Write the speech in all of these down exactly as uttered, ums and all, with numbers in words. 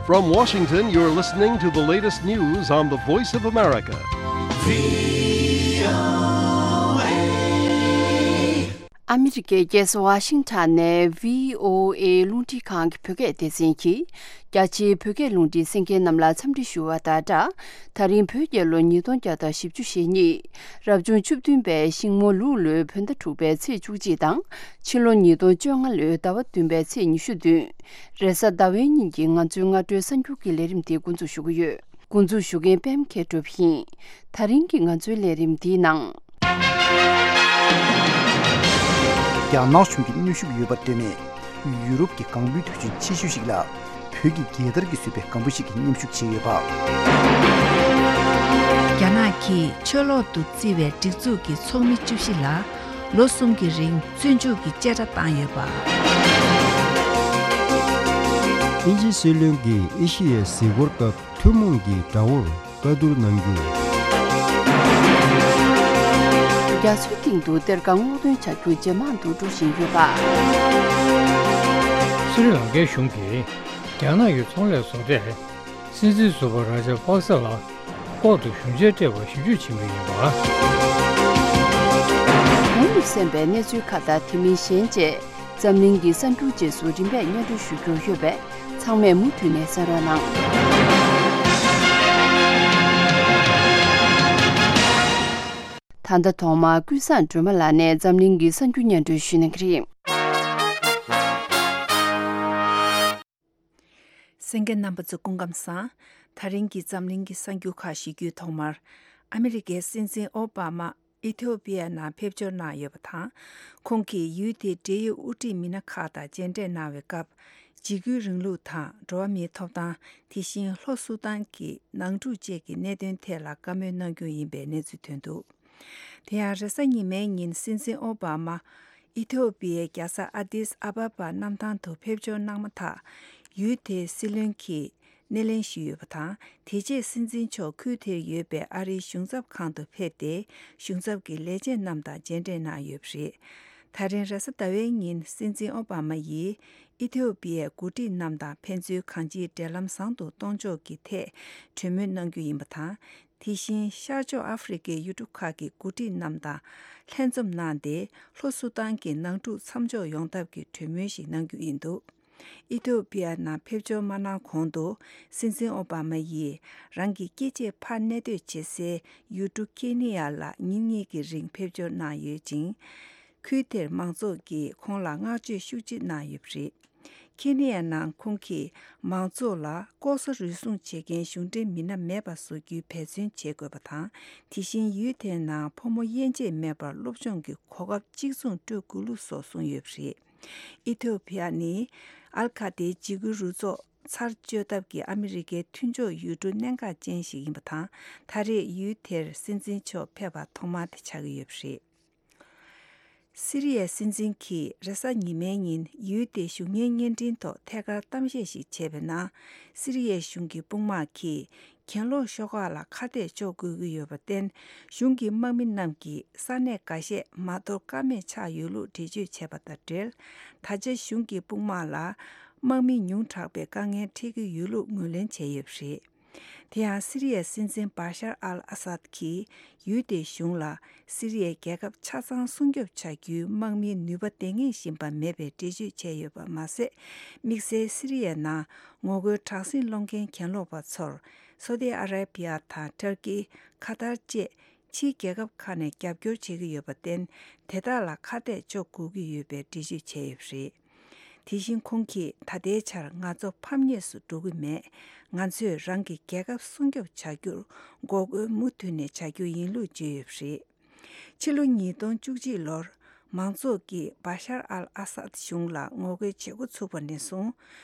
From Washington, you're listening to the latest news on the Voice of America. ཨ་མི་རི་ཀའི་རྒྱལ་ས་ཝ་ཤིང་ཊོན་ནས་བྷི་ཨོ་ཨེ་རླུང་འཕྲིན་ཁང་གི་བོད་སྐད་སྡེ་ཚན་གྱིས། རྒྱ་ཆེའི་བོད་སྐད་རླུང་འཕྲིན་གསན་མཁན་རྣམས་ལ་འཚམས་འདྲི་ཞུ་བ་དང་སྦྲགས། ད་རིང་བོད་རྒྱལ་ལོ་ཉིས་སྟོང་བརྒྱ་དང་བཞི་བཅུ་ཞེ་གཉིས། རབ་བྱུང་བཅུ་བདུན་པའི་ཤིང་མོ་ལུག་ལོའི་བོད་ཟླ་དྲུག་པའི་ཚེས་བཅུ་གཅིག་དང་། ཕྱི་ལོ་ཉིས་སྟོང་བཅོ་ལྔ་ལོའི་ཟླ་བ་བདུན་པའི་ཚེས་ཉི་ཤུ་བདུན། རེས་གཟའ་ཟླ་བའི་ཉིན་གྱི་ང་ཚོའི་སྔ་དྲོའི་གསར་འགྱུར་གྱི་ལས་རིམ་དེ་འགོ་འཛུགས་ཞུ་གི་ཡོད། འགོ་འཛུགས་ཞུ་མཁན་པད་མ་མཁས་གྲུབ་ཡིན། ད་རིང་གི་ང་ཚོའི་ལས་རིམ་འདིའི་ནང་། རྒྱ་ནག་གཞུང་གིས་གནོན་ཤུགས་ཡོད་པར་ལྟོས་ནས། ཡུ་རོབ་ཀྱི་སྒང་སྦུག་དུས་ཆེན་ཆེ་ཤོས་ཤིག་ལ། བོད་ཀྱི་རྒྱལ་དར་གྱིས་བཟོས་པའི་སྒམ་པོ་ཞིག་གིས་མཉམ་ཞུགས་བྱས་ཡོད་པ། རྒྱ་ནག་གིས་ཆུ་ལོག་ཏུ་བརྩི་བའི་སྒྲིག་འཛུགས་ཀྱི་ཚོགས་མི་བཅུ་བཞི་ལ་ལོ་གསུམ་གྱི་རིང་བཙོན་འཇུག་གི་བཅད་ཁྲ་བཏང་ཡོད་པ། དབྱིན་ཇིའི་སྲིད་བློན་གྱིས་ཨེ་ཤི་ཡའི་གཟིགས་སྐོར་སྐབས་ཐུན་མོང་གི་དགྲ་བོར་བཀའ་བསྡུར་གནང་རྒྱུ། རྒྱ་མཚོའི་སྟེང་དུ་གཏེར་ཁ་སྔོག་འདོན་བྱ་རྒྱུ་ཇེ་མང་དུ་འགྲོ་བཞིན་ཡོད་པ། སི་རི་ལང་ཀའི་གཞུང་གིས་རྒྱ་ནག་གི་ཚོང་ལས་བཟོ་གྲྭས་སྲིད་འཛིན་ཟུར་པ་ར་ཇ་པག་ས་ལ་ལྐོག་ཏུ་ཞུན་ཆས་སྤྲད་པར་ཞིབ་འཇུག་བྱེད་མུས་ཡིན་པ། གོང་དུ་གསན་པའི་གནས་ཚུལ་ཁག་དང་དེ་མིན་གཞན་བཅས། འཛམ་གླིང་གི་གསར་འགྱུར་རྗེས་སུ་རིམ་པས་སྙན་སྒྲོན་ཞུ་རྒྱུ་ཡོད་པས། ཚང་མས་མུ་མཐུད་ནས་གསན་རོགས་གནང་། ད་ལྟ་ཐོག་མར་ཀུན་བཟང་སྒྲོལ་མ་ལགས་ནས་འཛམ་གླིང་གི་གསར་འགྱུར་སྙན་སྒྲོན་ཞུ་གནང་གི་རེད། གསན་མཁན་རྣམ་པ་ཚོ་སྐུ་ཁམས་བཟང་། ད་རིང་གི་འཛམ་གླིང་གི་གསར་འགྱུར་ཁག་ཞུ་རྒྱུའི་ཐོག་མར། ཨ་མི་རི་ཀའི་སྲིད་འཛིན་ཨོ་བྷ་མ་ཨི་ཐི་ཡོ་པི་ཡ་ནང་ཕེབས་འབྱོར་གནང་ཡོད་པ་དང་། ཁོང་གིས་ཡུལ་དེའི་འབྲེལ་ཡོད་དབུ་ཁྲིད་མི་སྣ་ཁག་དང་མཇལ་འཕྲད་གནང་བའི་སྐབས། འཇིགས་སྐུལ་རིང་ལུགས་དང་འགྲོ་བ་མིའི་ཐོབ་ཐང་། དེ་བཞིན་ལྷོ་སུ་དཱན་གྱི་ནང་འཁྲུག་བཅས་ཀྱི་གནད་དོན་ཐད་ལ་བཀའ་མོལ་གནང་རྒྱུ་ཡིན་པའི་གནས་ཚུལ་ཐོན་འདུག། དེ་ཡང་རེས་གཟའ་ཉི་མའི་ཉིན་སྲིད་འཛིན་ཨོ་བྷ་མ་ཨི་ཐི་ཡོ་པི་ཡའི་རྒྱལ་ས་ཨ་དིས་ཨ་བ་བ་གནམ་ཐང་དུ་ཕེབས་འབྱོར་གནང་མ་ཐག་ཡུལ་དེའི་སྲིད་བློན་གྱིས་སྣེ་ལེན་ཞུས་ཡོད་པ་དང་། དེ་རྗེས་སྲིད་འཛིན་མཆོག་ཁུལ་དེར་ཡོད་པའི་ཨ་རིའི་གཞུང་ཚབ་ཁང་དུ་ཕེབས་ཏེ། གཞུང་ཚབ་ཀྱི་ལས་བྱེད་རྣམས་དང་མཇལ་འཕྲད་གནང་ཡོད་པ་རེད། ད་རིང་རེས་གཟའ་ཟླ་བའི་ཉིན་སྲིད་འཛིན་ཨོ་བྷ་མ་ཡིས་ཨི་ཐི་ཡོ་པི་ཡའི་འགོ་ཁྲིད་རྣམས་དང་ཕན་ཚུན་གང་ཅིའི་འབྲེལ་ལམ་བཟང་དུ་གཏོང་ཕྱོགས་ཀྱི་ཐད་གྲོས་མོལ་གནང་རྒྱུ་ཡིན་པ་དང་། དེ་བཞིན་ཤར་ཕྱོགས་ཨ་ཧྥེ་རི་ཁའི་ཡུལ་གྲུ་ཁག་གི་འགོ་ཁྲིད་རྣམས་དང་ལྷན་འཛོམས་གནང་སྟེ། ལྷོ་སུ་དཱན་གྱི་ནང་འཁྲུག་མཚམས་འཇོག་ཡོང་ཐབས་ཀྱི་གྲོས་མོལ་ཞིག་གནང་རྒྱུ་ཡིན་འདུག། ཨི་ཐི་ཡོ་པི་ཡ་ནང་ཕེབས་འབྱོར་མ་གནང་གོང་དུ། སྲིད་འཛིན་ཨོ་བྷ་མ་ཡིས་རང་གི་སྐྱེ་མཆེད་ཕར་གནས་སྡོད་བྱེད་སའི་ཡུལ་གྲུ་ཁེ་ནི་ཡ་ལ་ཉིན་གཉིས་ཀྱི་རིང་ཕེབས་འབྱོར་གནང་ཡོད་ཅིང་། ཁུལ་དེར་མང་ཚོགས་ཀྱིས་ཁོང་ལ་བསྔགས་བརྗོད་ཤུགས་ཆེ་གནང་ཡོད་པ་རེད། ཁེ་ནི་ཡ་ནང་ཁོང་གིས་མང་ཚོགས་ལ་ལྐོག་ཟ་རུལ་སུངས་བྱེད་མཁན་གཞུང་འབྲེལ་མི་སྣ་མེད་པ་བཟོ་རྒྱུའི་འབད་བརྩོན་བྱེད་དགོས་པ་དང་། དེ་བཞིན་ཡུལ་དེའི་ནང་ཕོ་མོ་དབྱེ་འབྱེད་མེད་པར་སློབ་སྦྱོང་གི་གོ་སྐབས་གཅིག་མཚུངས་སྤྲོད་དགོས་ལུགས་སོགས་གསུངས་ཡོད་པ་རེད། ཨི་ཐི་ཡོ་པི་ཡ་ནི་ཨལ་ཁ་ཏའི་འཇིགས་སྐུལ་རུ་ཚོགས་ཚར་གཅོད་ཐབས་ཀྱི་ཨ་མི་རི་ཀའི་མཐུན་ཕྱོགས་ཡུལ་གྲུ་གནད་འགག་ཅན་ཞིག་ཡིན་པ་དང་། ད་རེས་ཡུལ་དེར་སྲིད་འཛིན་མཆོག་ཕེབས་པ་ཐོག་མ་དེ་ཆགས་ཀྱི་ཡོད་པ་རེད། སི་རི་ཡའི་སྲིད་འཛིན་གྱིས་རེས་གཟའ་ཉི་མའི་ཉིན་ཡུལ་དེའི་གཞུང་གཉེར་བརྙན་འཕྲིན་ཐོག་ཐད་ཀར་གཏམ་བཤད་ཞིག་བྱས་པའི་ནང་། སི་རི་ཡའི་གཞུང་གི་དཔུང་དམག་གིས་གྱེན་ལོག་ཤོག་ཁག་ལ་ཁ་གཏད་གཅོག་དགོས་ཀྱི་ཡོད་པར་བརྟེན། གཞུང་གི་དམག་མི་རྣམས་ཀྱིས་ས་གནས་འགའ་ཤས་མ་དོར་ཀ་མེད་ཆགས་ཡོད་ལུགས་འགྲེལ་བརྗོད་བྱས་པ་དང་འབྲེལ། ད་ཆ་གཞུང་གི་དཔུང་དམག་ལ་དམག་མི་ཉུང་དྲགས་པའི་དཀའ་ངལ་འཕྲད་ཀྱི་ཡོད་ལུགས་ངོས་ལེན་བྱས་ཡོད་པ་རེད། དེ་ཡང་སི་རི་ཡའི་སྲིད་འཛིན་བཱ་ཤར་ཨལ་ཨ་སཱད་ཀྱིས་ཡུལ་དེའི་གཞུང་ལ་སི་རི་ཡའི་རྒྱལ་ཁབ་ཆ་ཚང་སྲུང་སྐྱོབ་བྱ་རྒྱུའི་དམག་མིའི་ནུས་པ་ལྡན་ངེས་བཞིན་པ་མེད་པའི་འགྲེལ་བརྗོད་བྱས་ཡོད་པ་མ་ཟད། དམིགས་བསལ་སི་རི་ཡའི་ནང་ངོ་རྒོལ་དྲག་ཟིང་སློང་མཁན་གྱེན་ལོག་པ་ཚོར་སོ་ཏི་ཨ་ར་པི་ཡ་དང་ཏུར་ཀི། ཁ་ཏར་བཅས་ཕྱིའི་རྒྱལ་ཁབ་ཁག་ནས་རྒྱབ་སྐྱོར་བྱེད་ཀྱི་ཡོད་པར་བརྟེན། དེ་དག་ལ་ཁ་གཏད་གཅོག་དགོས་ཀྱི་ཡོད་པའི་འགྲེལ་བརྗོད་བྱས་ཡོད་པ་རེད། དེ་བཞིན་ཁོང་གིས་ད་ལྟའི་ཆར་ང་ཚོ་ཕམ་ཉེས་སུ་འགྲོ་གི་མེད། ང་ཚོས་རང་གི་རྒྱལ་ཁབ་སྲུང་སྐྱོབ་བྱ་རྒྱུར་འགོག་རྒོལ་མུ་མཐུད་ནས་བྱ་རྒྱུ་ཡིན་ལུགས་བརྗོད་ཡོད་པ་རེད། ཕྱི་ལོ་ཉིས་སྟོང་བཅུ་གཅིག་ལོར་མང་ཚོགས་ཀྱིས་བཱ་ཤར་ཨལ་ཨ་སཱད་གཞུང་ལ་ངོ་རྒོལ་བྱེད་འགོ་ཚུགས་པ་ནས་བཟུང་།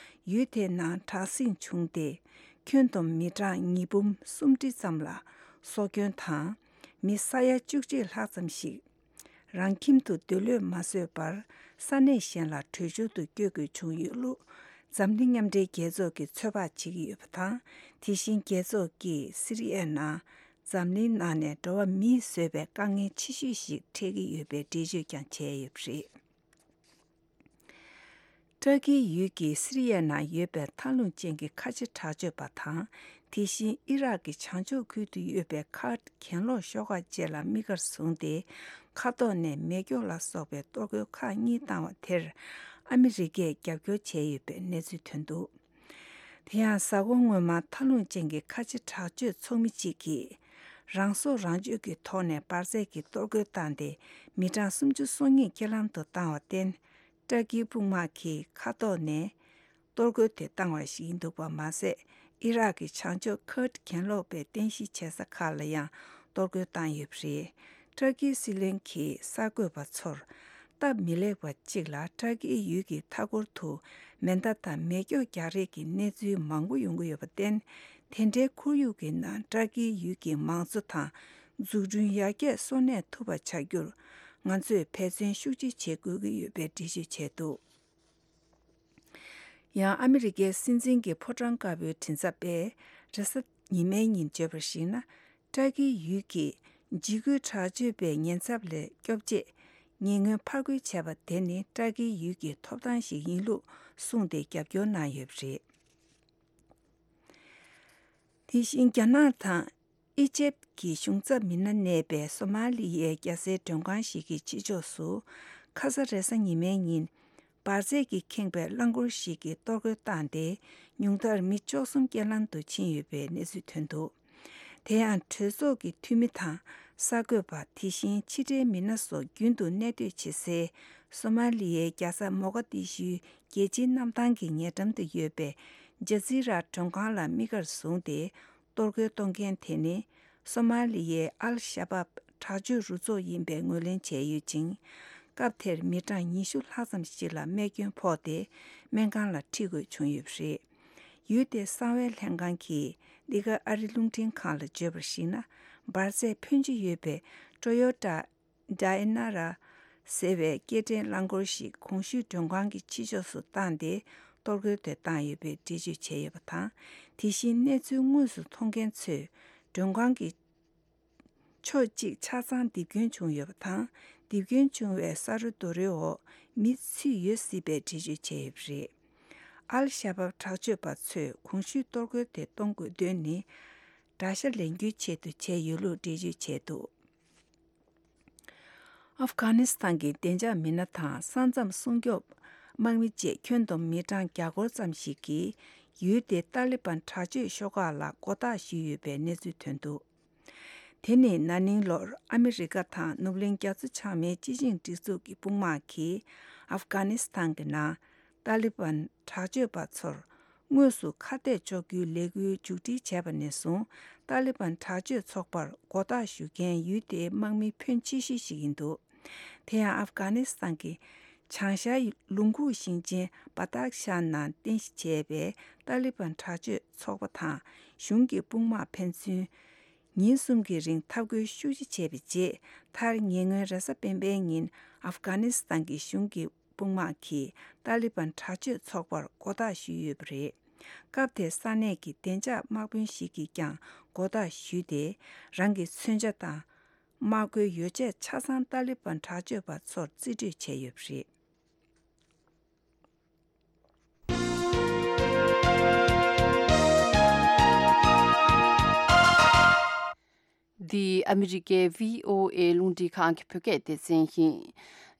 ཡུལ་དེའི་ནང་དྲག་ཟིང་བྱུང་སྟེ། ཁྱོན་བསྡོམས་མི་གྲངས་ཉིས་འབུམ་སུམ་ཁྲི་ཙམ་ལ་སྲོག་སྐྱོན་དང་། མི་ས་ཡ་བཅུ་གཅིག་ལྷག་ཙམ་ཞིག་རང་ཁྱིམ་དུ་སྡོད་ལོས་མ་བཟོད་པར་ས་གནས་གཞན་ལ་བྲོས་བྱོལ་དུ་བསྐྱོད་དགོས་བྱུང་ཡོད་ལུགས། འཛམ་གླིང་མཉམ་འབྲེལ་རྒྱལ་ཚོགས་ཀྱིས་ཚོད་དཔག་བྱེད་ཀྱི་ཡོད་པ་དང་། དེ་བཞིན་རྒྱལ་ཚོགས་ཀྱིས་སི་རི་ཡའི་ནང་འཛམ་གླིང་ནང་ནས་འགྲོ་བ་མིས་བཟོས་པའི་དཀའ་ངལ་ཆེ་ཤོས་ཤིག་འཕྲད་ཀྱི་ཡོད་པའི་འགྲེལ་བརྗོད་ཀྱང་བྱས་ཡོད་པ་རེད། ཏུར་ཀིའི་ཡུལ་གྱི་སི་རི་ཡའི་ནང་ཡོད་པའི་མཐའ་ལྷུང་ཅན་གྱི་ཁ་ཆེ་དྲག་སྤྱོད་པ་དང་། དེ་བཞིན་ཨི་རག་གི་བྱང་ཕྱོགས་ཁུལ་དུ་ཡོད་པའི་ཁར་ཌི་གྱེན་ལོག་ཤོག་ཁག་བཅས་ལ་དམིགས་བཀར་བཟུང་སྟེ། མཁའ་ཐོག་ནས་མེ་སྒྱོགས་ལ་སོགས་པའི་གཏོར་རྒོལ་ཁག་གཉིས་བཏང་བ་དེར། ཨ་མི་རི་ཀས་རྒྱབ་སྐྱོར་བྱས་ཡོད་པའི་གནས་ཚུལ་ཐོན་འདུག་དེ་ཡང་། གཟའ་འཁོར་སྔོན་མ་མཐའ་ལྷུང་ཅན་གྱི་ཁ་ཆེ་དྲག་སྤྱོད་ཚོགས་མི་གཅིག་གིས། རང་སྲོག་རང་གཅོད་ཀྱི་ཐོག་ནས་འབར་རྫས་ཀྱི་གཏོར་རྒོལ་བཏང་སྟེ། མི་གྲངས་སུམ་ཅུ་སོ་གཉིས་རྐྱེན་ལམ་དུ་བཏང་བར་བརྟེན། ཏུར་ཀིའི་དཔུང་དམག་གིས་མཁའ་ཐོག་ནས་གཏོར་རྒོལ་དེ་བཏང་བ་ཞིག་ཡིན་འདུག་པ་མ་ཟད། ཨི་རག་གི་བྱང་ཕྱོགས་ཁུར་ཌི་གྱེན་ལོག་པའི་རྟེན་གཞི་བྱེད་ས་ཁག་ལ་ཡང་གཏོར་རྒོལ་བཏང་ཡོད་པ་རེད། ཏུར་ཀིའི་སྲིད་བློན་གྱིས་གསར་འགོད་པ་ཚོར། སྟབས་མི་ལེགས་པ་གཅིག་ལ། ཏུར་ཀིའི་ཡུལ་གྱི་མཐའ་འཁོར་དུ་མེ་མདའ་དང་མེ་སྒྱོགས་རྒྱག་རེས་ཀྱི་གནས་ཚུལ་མང་པོ་ཡོང་གི་ཡོད་པར་བརྟེན། དེ་འདྲའི་ཁོར་ཡུག་གི་ནང་ཏུར་ཀིའི་ཡུལ་གྱི་མང་གཙོ་དང་འཛུགས་སྐྲུན་ཡར་རྒྱས་གསོ་གནས་ཐུབ་པ་བྱ་རྒྱུར། ང་ཚོས་འབད་བརྩོན་ཤུགས་ཆེ་བྱེད་དགོས་ཀྱི་ཡོད་པའི་འགྲེལ་བརྗོད་བྱས་འདུག་ཡང་། ཨ་མི་རི་ཀའི་སྲིད་འཛིན་གྱི་ཕོ་བྲང་དཀར་པོའི་མགྲིན་ཚབ་པས་རེས་གཟའ་ཉི་མའི་ཉིན་བརྗོད་པར་གཞིགས་ན། ཏུར་ཀིའི་ཡུལ་གྱི་འཇིགས་སྐུལ་དྲག་སྤྱོད་པའི་ཉེན་ཚབས་ལས་སྐྱོབ་ཆེད། ཉེ་སྔོན་ཕར་རྒོལ་བྱས་པ་དེ་ནི་ཏུར་ཀིའི་ཡུལ་གྱི་ཐོབ་ཐང་ཞིག་ཡིན་ལུགས་གསུངས་ཏེ་རྒྱབ་སྐྱོར་གནང་ཡོད་པ་རེད། དེ་བཞིན། རྒྱ་ནག་དང་། ཨི་ཇེབ་ཀྱི་གཞུང་ཚབ་མི་སྣ་གནས་པའི་སོ་མ་ལི་ཡའི་རྒྱལ་སའི་མགྲོན་ཁང་ཞིག་གི་ཕྱི་ཕྱོགས་སུ། ཁ་ས་རེས་གཟའ་ཉི་མའི་ཉིན། འབར་རྫས་ཀྱིས་ཁེངས་པའི་རླངས་འཁོར་ཞིག་གིས་གཏོར་རྒོལ་བཏང་སྟེ། ཉུང་མཐར་མི་བཅུ་གསུམ་རྐྱེན་ལམ་དུ་ཕྱིན་ཡོད་པའི་གནས་ཚུལ་ཐོན་འདུག་དེ་ཡང་། གྲོས་ཚོགས་ཀྱི་འཐུས་མི་དང་། གསར་འགོད་པ། དེ་བཞིན་ཕྱི་འབྲེལ་མི་སྣ་སོགས་རྒྱུན་དུ་གནས་སྡོད་བྱེད་སའི། སོ་མ་ལི་ཡའི་རྒྱལ་ས་མོ་ག་དི་ཤུའི་རྒྱལ་སྤྱིའི་གནམ་ཐང་གི་ཉེ་འགྲམ་དུ་ཡོད་པའི་ཇ་ཛི་ར་མགྲོན་ཁང་ལ་དམིགས་བཀར་བཟུང་སྟེ། གཏོར་རྒོལ་གཏོང་མཁན་དེ་ནི། སོ་མ་ལི་ཡའི་ཨལ་ཤ་བབ་དྲག་སྤྱོད་རུ་ཚོགས་ཡིན་པའི་ངོས་ལེན་བྱས་ཡོད་ཅིང་། སྐབས་དེར་མི་གྲངས་ཉི་ཤུ་ལྷག་ཙམ་ཞིག་ལ་རྨས་སྐྱོན་ཕོག་སྟེ། སྨན་ཁང་ལ་ཁྲིད་དགོས་བྱུང་ཡོད་པ་རེད། ཡུལ་དེའི་གསང་བའི་ལྷན་ཁང་གིས། འདི་ག་ཨ་རི་རླུང་འཕྲིན་ཁང་ལ་བརྗོད་པར་གཞིགས་ན། འབར་རྫས་ཕོན་ཆེ་ཡོད་པའི་ཊོ་ཡོ་ཊ་ཌའི་ན་ར་ཟེར་བའི་སྐྱེལ་འདྲེན་རླངས་འཁོར་ཞིག་གོང་ཞུས་མགྲོན་ཁང་གི་ཕྱི་ཕྱོགས་སུ་བཏང་སྟེ། གཏོར་རྒོལ་དེ་བཏང་ཡོད་པའི་འགྲེལ་བརྗོད་བྱས་ཡོད་པ་དང་། དེ་བཞིན་གནས་ཚུལ་དངོས་སུ་མཐོང་མཁན་ཚོས། མགྲོན་ཁང་གི་ཕྱོགས་གཅིག་ཆ་ཚང་རྡིབ་སྐྱོན་བྱུང་ཡོད་པ་དང་། རྡིབ་སྐྱོན་བྱུང་བའི་ས་རུ་རྡོ་རོའི་འོག་མི་ཚུད་ཡོད་སྲིད་པའི་འགྲེལ་བརྗོད་བྱས་ཡོད་པ་རེད། ཨལ་ཤ་བབ་དྲག་སྤྱོད་པ་ཚོས་གོང་ཞུས་གཏོར་རྒོལ་དེ་གཏོང་དགོས་དོན་ནི། དགྲ་ཤ་ལེན་རྒྱུའི་ཆེད་དུ་བྱས་ཡོད་ལུགས་འགྲེལ་བརྗོད་བྱས་འདུག་ཨབ་གྷ་ནི་སི་ཐན་གྱི་བདེ་འཇགས་མི་སྣ་དང་ས་མཚམས་སྲུང་སྐྱོབ་དམག་མི་བཅས་ཁྱོན་བསྡོམས་མི་གྲངས་བརྒྱ་སྐོར་ཙམ་ཞིག་གིས་ཡུལ་དེའི་ཏཱ་ལི་བན་དྲག་སྤྱོད་ཤོག་ཁག་ལ་མགོ་བཏགས་ཞུས་ཡོད་པའི་གནས་ཚུལ་ཐོན་འདུག་དེ་ནི་ན་ནིང་ལོར་ཨ་མི་རི་ཀ་དང་ནུབ་གླིང་རྒྱ་མཚོ་བྱང་མའི་སྤྱི་ཆིངས་སྒྲིག་འཛུགས་ཀྱི་དཔུང་དམག་གིས་ཨབ་གྷ་ནི་སི་ཐན་གྱི་ནང་ཏཱ་ལི་བན་དྲག་སྤྱོད་པ་ཚོར་དངོས་སུ་ཁ་གཏད་གཅོག་རྒྱུའི་ལས་འགུལ་མཇུག་སྒྲིལ་བྱས་པ་ནས་བཟུང་། ཏཱ་ལི་བན་དྲག་སྤྱོད་ཚོགས་པར་མགོ་བཏགས་ཞུ་མཁན་ཡུལ་དེའི་དམག་མི་ཕོན་ཆེ་ཤོས་ཤིག་ཡིན་འདུག་དེ་ཡང་ཨབ་གྷ་ནི་སི་ཐན་གྱི་བྱང་ཤར་ལུང་ཁུག་ཞིང་ཆེན་བ་དག་ཤ་ནང་རྟེན་གཞི་བྱས་པའི་ཏཱ་ལི་བན་དྲག་སྤྱོད་ཚོགས་པ་དང་གཞུང་གི་དཔུང་དམག་ཕན་ཚུན། ཉིན་གསུམ་གྱི་རིང་འཐབ་རྒོལ་ཤུགས་ཆེ་བྱས་པའི་རྗེས། མཐར་ཉེ་སྔོན་རེས་གཟའ་སྤེན་པའི་ཉིན་ཨབ་གྷ་ནི་སི་ཐན་གྱི་གཞུང་གི་དཔུང་དམག་གིས་ཏཱ་ལི་བན་དྲག་སྤྱོད་ཚོགས་པར་མགོ་བཏགས་ཞུས་ཡོད་པ་རེད། སྐབས་དེར་ས་གནས་ཀྱི་བདེ་འཇགས་དམག་དཔོན་ཞིག་གིས་ཀྱང་མགོ་བཏགས་ཞུས་ཏེ། རང་གི་མཚོན་ཆ་དང་། དམག་མཁོའི་ཡོ་བྱད་ཆ་ཚང་ཏཱ་ལི་བན་དྲག་སྤྱོད་པ་ཚོར་རྩིས་སྤྲོད་བྱས་ཡོད་པ་རེད། འདི་ཨ་མི་རི་ཀའི་བྷི་ཨོ་ཨེ་རླུང་འཕྲིན་ཁང་གི་བོད་སྐད་སྡེ་ཚན་ཡིན།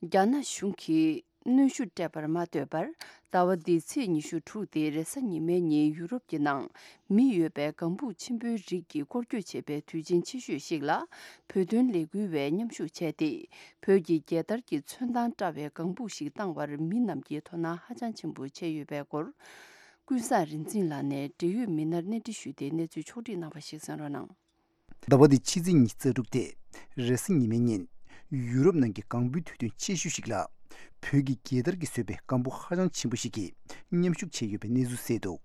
རྒྱ་ནག་གཞུང་གིས་གནོན་ཤུགས་སྤྲད་པར་མ་ལྟོས་པར། ཟླ་བ་འདིའི་ཚེས་ཉི་ཤུ་དྲུག་སྟེ་རེས་གཟའ་ཉི་མའི་ཉིན་ཡུ་རོབ་ཀྱི་ནང་མི་ཡོད་པའི་ལྒང་བུ་ཆེན་པོའི་རིགས་ཀྱི་སྐོར་སྐྱོད་བྱེད་པའི་དུས་ཆེན་ཆེ་ཤོས་ཤིག་ལ། བོད་དོན་ལས་འགུལ་བས་མཉམ་ཞུགས་བྱས་ཏེ། བོད་ཀྱི་རྒྱལ་དར་གྱི་ཚོན་མདངས་བཀྲ་བའི་ལྒང་བུ་ཞིག་བཏང་བར་མི་རྣམས་ཀྱིས་དོ་སྣང་ཧ་ཅང་ཆེན་པོ་བྱས་ཡོད་པའི་སྐོར། ཀུན་བཟང་རིག་འཛིན་ལགས་ནས་འབྲེལ་ཡོད་མི་སྣར་གནས་འདྲི་ཞུས་ཏེ་གནས་ཚུལ་ཕྱོགས་སྒྲིག་གནང་བ་ཞིག་གསན་རོགས་གནང་། ཟླ་བ་འདིའི་ཕྱི་ཚེས་ཉི་ཤུ་རྩ་དྲུག་སྟེ། རེས་གཟའ་ཉི་མའི་ཉིན། ཡུ་རོབ་ནང་གི་ལྒང་བུའི་དུས་སྟོན་ཆེ་ཤོས་ཤིག་ལ། བོད་ཀྱི་རྒྱལ་དར་གྱིས་བཟོས་པའི་ལྒང་བུ་ཧ་ཅང་ཆེན་པོ་ཞིག་གིས་མཉམ་ཞུགས་བྱས་ཡོད་པའི་གནས་ཚུལ་གསལ་འདུག་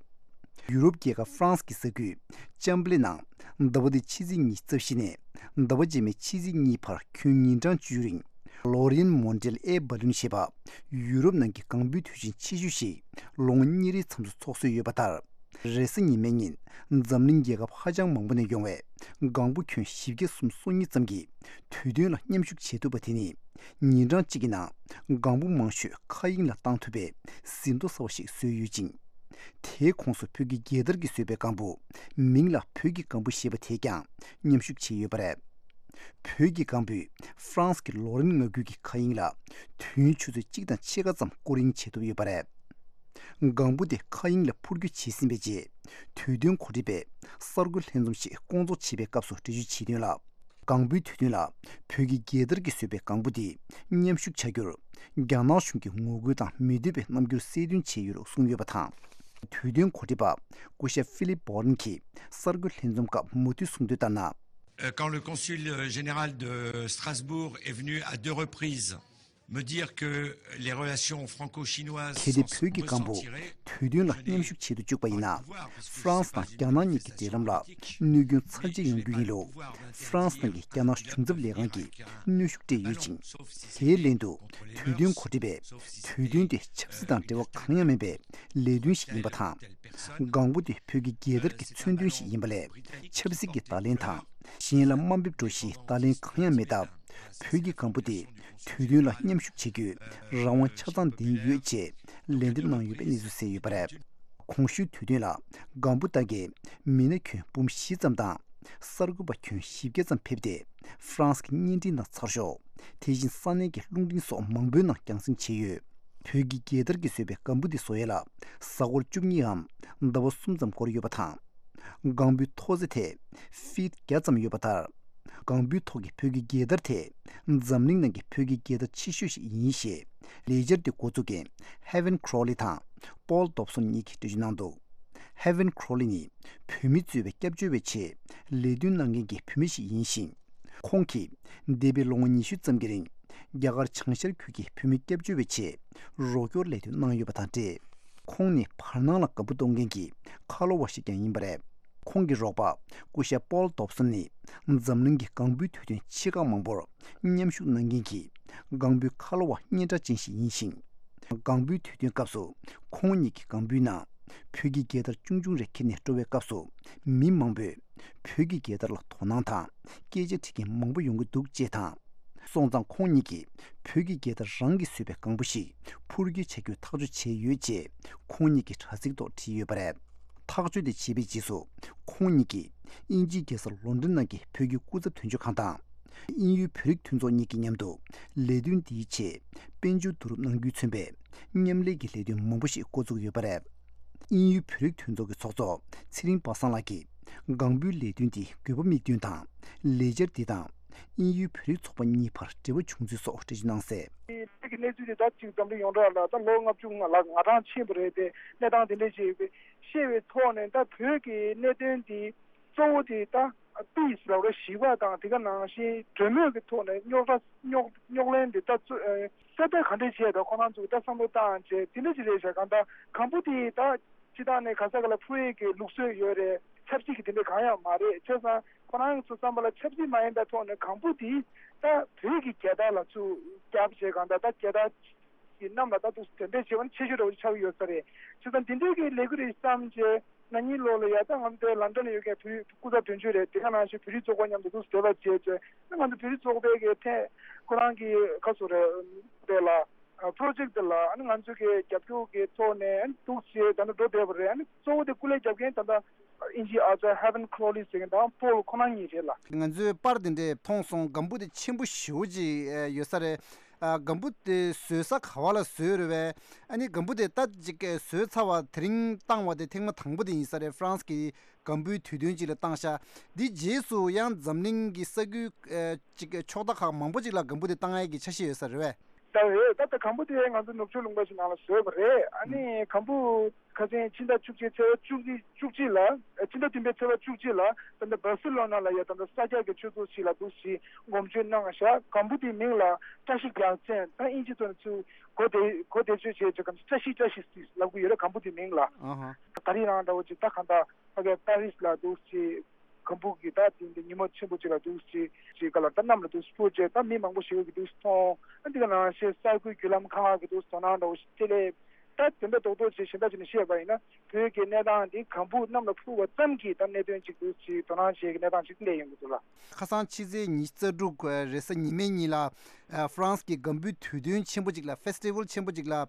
ཡུ་རོབ་རྒྱལ་ཁབ་ཧྥ་རན་སི་གི་ས་ཁུལ་ཅམ་པ་ལེ་ནང་ཟླ་བ་འདིའི་ཕྱི་ཚེས་ཉི་ཤུ་རྩ་བཞི་ནས་ཟླ་བ་རྗེས་མའི་ཕྱི་ཚེས་གཉིས་བར་ཁྱོན་ཉིན་གྲངས་བཅུ་རིང་། ལོ་རི་ཡན་མོན་ཌི་ཡལ་ཨེ་བྷ་ལུན་ཞེས་པ་ཡུ་རོབ་ནང་གི་ལྒང་བུའི་དུས་ཆེན་ཆེ་ཤོས་ཤིག་ལོ་ངོ་གཉིས་རེའི་མཚམས་སུ་འཚོགས་སྲོལ་ཡོད་པ་ལྟར། རེས་གཟའ་ཉི་མའི་ཉིན་འཛམ་གླིང་རྒྱལ་ཁབ་ཧ་ཅང་མང་པོ་ནས་ཡོང་བའི་ལྒང་བུ་ཁྱོན་བཞི་བརྒྱ་སུམ་ཅུ་སོ་གཉིས་ཙམ་གྱིས་དུས་སྟོན་ལ་མཉམ་ཞུགས་བྱེད་ཐུབ་པ་དེ་ནི། ཉིན་གྲངས་གཅིག་གི་ནང་ལྒང་བུ་མང་ཤོས་མཁའ་དབྱིངས་ལ་བཏང་ཐུབ་པའི་ཟིན་ཐོ་གསར་བ་ཞིག་བཟོས་ཡོད་ཅིང་། དེའི་ཁོངས་སུ་བོད་ཀྱི་རྒྱལ་དར་གྱིས་བཟོས་པའི་ལྒང་བུ། མིང་ལ་བོད་ཀྱི་ལྒང་བུ་ཞེས་པ་དེས་ཀྱང་མཉམ་ཞུགས་བྱས་ཡོད་པ་རེད། བོད་ཀྱི་ལྒང་བུས་ཧྥ་རན་སི་གི་ལོ་རེན་མངའ་ཁུལ་གྱི་མཁའ་དབྱིངས་ལ་དུས་ཡུན་ཆུ་ཚོད་གཅིག་དང་ཕྱེད་ཀ་ཙམ་སྐོར་གཡེང་བྱེད་ཐུབ་ཡོད་པ་རེད། ལྒང་བུ་དེ་མཁའ་དབྱིངས་ལ་འཕུར་སྐྱོད་བྱས་ཟིན་པའི་རྗེས། དུས་སྟོན་གོ་སྒྲིག་པས་གསར་འགོད་ལྷན་འཛོམས་ཤིག་སྐོང་ཚོགས་བྱེད་པའི་སྐབས་སུ་འགྲེལ་བརྗོད་བྱས་དོན་ལ། ལྒང་བུའི་དུས་སྟོན་ལ་བོད་ཀྱི་རྒྱལ་དར་གྱིས་བཟོས་པའི་ལྒང་བུ་དེ་མཉམ་ཞུགས་བྱ་རྒྱུར། རྒྱ་ནག་གཞུང་གིས་ངོ་རྒོལ་དང་མི་འདོད་པའི་རྣམ་འགྱུར་གསལ་སྟོན་བྱས་ཡོད་ལུགས་གསུངས་ཡོད་པ་དང་། དུས་སྟོན་གོ་སྒྲིག་པ་སྐུ་ཞབས་ཧྥི་ལིབ་བྷོ་རན་གྱིས་གསར་འགོད་ལྷན་འཛོམས་སྐབས་མུ་མཐུད་གསུངས་དོན་ལྟར་ན། Euh, quand le consul, euh, général de Strasbourg est venu à deux reprises me dire que les relations franco-chinoises sont, sont ressentirées, je n'ai pas pu avoir à pouvoir parce que je suis en train de travailler. གལ་ཏེ་བོད་ཀྱི་ལྒང་བུ་དུས་སྟོན་ལ་མཉམ་ཞུགས་བྱེད་དུ་བཅུག་པ་ཡིན་ན། ཧྥ་རན་སི་དང་རྒྱ་ནག་གཉིས་ཀྱི་འབྲེལ་ལམ་ལ་གནོད་སྐྱོན་ཚབས་ཆེ་ཡོང་རྒྱུ་ཡིན་ལུགས། ཧྥ་རན་སི་ནང་གི་རྒྱ་ནག་གཞུང་ཚབ་ལས་ཁང་གིས་གནོན་ཤུགས་སྤྲད་ཡོད་ཅིང་། དེའི་ལན་དུ། དུས་སྟོན་གོ་སྒྲིག་པས་དུས་སྟོན་དེ་ཆབ་སྲིད་དང་འབྲེལ་བ་གང་ཡང་མེད་པའི་ལས་དོན་ཞིག་ཡིན་པ་དང་། ལྒང་བུ་དེ་བོད་ཀྱི་རྒྱལ་དར་གྱི་མཚོན་དོན་ཞིག་ཡིན་པ་ལས། ཆབ་སྲིད་ཀྱི་བརྡ་ལན་དང་། གཞན་ལ་དམའ་འབེབས་འགྲོ་གཞིའི་བརྡ་ལན་གང་ཡང་མེད་སྟབས། བོད་ཀྱི་ལྒང་བུ་དེ་དུས་སྟོན་ལ་མཉམ་ཞུགས་བྱེད་རྒྱུའི་རང་དབང་ཆ་ཚང་ལྡན་ཡོད་ཅེས་ལན་འདེབས་གནང་ཡོད་པའི་གནས་ཚུལ་གསལ་ཡོད་པ་རེད། གོང་ཞུས་དུས་སྟོན་ལ་ལྒང་བུ་ལྟ་མཁན་མི་སྣ་ཁྱོན་འབུམ་བཞི་ཙམ་དང་། གསར་འགོད་པ་ཁྱོན་བཞི་བརྒྱ་ཙམ་ཕེབས་ཏེ། ཧྥ་རན་སི་གི་བརྙན་འཕྲིན་དང་ཚགས་ཤོག་དེ་བཞིན་ས་གནས་ཀྱི་རླུང་འཕྲིན་སོགས་མང་པོའི་ནང་རྒྱང་སྲིང་བྱས་ཡོད། བོད་ཀྱི་རྒྱལ་དར་གྱིས་བཟོས་པའི་ལྒང་བུ་འདི་བཟོ་ཡས་ལ་གཟའ་འཁོར་བཅུ་གཉིས་འམ་ཟླ་བ་གསུམ་ཙམ་འགོར་ཡོད་པ་དང་། ལྒང་བུའི་མཐོ་ཚད་དེ་ཧྥིཊ་བརྒྱ་ཙམ་ཡོད་པ་ལྟར། ལྒང་བུའི་ཐོག་གི་བོད་ཀྱི་རྒྱལ་དར་དེ་འཛམ་གླིང་ནང་གི་བོད་ཀྱི་རྒྱལ་དར་ཆེ་ཤོས་ཤིག་ཡིན་ཞེས་ལས་འཆར་འདི་འགོ་འཛུགས་མཁན་ཧེ་ཝན་ཁྲོ་ལི་དང་པོལ་དོབ་སོན་གཉིས་ཀྱིས་འགྲེལ་བརྗོད་གནང་འདུག་ཧེ་ཝན་ཁྲོ་ལི་ནི་བོད་མི་གཙོས་པའི་སྐྱབས་བཅོལ་བའི་ཆེད་ལས་དོན་གནང་མཁན་གྱི་བོད་མི་ཞིག་ཡིན་ཞིང་། ཁོང་གིས་འདས་པའི་ལོ་ངོ་ཉི་ཤུ་ཙམ་གྱི་རིང་རྒྱ་གར་བྱང་ཤར་ཁུལ་གྱི་བོད་མི་སྐྱབས་བཅོལ་བའི་ཆེད་རོགས་སྐྱོར་ལས་དོན་གནང་ཡོད་པ་དང་འབྲེལ། ཁོང་ནི་བར་སྣང་ལ་ལྒང་བུ་གཏོང་མཁན་གྱི་ཁ་ལོ་བ་ཞིག་ཀྱང་ཡིན་པ་རེད། ཁོང་གི་རོགས་པ་སྐུ་ཞབས་པོལ་དོབ་སོན་ནི་འཛམ་གླིང་གི་ལྒང་བུའི་དུས་སྟོན་ཆེ་ཁག་མང་པོར་མཉམ་ཞུགས་གནང་མཁན་གྱི་ལྒང་བུའི་ཁ་ལོ་བ་སྙན་གྲགས་ཅན་ཞིག་ཡིན་ཞིང་། ལྒང་བུའི་དུས་སྟོན་སྐབས་སུ་ཁོང་ཉིད་ཀྱི་ལྒང་བུའི་ནང་བོད་ཀྱི་རྒྱལ་དར་ཆུང་ཆུང་རེ་འཁྱེར་ནས་འགྲོ་བའི་སྐབས་སུ་མི་མང་པོས་བོད་ཀྱི་རྒྱལ་དར་ལ་དོ་སྣང་དང་སྐད་ཆ་དྲི་མཁན་མང་པོ་ཡོང་གི་འདུག་ཅེས་དང་། སོང་ཙང་ཁོང་ཉིད་ཀྱིས་བོད་ཀྱི་རྒྱལ་དར་རང་གིས་བཟོས་པའི་ལྒང་བུ་ཞིག་འཕུར་སྐྱོད་བྱ་རྒྱུའི་ཐག་གཅོད་བྱས་ཡོད་ཅེས་ཁོང་ཉིད་ཀྱི་དྲ་ཚིགས་ཐོག་བྲིས་ཡོད་པ་རེད། ཐག་གཅོད་དེ་བྱས་པའི་རྗེས་སུ་ཁོང་ཉིད་ཀྱིས་དབྱིན་ཇིའི་རྒྱལ་ས་ལོན་ཌོན་ནང་གི་བོད་ཀྱི་སྐུ་ཚབ་དོན་གཅོད་ཁང་དང་དབྱིན་ཡུལ་བོད་རིགས་མཐུན་ཚོགས་གཉིས་ཀྱི་མཉམ་དུ་ལས་དོན་འདིའི་ཆེད་དཔལ་འབྱོར་བསྡུ་རུབ་གནང་རྒྱུས་མཚོན་པའི་མཉམ་ལས་ཀྱི་ལས་དོན་མང་པོ་ཞིག་འགོ་བཙུགས་ཡོད་པ་རེད། དབྱིན་ཡུལ་བོད་རིགས་མཐུན་ཚོགས་ཀྱི་ཚོགས་གཙོ་ཚེ་རིང་པ་སངས་ལགས་ཀྱིས་ལྒང་བུའི་ལས་དོན་འདིའི་དགོས་པ་དམིགས་འདུན་དང་ལས་འཆར་འདི་དང་དབྱིན་ཡུལ་བོད་རིགས་ཚོགས་པ་གཉིས་བར་འབྲེལ་བ་བྱུང་ཚུལ་སོགས་འགྲེལ་བརྗོད་གནང་གསལ། དེ་གི་གནས་ཚུལ་དེ་ད་ཅིག་འཛམ་གླིང་ཡོངས་གྲགས་ལ་ད་ལོ་ལྔ་བཅུ་ང་ལ་ང་གྲངས་ཕྱིན་པ་རེད་དེ། གནས་སྟངས་དེ་འདྲས་ཅིག་ཤེས་པའི་ཐོག་ནས་ད་བོད་ཀྱི་གནད་དོན་དེ་གཙོ་བོ་དེ་ད་པིས་ལབ་ར་ཞི་བ་དང་དེ་ག་ནང་བཞིན་གྲོས་མོལ་གྱི་ཐོག་ནས་རྙོག་དྲ་རྙོག་རྙོག་གླེང་དེ་ད་གཙོ་ཨེ་སེལ་ཐབས་ག་འདྲས་བྱས་ད་ཁོ་རང་ཚོས་ད་བསམ་བློ་བཏང་བྱས་དེ་འདྲས་ཅིག་རེད་བྱ་གང་ད་གང་པོ་དེ་ད་སྤྱི་བཏང་ནས་ག་ས་ག་ལ་འཕུར་ཡས་ཀྱི་ལུགས་སྲོལ་ཡོད་རེད། ཆབ་སྲིད་ཀྱི་དེ་འདྲས་གང་ཡང་མ་རེད། བྱས་ཙང་ཁོ་རང་ཚོ་བསམ་པ་ལ་ཆབ་སྲིད་མ་ཡིན་པའི་ཐོག་ནས་གང་པོ་དེ་ད་བོད་ཀྱི་རྒྱལ་དར་ལ་ཚུར་རྒྱབ་བྱས་གང་ད་ད་རྒྱལ་དར་གྱི་གནམ་ལ་ད་འདུག་སེ་འགྲེམས་སྤེལ་བྱེད་པ་ནི་ཆེ་ཤོས་འདྲ་བོ་ཞིག་ཆགས་ཀྱི་ཡོད་ས་རེད། བྱས་ཙང་འདི་འདྲའི་གི་ལས་འགུལ་རེ་བརྩམས་རྗེས་ན་ནིང་ལོ་ལ་ཡ་ད་ང་ཚོ་དེ་ལན་ཌན་ལ་ཡོད་མཁན་བོད་རིགས་སྐུ་ཚབ་དོན་གཅོད་རེད། དེ་ག་ནང་བཞིན་བོད་རིགས་ཚོགས་པ་མཉམ་དུ་འདུག་སེ་འབྲེལ་བ་བྱས་རྗེས་ང་ཚོ་བོད་རིགས་ཚོགས་པའི་གི་ཐད་ཁོ་རང་གི་ཁ་སོ་རེད་དེ་ལ་པྲོ་ཇེག་དེ་ལ་ཨ་ནི་ང་ཚོ་གི་རྒྱབ་སྐྱོར་གི་ཐོག་ནས་ཨ་ནི་འདུག་སེ་ད་ནི་འགྲོ་བསྡད་པ་རེད། ཨ་ནི་གཙོ་བོ་དེ་སྐུ་ལས་རྒྱབ་མཁན་ད་ལྟ་དབྱིན་ཇིའི་ཨ་ཅག་ཧེ་ཝན་ཁྲོ་ལི་ཟེར་མཁན་དང་པོལ་ཁོ་རང་གཉིས་རེད་ལ། ང་ཚོས་པར་དེ་འདྲས་མཐོང་སོང་། སྒམ་པོ་དེ་ཆེན་པོ་ཞེ་པོ་ཅིག་ཡོད་ས་རེད། ཨ། སྒམ་པོ་དེ་བཟོས་ས་ག་བ་ལ་བཟོས་རེད་བས། ཨ་ནི་སྒམ་པོ་དེ་ད་ཅིག་བཟོས་ཚར་བ་དེ་རིང་བཏང་བ་དེ་ཐེངས་མ་དང་པོ་དེ་ཡིན་ས་རེད། ཧྥ་རན་སི་གི་སྒམ་པོའི་དུས་སྟོན་ཅིག་ལ་བཏང་ཤག་འདི་རྗེས་སུ་ཡང་འཛམ་གླིང་གི་ས་ཁུལ་ཨ་ཅིག་ཕྱོགས་མཐའ་ཁག་མང་པོ་ཅིག་ལ་སྒམ་པོ་དེ་བཏང་ཡས་ཀྱི་འཆར་གཞི་ཡོད་ས་རེད་བས། ད་རེད། ད་ལྟ་སྒམ་པོ་དེ་ང་ཚོ་ནུབ་ཕྱོགས་ལུང་པ་ཞིག་ནང་ལ་བཟོས་པ་རེད། ཨ་ནི་སྒམ་པོ་ཁ་སང་ཕྱི་ཟླ་བཅུ་གཅིག་ཚེས་པ་བཅུ་གཅིག་བཅུ་གཅིག་ལ། ཕྱི་ཟླ་བདུན་པའི་ཚེས་པ་བཅུ་གཅིག་ལ་ད་ལྟ་སྦར་སི་ལོ་ན་ལ་ཡ་ད་ལྟ་ས་སྐྱ་གི་ཆོས་ཚོགས་ཤིག་ལ་འདུག་སེ་སྒོམ་བརྒྱུད་གནང་ཤག་སྒམ་པོ་དེའི་མིང་ལ་བཀྲ་ཤིས་རྒྱལ་མཚན། ད་དབྱིན་ཇི་ཐོག་ནས་ཚུར་གོ་བདེ་གོ་བདེ་ཤོས་བྱས་ཅིག་གམ་བཀྲ་ཤིས་བཀྲ་ཤིས་ཟེར་ལབ་གི་ཡོད་རེད། སྒམ་པོ་དེའི་མིང་ལ། ཨ་ཧ། ད་རེས་རང་འདྲ་བོ་ཅིག་ད་གང་ལྟར་ཕ་གིའི་པ་རིས་ལ་འདུག་སེ་སྒམ་པོ་གི་ད་དེ་འདི་ཉིན་མོ་ཆེན་པོ་ཅིག་ལ་འདུག་སེ་ཅིག་ག་ལ་ད་གནམ་ལ་འདུག་སེ་འཕུར་བྱས་ད་མི་མང་པོ་ཞིག་གིས་འདུག་སེ་མཐོང་། ཨ་འདི་ག་ནང་བཞིན་ས་ཁུལ་བརྒྱུད་ལམ་ཁག་གི་འདུག་སེ་དོ་སྣང་འདྲ་བོ་ཞིག་སྤྲད་ལེ། ད་དེ་འདྲ་རྡོག་རྡོག་ཅིག་གཞན་དག་ཅིག་ནས་བཤད་པ་ཡིན་ན། བོད་ཀྱི་གནས་སྟངས་འདི་གམ་བུ་གནམ་ལ་འཕུར་བ་ཙམ་གྱིས་ད་གནད་དོན་ཅིག་འདུག་ཅིག་དོ་སྣང་བྱེད་ཀྱི་གནས་སྟངས་ཅིག་སླེབས་ཡོང་གི་འདུག་ལ། ཁ་སང་ཕྱི་ཚེས་ཉི་ཤུ་རྩ་དྲུག་རེས་གཟའ་ཉི་མའི་ཉིན་ལ་ཨ་ཧྥ་རན་སི་གི་གམ་བུའི་དུས་སྟོན་ཆེན་པོ་ཅིག་ལ། ཕེ་སི་ཊི་ཝལ་ཆེན་པོ་ཅིག་ལ་ཨ་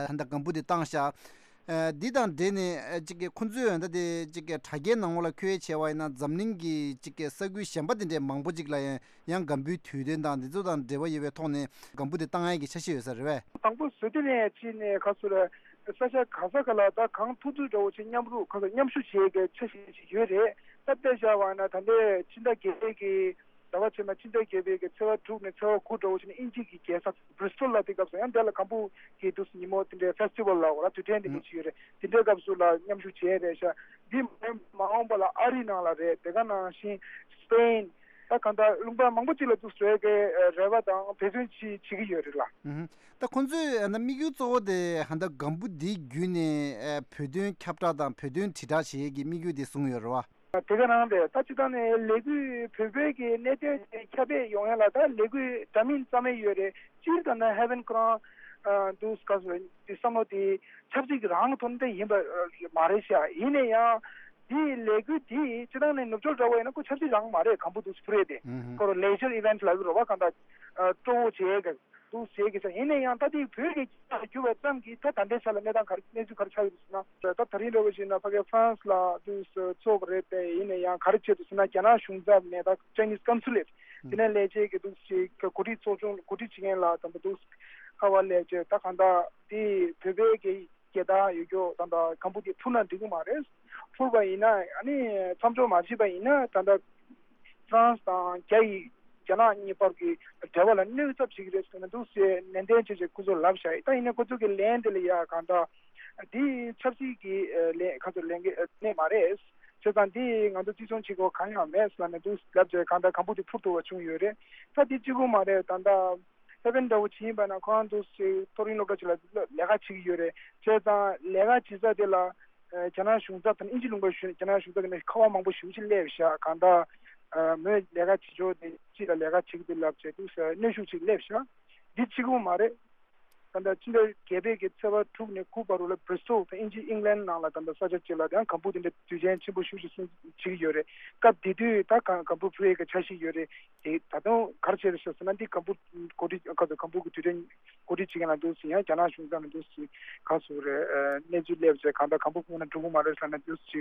ད་ལྟ་གམ་བུ་དེ་བཏང་ཤག་ཨ་འདི་དང་འབྲེལ་ནས་ཨ་ཅིག་གི་ཁོ་ཚོས་ད་དེ་ཅིག་གི་དྲ་རྒྱའི་ནང་ལོགས་ལ་འཁོད་བྱས་པ་ཡིན་ན། འཛམ་གླིང་གི་ཅིག་གི་ས་ཁུལ་གཞན་པ་དེ་འདྲའི་མང་པོ་ཅིག་ལ་ཡང་ཡང་གམ་བུའི་དུས་སྟོན་དང་འདི་ཚོ་དང་འབྲེལ་བ་ཡོད་པའི་ཐོག་ནས་གམ་བུ་དེ་བཏང་ཡས་ཀྱི་འཆར་གཞི་ཡོད་ས་རེད་པས། དང་པོ་བཟོ་དུས་ནས་ཅི་ནས་ཁ་སོ་རེད། ས་ཆ་ག་ས་ག་ལ་ད་གང་ཐུབ་ཐུབ་འདྲ་བོ་ཅིག་མཉམ་རུབ་ཁ་སོ་མཉམ་ཞུགས་བྱེད་ཀྱི་འཆར་གཞི་ཞིག་ཡོད་རེད། ད་དཔེ་བཞག་པ་ན་ད་ལྟའི་ཕྱི་ཟླ་བརྒྱད་པའི་གི་ཟླ་བ་ཕྱི་མ་ཕྱི་ཟླ་བརྒྱད་པའི་གི་ཚེས་པ་དྲུག་ནས་ཚེས་པ་དགུ་འདྲ་བོ་ཅིག་ནས་དབྱིན་ཇི་གི་རྒྱལ་ས་བྷི་རི་སི་ཊལ་ལ་དེ་སྐབས་སུ་ཡང་དེ་ལ་གམ་བུ་གི་འདུག་སེ་ཉིན་མོ་དེ་འདྲའི་ཕེ་སི་ཊི་ཝལ་ལ་འོ་ལ་དུས་དྲན་དེ་འདྲ་ཅིག་ཡོད་རེད། དེ་འདྲའི་སྐབས་སུ་ལ་མཉམ་ཞུགས་བྱས་རེད་ཤག་འདི་མ་མ་འོངས་པ་ལ་ཨ་རི་ནང་ལ་རེད། དེ་ག་ནང་བཞིན་སི་པེན། ད་གང་ལྟར་ལུང་པ་མང་པོ་ཅིག་ལ་འདུག་སེ་འགྲོ་ཡས་ཀྱི་རེ་བ་དང་འབད་བརྩོན་ཅིག་བྱེད་ཀྱི་ཡོད་རེད་ལ། ཨུ་ཧུམ། ད་ཁོང་ཚོས་ཨ་ནི་དམིགས་ཡུལ་གཙོ་བོ་དེ་ཧ་ད་གམ་བུ་འདི་བརྒྱུད་ནས་ཨ་བོད་དོན་ཁྱབ་བསྒྲགས་དང་བོད་དོན་དྲིལ་བསྒྲགས་བྱེད་ཡས་ཀྱི་དམིགས་ཡུལ་དེ་བཟུང་ཡོད་རེད་བ། དེ་ག་རང་རེད། ད་སྤྱིར་བཏང་ནས་ལས་འགུལ་བོད་པའི་གི་གནད་དོན་དེ་ཁྱབ་སྤེལ་ཡོང་ཡ་ལ་ད་ལས་འགུལ་འདྲ་མིན་རྩ་མེད་ཡོད་རེད། སྤྱིར་ད་ནི་ཧེ་ཝན་ཁོ་རང་འདུག་སེ་ག་ཟེར་བ་བསམ་བློ་དེ་ཆབ་སྲིད་ཀྱི་རང་དོན་དེ་ཡིན་པ་མ་རེད་ཤག་ཡིན་ན་ཡང་འདི་ལས་འགུལ་འདི་སྤྱིར་བཏང་ནས་ནུབ་ཕྱོགས་འདྲ་བོ་ཡིན་ན་ཁོ་ཆབ་སྲིད་རང་མ་རེད། གམ་བུ་འདུག་སེ་འཕུར་ཡས་དེ་ཨུ་ཧུམ། ཁོ་རང་ལེ་ཇར་ཨི་ཝེན་ཊི་ལབ་ཀྱི་རེད་བ། གང་ལྟར་སྤྲོ་བོ་བྱེད་ཡས་ཀྱི་འདུག་ཟེར་གྱི་ས་ཡིན་ན་ཡང་ད་དེ་བོད་ཀྱི་སྐད་ཆ་བསྒྱུར་བ་ཙམ་གྱིས་ད་ད་ལྟའི་ཆ་ལ་གནས་སྟངས་ག་རེ་གནས་ཚུལ་ག་རེ་ཆགས་ཡོད་ཟེར་ན། ད་ད་རིང་འདྲ་བོ་ཞིག་ན་ཕ་གི་ཧྥ་རན་སི་ལ་དུས་སུ་ཚོགས་པ་རེད་དེ་ཡིན་ན་ཡང་ག་རེ་བྱས་འདུག་ཟེར་ན། རྒྱ་ནག་གཞུང་ཚབ་ནས་ད་Chinese Consulate དེ་ནས་ལས་བྱེད་ཀྱི་འདུག་ཅིག་གི་གོ་སྒྲིག་ཚོགས་ཆུང་གོ་སྒྲིག་བྱེད་མཁན་ལ་ད་ལྟ་འདུག་ཁ་བ་ལས་བྱེད་ད་གང་ལྟར་དེ་བོད་པའི་གི་རྒྱལ་དར་ཡོད་རྒྱུ་ད་ལྟ་གམ་བུ་དེ་འཕུར་ན་འགྲིག་གི་མ་རེད། འཕུར་བ་ཡིན་ན་ཨ་ནི་མཚམས་འཇོག་མ་བྱས་པ་ཡིན་ན་ད་ལྟ་ཧྥ་རན་སི་དང་རྒྱ་ཡིས་རྒྱ་ནག་གཉིས་བར་གྱི་འབྲེལ་བ་ལ་གནོད་ཚབས་བྱེད་ཀྱི་རེད་ཟེར་ནས་འདུག་སེ་ནན་ཏན་བྱས་བྱས་ཁོ་ཚོར་ལབ་བཞག་ཡིན། ད་ཡིན་ན་ཁོ་ཚོ་གི་ལན་དེ་ལ་ཡ་གང་ལྟར་འདི་ཆབ་སྲིད་ཀྱི་ལན་ཁ་ཚོར་ལན་གྱི་གནས་མ་རེད། བྱས་ཙང་འདི་ང་ཚོ་བརྩི་སྲུང་བྱེད་དགོས་གང་ཡང་མེད་ཟེར་ནས་འདུག་ལབ་བྱས་གང་ལྟར་གམ་བུ་དེ་འཕུར་ཐུབ་པ་བྱུང་ཡོད་རེད། ད་འདི་གཅིག་པུ་མ་རེད། ད་ལྟ་ཧེ་ཝན་འདྲ་བོ་བྱེད་ཡིན་པ་ན་ཁོ་རང་འདུག་སེ་མཐོ་རིམ་སློབ་གྲྭ་ཅིག་ལ་ལས་ཀ་བྱེད་ཀྱི་ཡོད་རེད། བྱས་ཙང་ལས་ཀ་བྱེད་ས་དེ་ལ་རྒྱ་ནག་གཞུང་ཚབ་དང་དབྱིན་ཇི་ལུང་པ་ཞུ་རྒྱ་ནག་གཞུང་ཚབ་ཀྱི་ནས་ཁ་པར་མང་པོ་ཞེ་པོ་ཅིག་སླེབས་ཤག་གང་ལྟར་མོས་ལས་ཀ་བྱེད་ཕྱོགས་དེ་ཅིག་ལ་ལས་ཀ་བྱེད་ཀྱི་འདུག་ལབ་བྱས་འདུག་ཟེར་གནོན་ཤུགས་ཅིག་སླེབས་ཤག་འདི་གཅིག་པུ་མ་རེད། ད་ལྟ་ཕྱི་ཟླ་བརྒྱད་པའི་གི་ཚེས་པ་དྲུག་ནས་དགུ་བར་དུ་ལ་Bristol དང་དབྱིན་ཇི་ཨིང་ལན་ནང་ལ་ད་ལྟ་ས་ཆ་གཅིག་ལ་ཡང་གམ་བུ་དེ་འདྲ་དུས་ཆེན་ཆེན་པོ་ཞེ་པོ་ཅིག་སྲུང་བྱེད་ཀྱི་ཡོད་རེད། སྐབས་དེ་དུས་ད་གམ་གམ་བུ་འཕུར་ཡས་ཀྱི་འཆར་གཞི་ཡོད་རེད། དེ་ད་དུང་ག་རེ་བྱས་རེད་ཤག་ཟེར་ན། འདི་གམ་བུ་གོ་སྒྲིག་ག་ཚོད་གམ་བུ་གི་དུས་དྲན་གོ་སྒྲིག་བྱེད་མཁན་ལ་འདུག་སེ་ཡང་རྒྱ་ནག་གཞུང་ཚབ་ནས་འདུག་སེ་ག་ཚོད་རེད་གནས་ཚུལ་སླེབས་བྱས་གང་ལྟར་གམ་བུ་ཁོང་ན་འགྲོ་གི་མ་རེད་ཟེར་ནས་འདུག་སེ་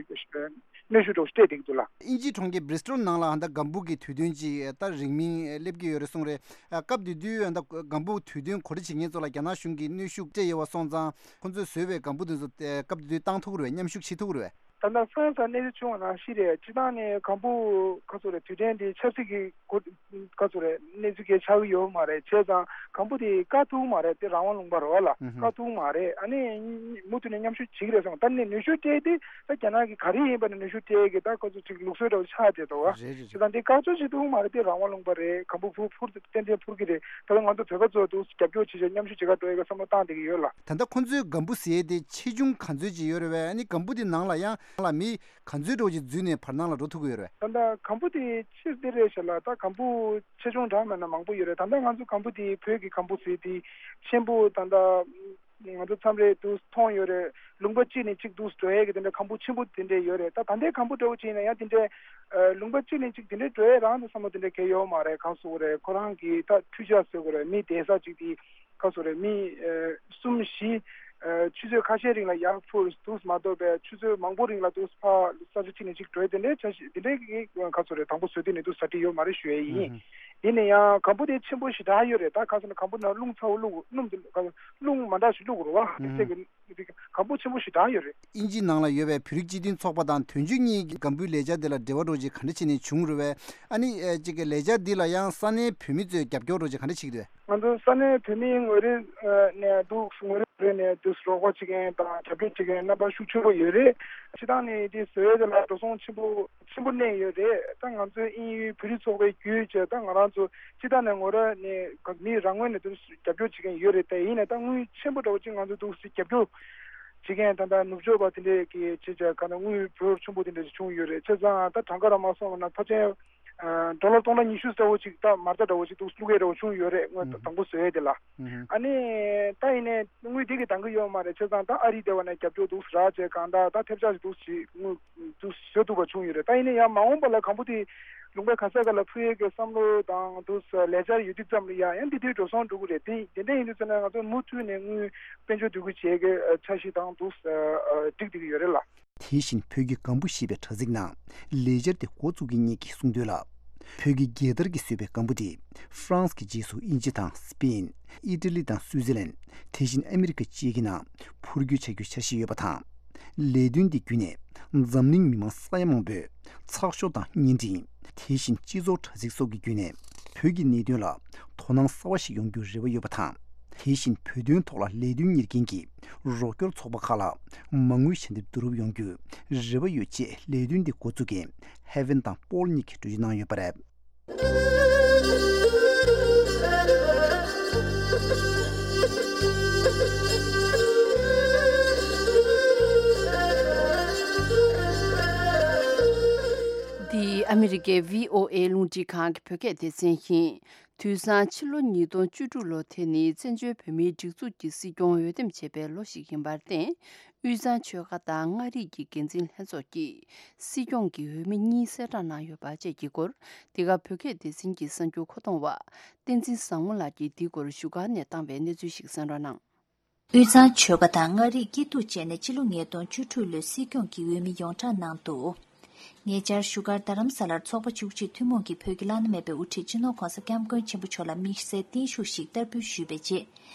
གནོན་ཤུགས་འདྲ་བོ་སྤྲད་བསྡད་ཀྱི་འདུག་ལ། དབྱིན་ཇིའི་གྲོང་ཁྱེར་Bristol ནང་ལ་ད་གམ་བུ་གི་དུས་སྟོན་ཅིག་ད་རིང་མིན་སླེབས་ཀྱི་ཡོད་རེད་གསུངས་རེད། སྐབས་དེ་དུས་ད་གམ་བུ་དུས་སྟོན་གོ་སྒྲིག་བྱེད་མཁན་ཚོ་ལ་རྒྱ་ནག་གཞུང་གིས་གནོན་ཤུགས་སྤྲད་ཡོད་པ་སོང་ཙང་ཁོང་ཚོས་བཟོས་པའི་གམ་བུ་དེ་ཚོ་སྐབས་དེ་དུས་བཏང་ཐུབ་ཀྱི་རེད་པས། མཉམ་ཞུགས་བྱེད་ཐུབ་ཀྱི་རེད་པས། ད་ལྟ་ཧྥ་རན་སི་ལ་གནས་ཚུལ་བྱུང་བ་ནང་བཞིན་རེད། སྤྱིར་བཏང་ནས་གམ་བུ་ག་ཚོད་རེད་དུས་དྲན་འདི་ཆབ་སྲིད་ཀྱི་གོ་ག་ཚོད་རེད་གནས་ཚུལ་གལ་ཆགས་ཀྱི་ཡོད་མ་རེད། བྱས་ཙང་གམ་བུ་དེ་བཀག་ཐུབ་མ་རེད། དེ་རང་དབང་ལུང་པ་རེད་བ་ལ། ཨུ་ཧུམ། བཀག་ཐུབ་མ་རེད། ཨ་ནི་མུ་མཐུད་ནས་མཉམ་ཞུགས་བྱེད་ཀྱི་རེད་བསམ། ད་ནི་གནོན་ཤུགས་སྤྲད་དེ་ད་རྒྱ་ནག་གི་ག་རེ་ཡིན་པ་ནི་གནོན་ཤུགས་སྤྲད་ཀྱི་ད་ཁོ་ཚོ་ཅིག་ལུགས་སྲོལ་འདྲ་བོ་ཆགས་བསྡད་འདུག་བ། རེད་རེད་རེད། བྱས་ཙང་དེ་བཀག་ཆ་བྱེད་ཐུབ་མ་རེད། དེ་རང་དབང་ལུང་པ་རེད། གམ་བུ་འཕུར་འཕུར་ཏན་ཏན་འཕུར་གྱི་རེད། ད་ལྟ་ང་ཚོ་བོད་པ་ཚོ་འདུག་རྒྱབ་སྐྱོར་བྱེད་ཆེད་མཉམ་ཞུགས་བྱེད་ག་འགྲོ་ཡས་ཀྱི་བསམ་བློ་བཏང་བསྡད་ཀྱི་ཡོད་ལ། ད་ལྟ་ཁོ་ཚོའི་གམ་བུ་ཟེར་དེ་ཆེ་ཆུང་ག་ཚོད་ཅིག་ཡོད་རེད་པས། ཨ་ནི་གམ་བུ་དེ་ནང་ལ་ཡང་ལ་མི་ག་ཚོད་འགྲོ་ཅིག་འཛུལ་ནས་བར་སྣང་ལ་འགྲོ་ཐུབ་ཀྱི་ཡོད་རེད་པས། ད་ལྟ་གམ་བུ་དེ་ཕྱིར་དེ་རེད་ཤག་ལ། ད་གམ་བུ་ཆེ་ཆུང་གྲངས་མེད་ན་མང་པོ་ཡོད་རེད། ད་ལྟ་ང་ཚོ་གམ་བུ་དེ་བོད་ཀྱི་གམ་བུ་ཟེར་དེ་ཆེན་པོ་ད་ལྟ་ང་ཚོ་མཚམས་རེ་འདུག་མཐོང་ཡོད་རེད། ལུང་པ་གཅིག་ནས་གཅིག་འདུག་འགྲོ་ཡས་ཀྱི་དེ་འདྲ་གམ་བུ་ཆེན་པོ་དེ་འདྲ་ཡོད་རེད། ད་ད་ལྟའི་གམ་བུ་འདྲ་བོ་བྱས་ན་ཡང་དེ་འདྲའི་ལུང་པ་གཅིག་ནས་གཅིག་དེ་འདྲའི་འགྲོ་ཡས་རང་དུ་བསམ་བློ་དེ་འདྲ་གང་ཡོད་མ་རེད། གང་ཟེར་དགོས་རེད། ཁོ་རང་གི་ད་འཕྲུལ་ཆས་ཟེར་དགོས་རེད། མི་བསྡད་ས་གཅིག་དེ་གང་ཟེར་དགོས་རེད། མི་གསུམ་བཞི་ཆུ་ཚོད་ཁ་ཤས་རིང་ལ་ཡར་འཕུར་འདུག་མ་གཏོགས་པའི་ཆུ་ཚོད་མང་པོ་རིང་ལ་འདུག་ཕར་ས་ཆ་གཅིག་ནས་གཅིག་འགྲོ་ཡས་དེ་འདྲའི་འཆར་གཞི་དེ་འདྲའི་གང་ཟེར་དགོས་རེད། དང་པོ་བཟོ་དུས་ནས་འདུག་གྲ་སྒྲིག་ཡོད་མ་རེད་ཞུ་ཡས་ཡིན། ཡིན་ན་ཡང་གམ་བུ་དེ་ཆེན་པོ་ཞེ་དྲག་ཡོད་རེད། ད་གང་ཟེར་ན་གམ་བུ་ནང་རླུང་ཚ་བོ་བླུགས་རླུང་དེ་རླུང་མ་འདྲ་ཞིག་བླུགས་རེད་བ། ཨུ་ཧུམ། གལ་སྲིད་གི་གམ་བུ་ཆེན་པོ་ཞེ་དྲག་ཡོད་རེད། དབྱིན་ཇིའི་ནང་ལ་ཡོད་པའི་བོད་རིགས་སྤྱི་མཐུན་ཚོགས་པ་དང་དོན་གཅོད་གཉིས་ཀྱི་གམ་བུའི་ལས་འཆར་དེ་ལ་འབྲེལ་བ་འདྲ་ཅིག་ག་འདྲ་བྱས་ནས་བྱུང་རེད་པས། ཨ་ནི་ཨེ་ཅིག་གི་ལས་འཆར་འདི་ལ་ཡང་ས་གནས་བོད་མི་ཚོས་རྒྱབ་སྐྱོར་འདྲ་ཅིག་ག་འདྲ་བྱེད་ཀྱི་འདུག་ང་ཚོ་ས་གནས་བོད་མིའི་ངོས་རིས་ནས་འདུག་ངོས་རིས་རེ་ནས་འདུག་རོགས་པ་བྱེད་མཁན་དང་རྒྱབ་སྐྱོར་བྱེད་མཁན་རྣམ་པ་ཤུགས་ཆེན་པོ་ཡོད་རེད། སྤྱིར་བཏང་ནས་དེ་བཟོ་ཡས་དེ་ལ་འགྲོ་སོང་ཆེན་པོ་ཆེན་པོ་གནས་ཡོད་རེད། ད་ང་ཚོའི་དབྱིན་ཡུལ་བོད་རིགས་ཚོགས་པའི་བརྒྱུད་བྱས་ད་ང་རང་ཚོ་སྤྱིར་བཏང་ནས་ངོ་ར་ནས་མི་རང་ངོས་ནས་དུ་རྒྱབ་སྐྱོར་བྱེད་མཁན་ཡོད་རེད། དེ་ཡིན་ནའི་ད་དངུལ་ཆེན་པོ་འདྲ་བོ་ཅིག་ང་ཚོ་འདུག་སེ་རྒྱབ་སྐྱོར་བྱེད་མཁན་ད་ལྟ་ནུབ་ཕྱོགས་པ་དེ་འདྲས་ཀྱི་བྱེད་བྱ་ག་ན་དངུལ་འབོར་ཆེན་པོ་དེ་འདྲས་བྱུང་ཡོད་རེད། བྱས་ཙང་ད་གྲངས་ཀ་རང་མ་སོང་བ་ན་ཕལ་ཆེར་ ཌོ་ལར་སྟོང་ཕྲག་ཉི་ཤུ་ཙམ་ཅིག་ད་མ་རྩ་འདྲ་བོ་ཅིག་འདུག་བླུག་ཡས་འདྲ་བོ་བྱུང་ཡོད་རེད། དངུལ་དང་པོ་བཟོ་ཡས་དེ་ལ། ཨ་ནི་ད་ཡིན་ནའི་དངུལ་དེ་གི་འདང་གི་ཡོད་མ་རེད། བྱས་ཙང་ད་ཨ་རི་དེ་བ་ནས་རྒྱབ་སྐྱོར་འདུག་རག་བྱས། གང་ལྟར་ད་ཐེབས་ཆག་ཅིག་འདུག་ཅིག་དངུལ་འདུག་བཟོ་ཐུབ་པ་བྱུང་ཡོད་རེད། ད་ཡིན་ནའི་ཡང་མ་འོངས་པ་ལ་གང་པོ་དེ་ལུང་པ་ག་ས་ག་ལ་ཕུལ་ཡས་ཀྱི་བསམ་བློ་དང་འདུག་ལས་འཆར་ཡོད་དུས་ཙམ་ལ་ཡ་ཡང་འདི་དུས་འགྲོ་སོང་འགྲོ་གི་རེད། དེ་དེ་འདྲ་ཡིན་དུས་ཙམ་ན་ང་ཚོ་མུ་མཐུད་ནས་དངུལ་དཔལ་འབྱོར་འདུ་འགོད་བྱེད་ཀྱི་འཆར་གཞི་དང་འདུག་སྒྲིག་བསྡད་ཀྱི་ཡོད་རེད་ལ། དེ་བཞིན་བོད་ཀྱི་སྒམ་པོ་ཞེས་པའི་དྲ་ཚིགས་ནང་ལས་འཆར་དེ་འགོ་བཙུགས་མཁན་གཉིས་ཀྱིས་གསུངས་དོན་ལ། བོད་ཀྱི་རྒྱལ་དར་གྱིས་བཟོས་པའི་སྒམ་པོ་དེ་ཧྥ་རན་སི་གི་རྗེས་སུ་དབྱིན་ཇི་དང་སི་པེན། ཨི་ཊ་ལི་དང་སུའུ་ཙི་ལན། དེ་བཞིན་ཨ་མི་རི་ཀ་བཅས་ཀྱི་ནང་འཕུར་སྐྱོད་བྱ་རྒྱུའི་འཆར་གཞི་ཡོད་པ་དང་། ལས་དོན་འདི་བརྒྱུད་ནས་འཛམ་གླིང་མི་མང་ས་ཡ་མང་པོས་ཚགས་ཤོག་དང་བརྙན་འཕྲིན། དེ་བཞིན་སྤྱི་ཚོགས་དྲ་ཚིགས་སོགས་ཀྱི་བརྒྱུད་ནས་བོད་ཀྱི་གནད་དོན་ལ་དོ་སྣང་གསར་བ་ཞིག་ཡོང་རྒྱུའི་རེ་བ་ཡོད་པ་དང་། དེ་བཞིན་བོད་དོན་ཐོག་ལ་ལས་དོན་གཉེར་མཁན་གྱི་རོགས་སྐྱོར་ཚོགས་པ་ཁག་ལ་མ་དངུལ་ཞལ་འདེབས་བསྡུ་རུབ་ཡོང་རྒྱུའི་རེ་བ་ཡོད་ཅེས་ལས་དོན་འདི་འགོ་འཛུགས་མཁན་ཧེ་ཝན་དང་པོལ་གཉིས་ཀྱིས་གྲོས་གཞི་གནང་ཡོད་པ་རེད། འདི་ཨ་མི་རི་ཀའི་བྷི་ཨོ་ཨེ་རླུང་འཕྲིན་ཁང་གི་བོད་སྐད་སྡེ་ཚན་ཡིན། དུས་སང་ཕྱི་ལོ་ཉིས་སྟོང་བཅུ་དྲུག་ལོ་དེ་ནི་བཙན་བྱོལ་བོད་མིའི་སྒྲིག་འཛུགས་ཀྱི་སྲིད་སྐྱོང་འོས་འདེམས་བྱས་པའི་ལོ་ཞིག་ཡིན་པར་བརྟེན། དབུས་གཙང་ཆོལ་ཁ་དང་མངའ་རིས་ཀྱི་འགན་འཛིན་ལྷན་ཚོགས་ཀྱིས་སྲིད་སྐྱོང་གི་འོས་མི་གཉིས་གསལ་བསྒྲགས་གནང་ཡོད་པ་བཅས་ཀྱི་སྐོར། འདི་ག་བོད་སྐད་སྡེ་ཚན་གྱི་གསར་འགྱུར་མཁོ་གཏོང་བ་བསྟན་འཛིན་བཟང་མོ་ལགས་ཀྱིས་འདིའི་སྐོར་བཞུགས་སྒར་ནས་བཏང་བའི་གནས་ཚུལ་ཞིག་གསན་རོགས་གནང་། དབུས་གཙང་ཆོལ་ཁ་དང་མངའ་རིས་སྐྱིད་སྡུག་བཅས་ནས་ཕྱི་ལོ་ཉིས་སྟོང་བཅུ་དྲུག་ལོའི་སྲིད་སྐྱོང་གི་འོས་མི་ཡོངས་གྲགས་གནང་འདུག་ཉེ་ཆར་བཞུགས་སྒར་རྡ་རམ་ས་ལར་ཚོགས་པ་བཅུ་གཅིག་ཐུན་མོང་གི་བོད་ཀྱི་བླ་ན་མེད་པའི་དབུ་ཁྲིད་སྤྱི་ནོར་༧གོང་ས་༧སྐྱབས་མགོན་ཆེན་པོ་མཆོག་ལ་དམིགས་བསལ་བརྟན་བཞུགས་ཤིག་བསྟར་འབུལ་ཞུས་པའི་རྗེས།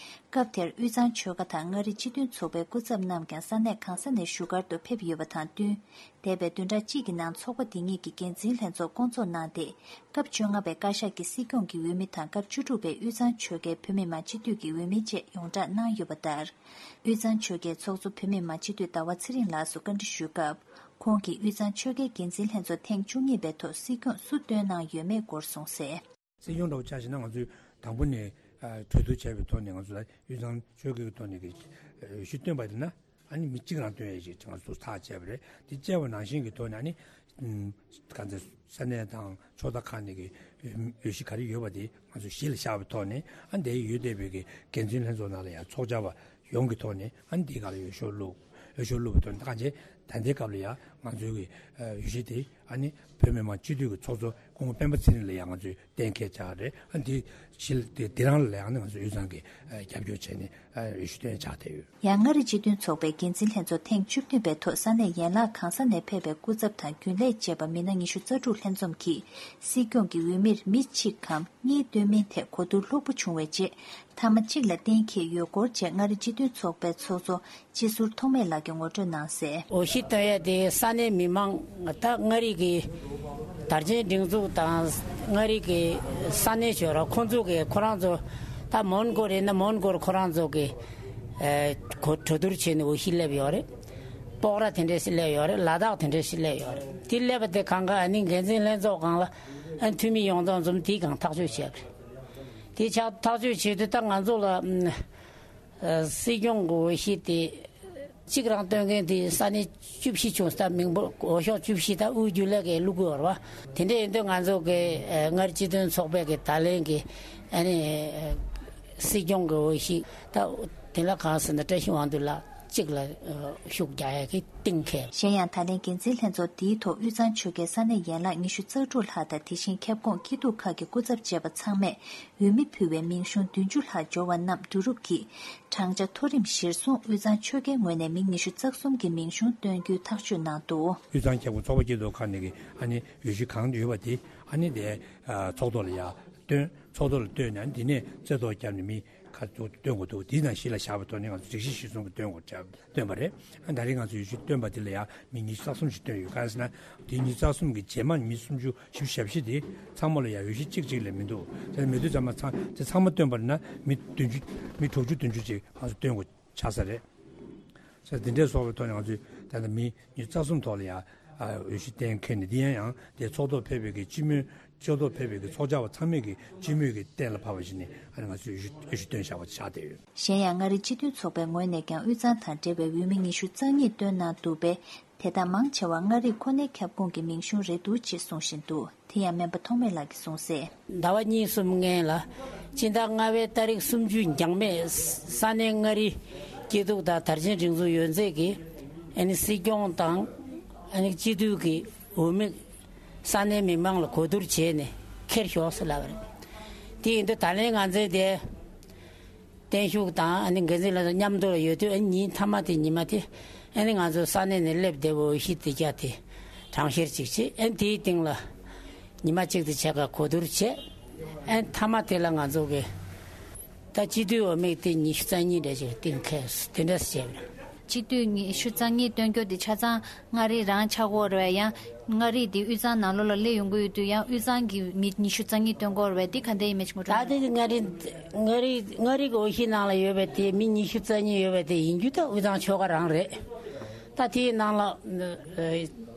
སྐབས་དེར་དབུས་གཙང་ཆོལ་ཁ་དང་མངའ་རིས་སྤྱི་མཐུན་ཚོགས་པའི་སྐུ་ཚབ་རྣམས་ཀྱང་ས་གནས་གང་ས་ནས་བཞུགས་སྒར་དུ་ཕེབས་ཡོད་པ་དང་བསྟུན། འདས་པའི་བདུན་ཕྲག་གཅིག་གི་ནང་ཚོགས་པ་དེ་གཉིས་ཀྱི་འགན་འཛིན་ལྷན་ཚོགས་བསྐོང་ཚོགས་གནང་སྟེ། སྐབས་བཅོ་ལྔ་པའི་བཀའ་ཤག་གི་སྲིད་སྐྱོང་གི་འོས་མི་དང་སྐབས་བཅུ་དྲུག་པའི་དབུས་གཙང་ཆོལ་ཁའི་བོད་མི་མང་སྤྱི་འཐུས་ཀྱི་འོས་མི་བཅས་ཡོངས་བསྒྲགས་གནང་ཡོད་པ་ལྟར། དབུས་གཙང་ཆོལ་ཁའི་ཚོགས་གཙོ་བོད་མི་མང་སྤྱི་འཐུས་ཟླ་བ་ཚེ་རིང་ལགས་སུ་བཀའ་འདྲི་ཞུས་སྐབས། ཁོང་གིས་དབུས་གཙང་ཆོལ་ཁའི་འགན་འཛིན་ལྷན་ཚོགས་ཐེངས་བཅུ་གཉིས་པའི་ཐོག་སྲིད་སྐྱོང་སུ་བཏོན་གནང་ཡོད་མེད་སྐོར་གསུངས་གསལ། སྲིད་སྐྱོང་འདྲ་བོ་ཆ་བཞག་ན་ང་ཚོས་དང་པོ་ནས་ཨ་གྲོས་བསྡུར་བྱས་པའི་ཐོག་ནས་ང་ཚོ་ལ་དབུས་གཙང་ཆོལ་ཁའི་ཐོག་ནས་ཀྱི་འོས་གཞི་བཏོན་པ་ཡིན་ན། ཨ་ནི་མི་གཅིག་རང་བཏོན་ཡས་ཞིག་ང་ཚོས་ཐག་བཅད་པ་རེད། དེ་བཅད་པ་ནང་བཞིན་གྱི་ཐོག་ནས་ཨ་ནི་ཨམ་ག་ཚོད་ས་གནས་དང་ཕྱོགས་མཐའ་ཁག་ནས་ཀྱི་འོས་གཞི་ག་རེ་ཡོད་པ་དེ་ང་ཚོས་གཞི་ལ་བཞག་པའི་ཐོག་ནས། ཨ་ནི་དེ་ཡོད་བསྡད་པའི་གི་འགན་འཛིན་ལྷན་ཚོགས་ནང་ལ་ཡང་ཚོགས་བཅར་བ་ཡོངས་ཀྱི་ཐོག་ནས། ཨ་ནི་དེའི་སྒང་ལ་འོས་ཤོག་བླུགས། འོས་ཤོག་བླུགས་པའི་ཐོག་ནས་ད་གང་བྱས་ད་ལྟའི་སྐབས་ལ་ཡང་ང་ཚོའི་གི་འོས་གཞི་དེ་ཨ་ནི་བོད་མི་མང་སྤྱི་འཐུས་ཀྱི་ཚོགས་གཙོ་སྐུ་ངོ་སྤེན་པ་ཚེ་རིང་ལ་ཡང་ང་ཚོས་གཏན་འཁེལ་བྱ་རེད། ཨ་འདི་ཕྱི་ལ་དེ་དེ་རང་ལ་ཡང་ནི་ང་ཚོ་དབུས་གཙང་གི་ཨ་རྒྱབ་སྐྱོར་བྱས་ནས་ཨ་འོས་ཤོག་བཏོན་བྱ་བསྡད་ཡོད། ཡང་མངའ་རིས་སྤྱི་མཐུན་ཚོགས་པའི་འགན་འཛིན་ལྷན་ཚོགས་ཐེངས་བཅུ་བདུན་པའི་ཐོག་ས་གནས་ཡན་ལག་གང་ས་ནས་ཕེབས་པའི་སྐུ་ཚབ་དང་རྒྱུན་ལས་བཅས་པ་མི་སྣ་ཉི་ཤུ་རྩ་དྲུག་ལྷན་འཛོམས་ཀྱིས་སྲིད་སྐྱོང་གི་འོས་མིར་མི་གཅིག་གམ་གཉིས་བཏོན་མིན་ཐད་གོ་བསྡུར་ལྷུག་པོ་བྱུང་བའི་རྗེས། མཐའ་མ་གཅིག་ལ་གཏན་འཁེལ་ཡོད་སྐོར་བཅས་མངའ་རིས་སྤྱི་མཐུན་ཚོགས་པའི་ཚོགས་གཙོ་སྤྱི་ཟུར་ཐོགས་མེད་ལགས་ཀྱིས་ངོ་སྤྲོད་གནང་གསལ། འོས་གཞི་བཏོན་ཡ་དེ་ས་གནས་མི་མང་ད་མངའ་རིས་ཀྱི་དར་ཆེན་སྒྲིག་འཛུགས་དང་མངའ་རིས་ཀྱི་ས་གནས་ཞོར་ཁོང་ཚོ་གི་ཁོ་རང་ཚོ་ད་མོན་གྷོ་རེད་ན་མོན་གྷོར་ཁོ་རང་ཚོ་གི་ཨེ་གོ་གྲོས་བསྡུར་བྱས་ནས་འོས་གཞི་སླེབས་ཡོད་རེད། སྤོག་ར་དེ་འདྲས་སླེབས་ཡོད་རེད། ལ་དྭགས་དེ་འདྲས་སླེབས་ཡོད་རེད། དེ་སླེབས་པ་དེ་གང་ག་ཨ་ནི་འགན་འཛིན་ལྷན་ཚོགས་སྒང་ལ་ཨ་འཐུས་མི་ཡོངས་རྫོགས་འཛོམས་དེའི་སྒང་ཐག་གཅོད་བྱས་པ་རེད། དེ་ཆགས་ཐག་གཅོད་བྱེད་དུས་ད་ང་ཚོ་ལ་ཨ་སྲིད་སྐྱོང་གི་འོས་གཞི་དེ་གཅིག་རང་བཏོན་མཁན་དེ་ས་གནས་བཅུ་བཞི་བྱུང་། ད་མིང་པོ་འོས་ཤོག་བཅུ་བཞི་ད་དབུས་རྒྱུན་ལས་ཀྱིས་བླུག་དགོས་རེད་བ། དེ་འདྲ་ཡིན་དུས་ང་ཚོ་གི་ཨ་མངའ་རིས་སྤྱི་མཐུན་ཚོགས་པའི་གི་ད་ལན་གི་ཨ་ནི་ཨ་སྲིད་སྐྱོང་གི་འོས་གཞི་ད་དེ་ལ་གང་ཟེར་ན་བཀྲ་ཤིས་དབང་འདུས་ལགས་གཅིག་ལ་ཨ་ཤུགས་རྒྱག་ཡ་གི་གཏིང་འཁེལ། གཞན་ཡང་ད་ལན་འགན་འཛིན་ལྷན་ཚོགས་འདིའི་ཐོག་དབུས་གཙང་ཆོལ་ཁའི་ས་གནས་ཡན་ལག་ཉི་ཤུ་རྩ་དྲུག་ལྷག་དང་དེ་བཞིན་ཁྱབ་ཁོངས་སྐྱིད་སྡུག་ཁག་གི་སྐུ་ཚབ་བཅས་པ་ཚང་མས་འོས་མི་ཕུལ་བའི་མིང་གཞུང་བདུན་ཅུ་ལྷག་འབྱོར་བ་རྣམས་བསྡུ་རུབ་ཀྱིས་བགྲང་བྱ་མཐོ་རིམ་གཞིར་བཟུང་དབུས་གཙང་ཆོལ་ཁའི་ངོས་ནས་མིང་ཉི་ཤུ་རྩ་གསུམ་གྱི་མིང་གཞུང་བཏོན་རྒྱུའི་ཐག་གཅོད་གནང་འདུག། དབུས་གཙང་ཁྱབ་ཁོངས་ཚོགས་པ་སྐྱིད་སྡུག་ཁག་ནས་ཀྱི་ཨ་ནི་འོས་གཞི་གང་ཡོད་པ་དེ་ཨ་ནི་དེ་ཚོགས་ཐོག་ལ་ཡར་བཏོན། ཚོགས་ཐོག་ལ་བཏོན་ནས་དེ་ནས་རྩེ་ཐོག་བརྒྱབ་ནས་མི་ཁ་ཐུག་བཏོན་དགོས་འདུག། དེའི་ནང་གཞི་ལ་བཞག་པའི་ཐོག་ནས་ང་ཚོ་སྒྲིག་གཞི་གཞིར་བཟུང་གི་བཏོན་དགོས་བྱ་བཏོན་པ་རེད། ཨ་ད་རེས་ང་ཚོ་འོས་གཞི་བཏོན་པ་དེ་ལ་ཡང་མི་ཉི་ཤུ་རྩ་གསུམ་ཞིག་བཏོན་ཡོད། གང་ཟེར་ན་དེ་ཉི་ཤུ་རྩ་གསུམ་གྱི་རྗེས་མ་མི་སུམ་ཅུ་བཞི་བཅུ་ཞེ་བཞི་དེ་ཚང་མ་ལ་ཡང་འོས་གཞི་གཅིག་གཅིག་ལས་མི་འདུག། དེ་མི་འདུག་ཙམ་མ་ཚང་དེ་ཚང་མ་བཏོན་པ་ན་མི་བདུན་ཅུ་མི་དྲུག་ཅུ་བདུན་ཅུ་ཅིག་ང་ཚོ་བཏོན་དགོས་ཆགས་ས་རེད། ས་དེ་འདྲའི་སོགས་པའི་ཐོག་ནས་ང་ཚོས་ད་ལྟ་མི་ཉི་ཤུ་རྩ་གསུམ་ཐོག་ལ་ཡང་ཨ་འོས་གཞི་གཏན་འཁེལ་ནས། དེ་ཡང་ཡང་དེ་ཚོགས་ཐོག་ཕེབས་པའི་གི་སྤྱི་མོས། ཚོགས་ཐོག་ཕེབས་པའི་གི་ཚོགས་བཅར་བ་ཚང་མས་ཀྱི་སྤྱི་མོས་ཀྱི་གཏན་ལ་ཕབ་པ་ཞིག་ནི་ཨ་ནི་ང་ཚོས་འོས་གཞི་འོས་གཞི་བཏོན་བཞག་པ་ཆགས་བསྡད་ཡོད། གཞན་ཡང་མངའ་རིས་སྤྱི་མཐུན་ཚོགས་པའི་ངོས་ནས་ཀྱང་དབུས་གཙང་དང་འབྲེལ་བའི་འོས་མི་ཉི་ཤུ་རྩ་གཉིས་བཏོན་གནང་འདུག་པས། དེ་དག་མང་ཆེ་བ་མངའ་རིས་ཁོ་ནའི་ཁྱབ་ཁོངས་ཀྱི་མིང་གཞུང་རེད་འདུག་ཅེས་གསུངས་བཞིན་འདུག་དེ་ཡང་སྨན་པ་ཐོགས་མེད་ལགས་ཀྱིས་གསུངས་གསལ། ཟླ་བ་གཉིས་གསུམ་སྔོན་ལ། སྤྱི་ཟླ་ལྔ་པའི་ཏ་རིག་སུམ་ཅུ་འགྱངས་མེད་ས་གནས་མངའ་རིས་སྐྱིད་སྡུག་དང་དར་ཆེན་སྒྲིག་འཛུགས་ཡོད་ཚད་ཀྱིས་ཨ་ནི་སྲིད་སྐྱོང་དང་ཨ་ནི་སྤྱི་འཐུས་ཀྱི་འོས་མི་ས་གནས་མི་མང་ལ་གོ་བསྡུར་བྱས་ནས་ཁྱེར་ཤོག་ཟེར་ལབ་པ་རེད། དེ་ཡིན་དུས་ད་ལན་ང་ཚོའི་དེ། བརྟན་བཞུགས་དང་ཨ་ནི་འགན་འཛིན་ལགས་མཉམ་དུ་ཡོད་དུས་ཨ་ནི་ཉིན་མཐའ་མ་དེ་ཉི་མ་དེ་ཨ་ནི་ང་ཚོ་ས་གནས་ནས་སླེབས་བསྡད་པའི་འོས་གཞི་དེ་རྒྱ་དེ་གྲངས་བཤེར་ཅིག་བྱེད། ཨ་ནི་དེའི་སྟེང་ལ་ཉི་མ་གཅིག་དེ་བྱས་ག་གོ་བསྡུར་བྱས། ཨ་ནི་མཐའ་མ་དེ་ལ་ང་ཚོ་གི་ད་སྤྱི་འཐུས་འོས་མི་དེ་ཉི་ཤུ་རྩ་གཉིས་འདྲ་ཞིག་གཏན་འཁེལ་དེ་འདྲ་བྱས། སྤྱི་འཐུས་ཉི་ཤུ་རྩ་གཉིས་བཏོན་རྒྱུ་དེ་ཆ་ཚང་མངའ་རིས་རང་ཆགས་ཀྱི་ཡོད་རེད་པས། ཡང་མངའ་རིས་དེ་དབུས་གཙང་ནང་ལོགས་ལ་སླེབས་ཡོང་གི་ཡོད་དུས་ཡང་དབུས་གཙང་གི་མི་ཉི་ཤུ་རྩ་གཉིས་བཏོན་ཀྱི་ཡོད་རེད་པས། དེ་ག་འདྲ་ཡིན་མིན་ཅིག་ངོ་སྤྲོད་ད་གནང་། དེ་མངའ་རིས་མངའ་རིས་མངའ་རིས་མངའ་རིས་ཀྱི་འོས་གཞིའི་ནང་ལ་ཡོད་པའི་དེ་མི་ཉི་ཤུ་རྩ་གཉིས་ཡོད་པའི་དེ་ཡིན་རྒྱུ་ད་དབུས་གཙང་ཆོལ་ཁ་རང་རེད། ད་དེའི་ནང་ལ་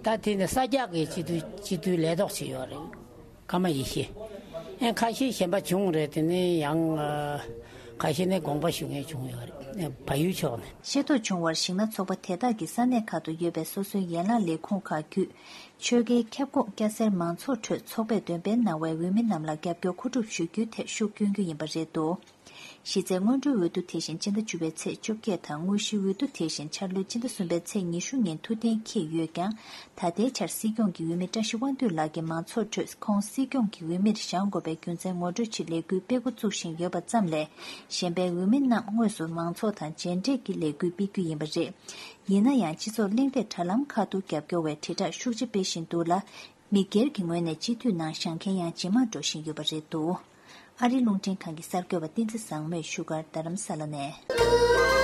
ད་དེ་ནི་ས་སྐྱ་གི་སྤྱི་འཐུས་སྤྱི་འཐུས་ལས་ཐོག་ཅིག་ཡོད་རེད། ཀརྨ་ཡེ་ཤེས། ཨེ་ཁ་ཤས་གཞན་པ་བྱུང་རེད། དེ་ནས་ཡང་ཨ་ཁ་ཤས་ནས་དགོངས་པ་ཞུ་མཁན་བྱུང་ཡོད་རེད། ཨེ་བལ་ཡུལ་ཕྱོགས་ནས། ཤེས་རྟོགས་བྱུང་བར་གཞིགས་ན་ཚོགས་པ་དེ་དག་གིས་ས་གནས་ཁག་ཏུ་ཡོད་པའི་སོ་སོའི་ཡན་ལག་ལས་ཁུངས་ཁག་བརྒྱུད་ཆོལ་ཁའི་ཁྱབ་ཁོངས་སྐྱ་སེར་མང་ཚོགས་ཁྲོད་ཚོགས་པས་འདོན་སྤེལ་གནང་བའི་འོས་མི་རྣམས་ལ་རྒྱབ་སྐྱོར་མཁོ་སྒྲུབ་ཞུ་རྒྱུའི་ཐད་ཤུགས་བསྐྱོན་རྒྱུ་ཡིན་པ་རེད་འདུག་གཞི་རྩའི་སྔོན་འགྲོའི་འོས་བསྡུ་དེ་བཞིན་སྤྱི་ཟླ་བཅུ་པའི་ཚེས་བཅོ་བརྒྱད་དང་དངོས་གཞིའི་འོས་བསྡུ་དེ་བཞིན་འཆར་ལོའི་སྤྱི་ཟླ་གསུམ་པའི་ཚེས་ཉི་ཤུ་ཉིན་ཐུགས་གཏན་འཁེལ་ཡོད་ཀྱང་། ད་ལྟའི་ཆར་སྲིད་སྐྱོང་གི་འོས་མི་བཀྲ་ཤིས་དབང་འདུས་ལགས་ཀྱིས་མང་ཚོགས་ཁྲོད་ཁོང་སྲིད་སྐྱོང་གི་འོས་མིར་བཞེངས་དགོས་པའི་རྒྱུ་མཚན་ངོ་སྤྲོད་ཆེད་ལས་འགུལ་སྤེལ་འགོ་བཙུགས་བཞིན་ཡོད་པ་ཙམ་ལས། གཞན་པའི་འོས་མི་རྣམས་དངོས་སུ་མང་ཚོགས་དང་མཇལ་འཕྲད་ཀྱི་ལས་འགུལ་སྤེལ་རྒྱུ་ཡིན་པ་རེད། ཡིན་ན་ཡང་སྤྱི་ཚོགས་གླེང་སྟེགས་དྲ་ལམ་ཁག་ཏུ་རྒྱབ་སྐྱོར་བའི་དྲིལ་བསྒྲགས་ཤུགས་ཆེ་སྤེལ་བཞིན་འདུག་ལ། མི་སྒེར་གྱི་ངོས་ནས་སྤྱི་འཐུས་ནང་བཞེངས་མཁན་ཡང་ཇེ་མང་འགྲོ་བཞིན་ཡོད་པ་རེད་འདུག་ཨ་རིའི་རླུང་འཕྲིན་ཁང་གི་གསར་འགོད་པ་བསྟན་འཛིན་བཟང་མོས་བཞུགས་སྒར་རྡ་རམ་ས་ལ་ནས།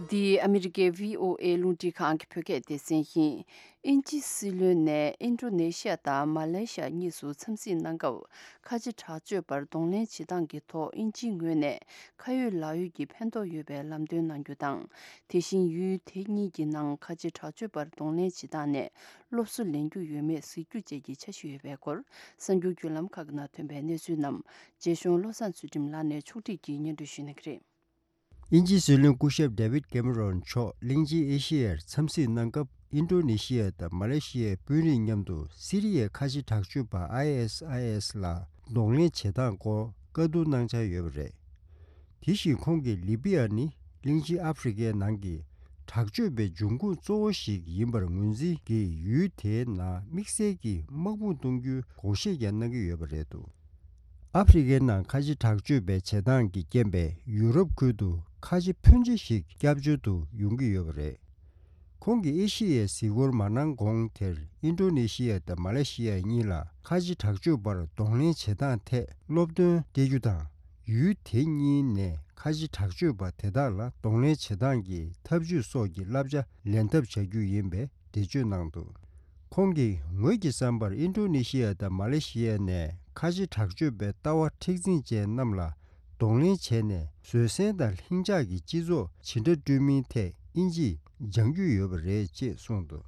འདི་ཨ་མི་རི་ཀའི་བྷི་ཨོ་ཨེ་རླུང་འཕྲིན་ཁང་གི་བོད་སྐད་སྡེ་ཚན་ཡིན། དབྱིན་ཇི་སྲིད་བློན་ནས་ཨིན་ཌོ་ནེ་ཤི་ཡ་དང་མ་ལེ་ཤི་ཡ་གཉིས་སུ་འཚམས་གཟིགས་གནང་སྐབས། ཁ་ཆེ་དྲག་སྤྱོད་པར་གདོང་ལེན་བྱེད་སྟངས་ཀྱི་ཐོག་དབྱིན་ཇིའི་ངོས་ནས་ཁ་ཡོད་ལག་ཡོད་ཀྱི་ཕན་ཐོགས་ཡོད་པའི་ལམ་སྟོན་གནང་རྒྱུ་དང་། དེ་བཞིན་ཡུལ་དེ་གཉིས་ཀྱི་ནང་ཁ་ཆེ་དྲག་སྤྱོད་པར་གདོང་ལེན་བྱེད་སྟངས་ནས་སློབ་གསོ་ལེན་རྒྱུ་ཡོད་མེད་གཟིགས་རྒྱུ་བཅས་ཀྱི་འཆར་གཞི་ཡོད་པའི་སྐོར། གསར་འགྱུར་བརྒྱུད་ལམ་ཁག་གི་ནང་ཐོན་པའི་གནས་ཚུལ་རྣམས་རྗེ་གཞུང་བློ་བཟང་ཚུལ་ཁྲིམས་ལགས་ནས་ཕྱོགས་སྒྲིག་གིས་སྙན་སྒྲོན་ཞུ་གནང་གི་རེད། དབྱིན་ཇིའི་སྲིད་བློན་སྐུ་ཞབས་ཌེ་ཝིད་ཀེ་མེ་རོན་མཆོག་གླིང་ཆེན་ཨེ་ཤི་ཡར་འཚམས་གཟིགས་གནང་སྐབས། ཨིན་ཌོ་ནེ་ཤི་ཡ་དང་མ་ལེ་ཤི་ཡའི་དཔོན་རིགས་མཉམ་དུ་སི་རི་ཡའི་ཁ་ཆེ་དྲག་སྤྱོད་པ་ཨའི་ཨེས་ཨའི་ཨེས་ལ་གདོང་ལེན་བྱེད་སྟངས་སྐོར་བཀའ་བསྡུར་གནང་འཆར་ཡོད་པ་རེད། དེ་བཞིན་ཁོང་གིས་ལི་པི་ཡ་ནི་གླིང་ཆེན་ཨ་ཧྥེ་རི་ཁའི་ནང་གི་དྲག་སྤྱོད་པའི་འབྱུང་ཁུངས་གཙོ་བོ་ཞིག་ཡིན་པར་ངོས་འཛིན་གྱིས། ཡུལ་དེའི་ནང་དམིགས་བསལ་གྱིས་དམག་དཔུང་གཏོང་རྒྱུའི་དགོངས་བཞེས་ཀྱང་གནང་གི་ཡོད་པ་རེད་འདུག་ཨ་ཧྥེ་རི་ཁའི་ནང་ཁ་ཆེ་དྲག་སྤྱོད་པའི་བྱེད་སྟངས་ཀྱི་རྐྱེན་པས་ཡུ་རོབ་ཁུལ་དུ་ཁ་ཆེ་ཕོན་ཆེ་ཞིག་སྐྱབས་བཅོལ་དུ་ཡོང་གི་ཡོད་པ་རེད། ཁོང་གིས་ཨེ་ཤི་ཡའི་གཟིགས་སྐོར་མ་གནང་གོང་དེར། ཨིན་ཌོ་ནེ་ཤི་ཡ་དང་མ་ལེ་ཤི་ཡ་གཉིས་ལ་ཁ་ཆེ་དྲག་སྤྱོད་པར་གདོང་ལེན་བྱེད་སྟངས་ཐད་སློབ་སྟོན་སྤྲད་རྒྱུ་དང་། ཡུལ་དེ་གཉིས་ནས་ཁ་ཆེ་དྲག་སྤྱོད་པ་དེ་དག་ལ་གདོང་ལེན་བྱེད་སྟངས་ཀྱི་ཐབས་ཇུས་སོགས་ཀྱི་བསླབ་བྱ་ལེན་ཐབས་བྱ་རྒྱུ་ཡིན་པའི་འགྲེལ་བརྗོད་གནང་འདུག་ཁོང་གིས་ངོས་ཀྱི་བསམ་པར་ཨིན་ཌོ་ནེ་ཤི་ཡ་དང་མ་ལེ་ཤི་ཡ་ནས་ཁ་ཆེ་དྲག་སྤྱོད་པའི་ལྟ་བ་མཁྲེགས་འཛིན་ཅན་རྣམས་ལ་གདོང་ལེན་བྱས་ནས། བཟོད་བསྲན་དང་ལྷིང་འཇགས་ཀྱི་སྤྱི་ཚོགས་ཇི་འདྲ་བསྐྲུན་མིན་ཐད་དབྱིན་ཇིས་སྦྱང་རྒྱུ་ཡོད་པ་རེད་ཅེས་གསུངས་འདུག་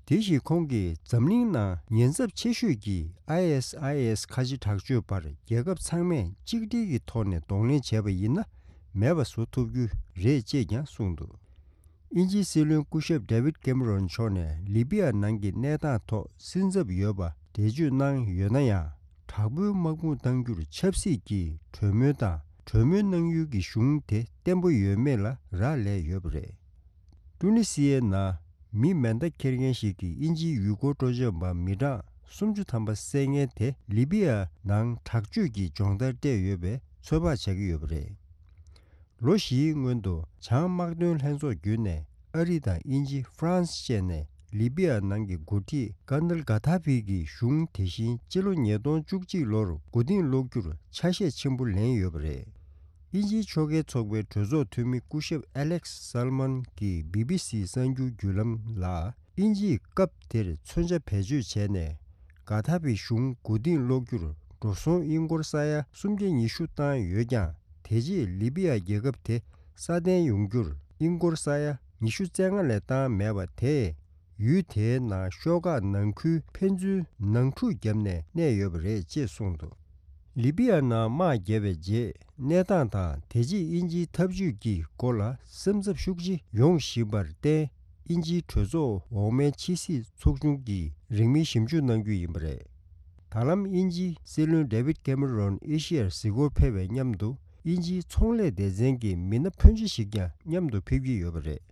དེ་བཞིན་ཁོང་གིས་འཛམ་གླིང་ནང་ཉེན་ཚབས་ཆེ་ཤོས་ཀྱི་ཨའི་ཨེས་ཨའི་ཨེས་ཁ་ཆེ་དྲག་སྤྱོད་པར་རྒྱལ་ཁབ་ཚང་མས་གཅིག་སྒྲིལ་གྱི་ཐོག་ནས་གདོང་ལེན་བྱས་པ་ཡིན་ན། མེད་པ་བཟོ་ཐུབ་རྒྱུ་རེད་ཅེས་ཀྱང་གསུངས་འདུག་དབྱིན་ཇིའི་སྲིད་བློན་སྐུ་ཞབས་ཌེ་ཝིད་ཀེ་མེ་རོན་མཆོག་ནས་ལི་པི་ཡ་ནང་གི་གནས་སྟངས་ཐོག་སེམས་འཚབ་ཡོད་པ་འགྲེལ་བརྗོད་གནང་ཡོད་ན་ཡང་། དྲག་པོའི་དམག་དཔུང་གཏང་རྒྱུར་ཆབ་སྲིད་ཀྱི་གྲོས་མོལ་དང་གྲོས་མོལ་གནང་ཡུལ་གྱི་གཞུང་དེ་བརྟན་པོ་ཡོད་མེད་ལ་རག་ལས་ཡོད་པ་རེད། ཀྲུ་ནི་སི་ཡའི་ནང་མི་མེ་མདའ་འཁྱེར་མཁན་ཞིག་གིས་དབྱིན་ཇིའི་ཡུལ་སྐོར་སྤྲོ་འཆམ་པ་མི་གྲངས་སུམ་ཅུ་ཐམ་པ་བསད་མཁན་དེ་ལི་པི་ཡ་ནང་དྲག་སྤྱོད་ཀྱི་སྦྱོང་བརྡར་སྤྲད་ཡོད་པའི་ཚོད་དཔག་བྱ་གི་ཡོད་པ་རེད། ལོ་བཞིའི་སྔོན་དུ་བྱང་དམག་དོན་ལྷན་ཚོགས་བརྒྱུད་ནས་ཨ་རི་དང་དབྱིན་ཇི། ཧྥ་རན་སི་བཅས་ནས་ལི་པི་ཡ་ནང་གི་འགོ་ཁྲིད་ཀར་ནལ་གྷ་ཐ་ཕི་གི་གཞུང་དེ་བཞིན་སྤྱི་ལོ་ཉིས་སྟོང་བཅུ་གཅིག་ལོར་མགོ་རྟིང་སློག་རྒྱུར་ཆ་ཤས་ཆེན་པོ་ལེན་ཡོད་པ་རེད། དབྱིན་ཇིའི་ཕྱོགས་འགལ་ཚོགས་པའི་གྲོས་ཚོགས་འཐུས་མི་སྐུ་ཞབས་ཨ་ལེག་སལ་མན་གྱིས་བི་བི་སི་གསར་འགྱུར་བརྒྱུད་ལམ་ལ། དབྱིན་ཇིས་སྐབས་དེར་མཚོན་ཆ་བེད་སྤྱོད་བྱས་ནས། གྷ་ཐ་ཕི་གཞུང་མགོ་རྟིང་སློག་རྒྱུར་འགྲོ་སོང་ཨིན་སྒོར་ས་ཡ་སུམ་བརྒྱ་ཉི་ཤུ་བཏང་ཡོད་ཀྱང་། དེ་རྗེས་ལི་པི་ཡ་རྒྱལ་ཁབ་དེ་སྲ་བརྟན་ཡོང་རྒྱུར་ཨིན་སྒོར་ས་ཡ་ ཉི་ཤུ་རྩ་ལྔ་ལས་བཏང་མེད་པ་དེས་ཡུལ་དེའི་ནང་ཤོག་ཁག་ནང་ཁུལ་ཕན་ཚུན་ནང་འཁྲུག་བརྒྱབ་ནས་གནས་ཡོད་པ་རེད་ཅེས་གསུངས་འདུག་ལི་པི་ཡ་ནང་དམག་བརྒྱབ་པའི་རྗེས་གནས་སྟངས་དང་དེ་རྗེས་དབྱིན་ཇིའི་འཐབ་ཇུས་ཀྱི་སྐོར་ལ་སེམས་འཚབ་ཤུགས་ཆེ་ཡོང་བཞིན་པར་བརྟེན། དབྱིན་ཇིའི་གྲོས་ཚོགས་འོག་མའི་ཕྱི་སྲིད་ཚོགས་ཆུང་གིས་རིང་མིན་ཞིབ་འཇུག་གནང་རྒྱུ་ཡིན་པ་རེད། ད་ལམ་དབྱིན་ཇིའི་སྲིད་བློན་ཌེ་ཝིད་ཀེ་མེ་རོན་ཨེ་ཤི་ཡར་གཟིགས་སྐོར་ཕེབས་པའི་མཉམ་དུ་དབྱིན་ཇིའི་ཚོང་ལས་སྡེ་ཚན་གྱི་མི་སྣ་ཕོན་ཆེ་ཞིག་ཀྱང་མཉམ་དུ་ཕེབས་ཀྱི་ཡོད་པ་རེད།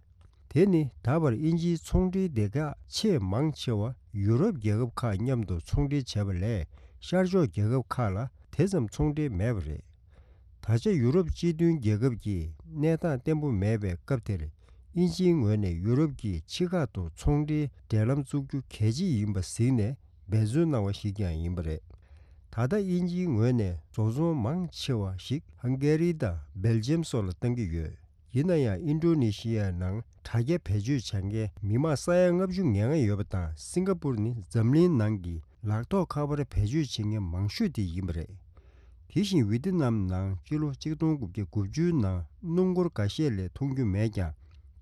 དེ་ནི་ད་བར་དབྱིན་ཇིའི་ཚོང་འབྲེལ་སྡེ་ཁག་ཆེས་མང་ཆེ་བ་ཡུ་རོབ་རྒྱལ་ཁབ་ཁག་མཉམ་དུ་ཚོང་འབྲེལ་བྱས་པ་ལས་ཤར་ཕྱོགས་རྒྱལ་ཁབ་ཁག་ལ་དེ་ཙམ་ཚོང་འབྲེལ་མེད་པ་རེད། ད་ཆ་ཡུ་རོབ་སྤྱི་མཐུན་རྒྱལ་ཁབ་ཀྱི་གནས་སྟངས་བརྟན་པོ་མེད་པའི་སྐབས་དེར་དབྱིན་ཇིའི་ངོས་ནས་ཡུ་རོབ་ཀྱི་ཕྱི་ཁག་ཏུ་ཚོང་འབྲེལ་འབྲེལ་ལམ་བཙུགས་རྒྱུ་གལ་ཆེ་ཡིན་པ་གཟིགས་ནས་འབད་བརྩོན་གནང་བ་ཞིག་ཀྱང་ཡིན་པ་རེད། ད་ལྟ་དབྱིན་ཇིའི་ངོས་ནས་བཟོ་ཚོང་མང་ཆེ་བ་ཞིག་ཧང་གེ་རི་དང་སྦེལ་ཇམ་སོགས་ལ་གཏང་གི་ཡོད། ཡིན་ན་ཡང་ཨིན་ཌོ་ནེ་ཤི་ཡའི་ནང་དྲ་རྒྱ་བེད་སྤྱོད་བྱེད་མཁན་མི་མང་ས་ཡ་ལྔ་བཅུ་ང་ལྔ་ཡོད་པ་དང་། སིང་ག་པུར་ནི་འཛམ་གླིང་ནང་གི་ལག་ཐོགས་ཁ་པར་བེད་སྤྱོད་བྱེད་མཁན་མང་ཤོས་དེ་ཡིན་པ་རེད། དེ་བཞིན་ཝི་ཏི་ནམ་ནང་སྤྱི་ལོ་གཅིག་སྟོང་དགུ་བརྒྱ་དགུ་བཅུ་ནང་སྣུམ་འཁོར་འགའ་ཤས་ལས་མཐོང་རྒྱུ་མེད་ཀྱང་།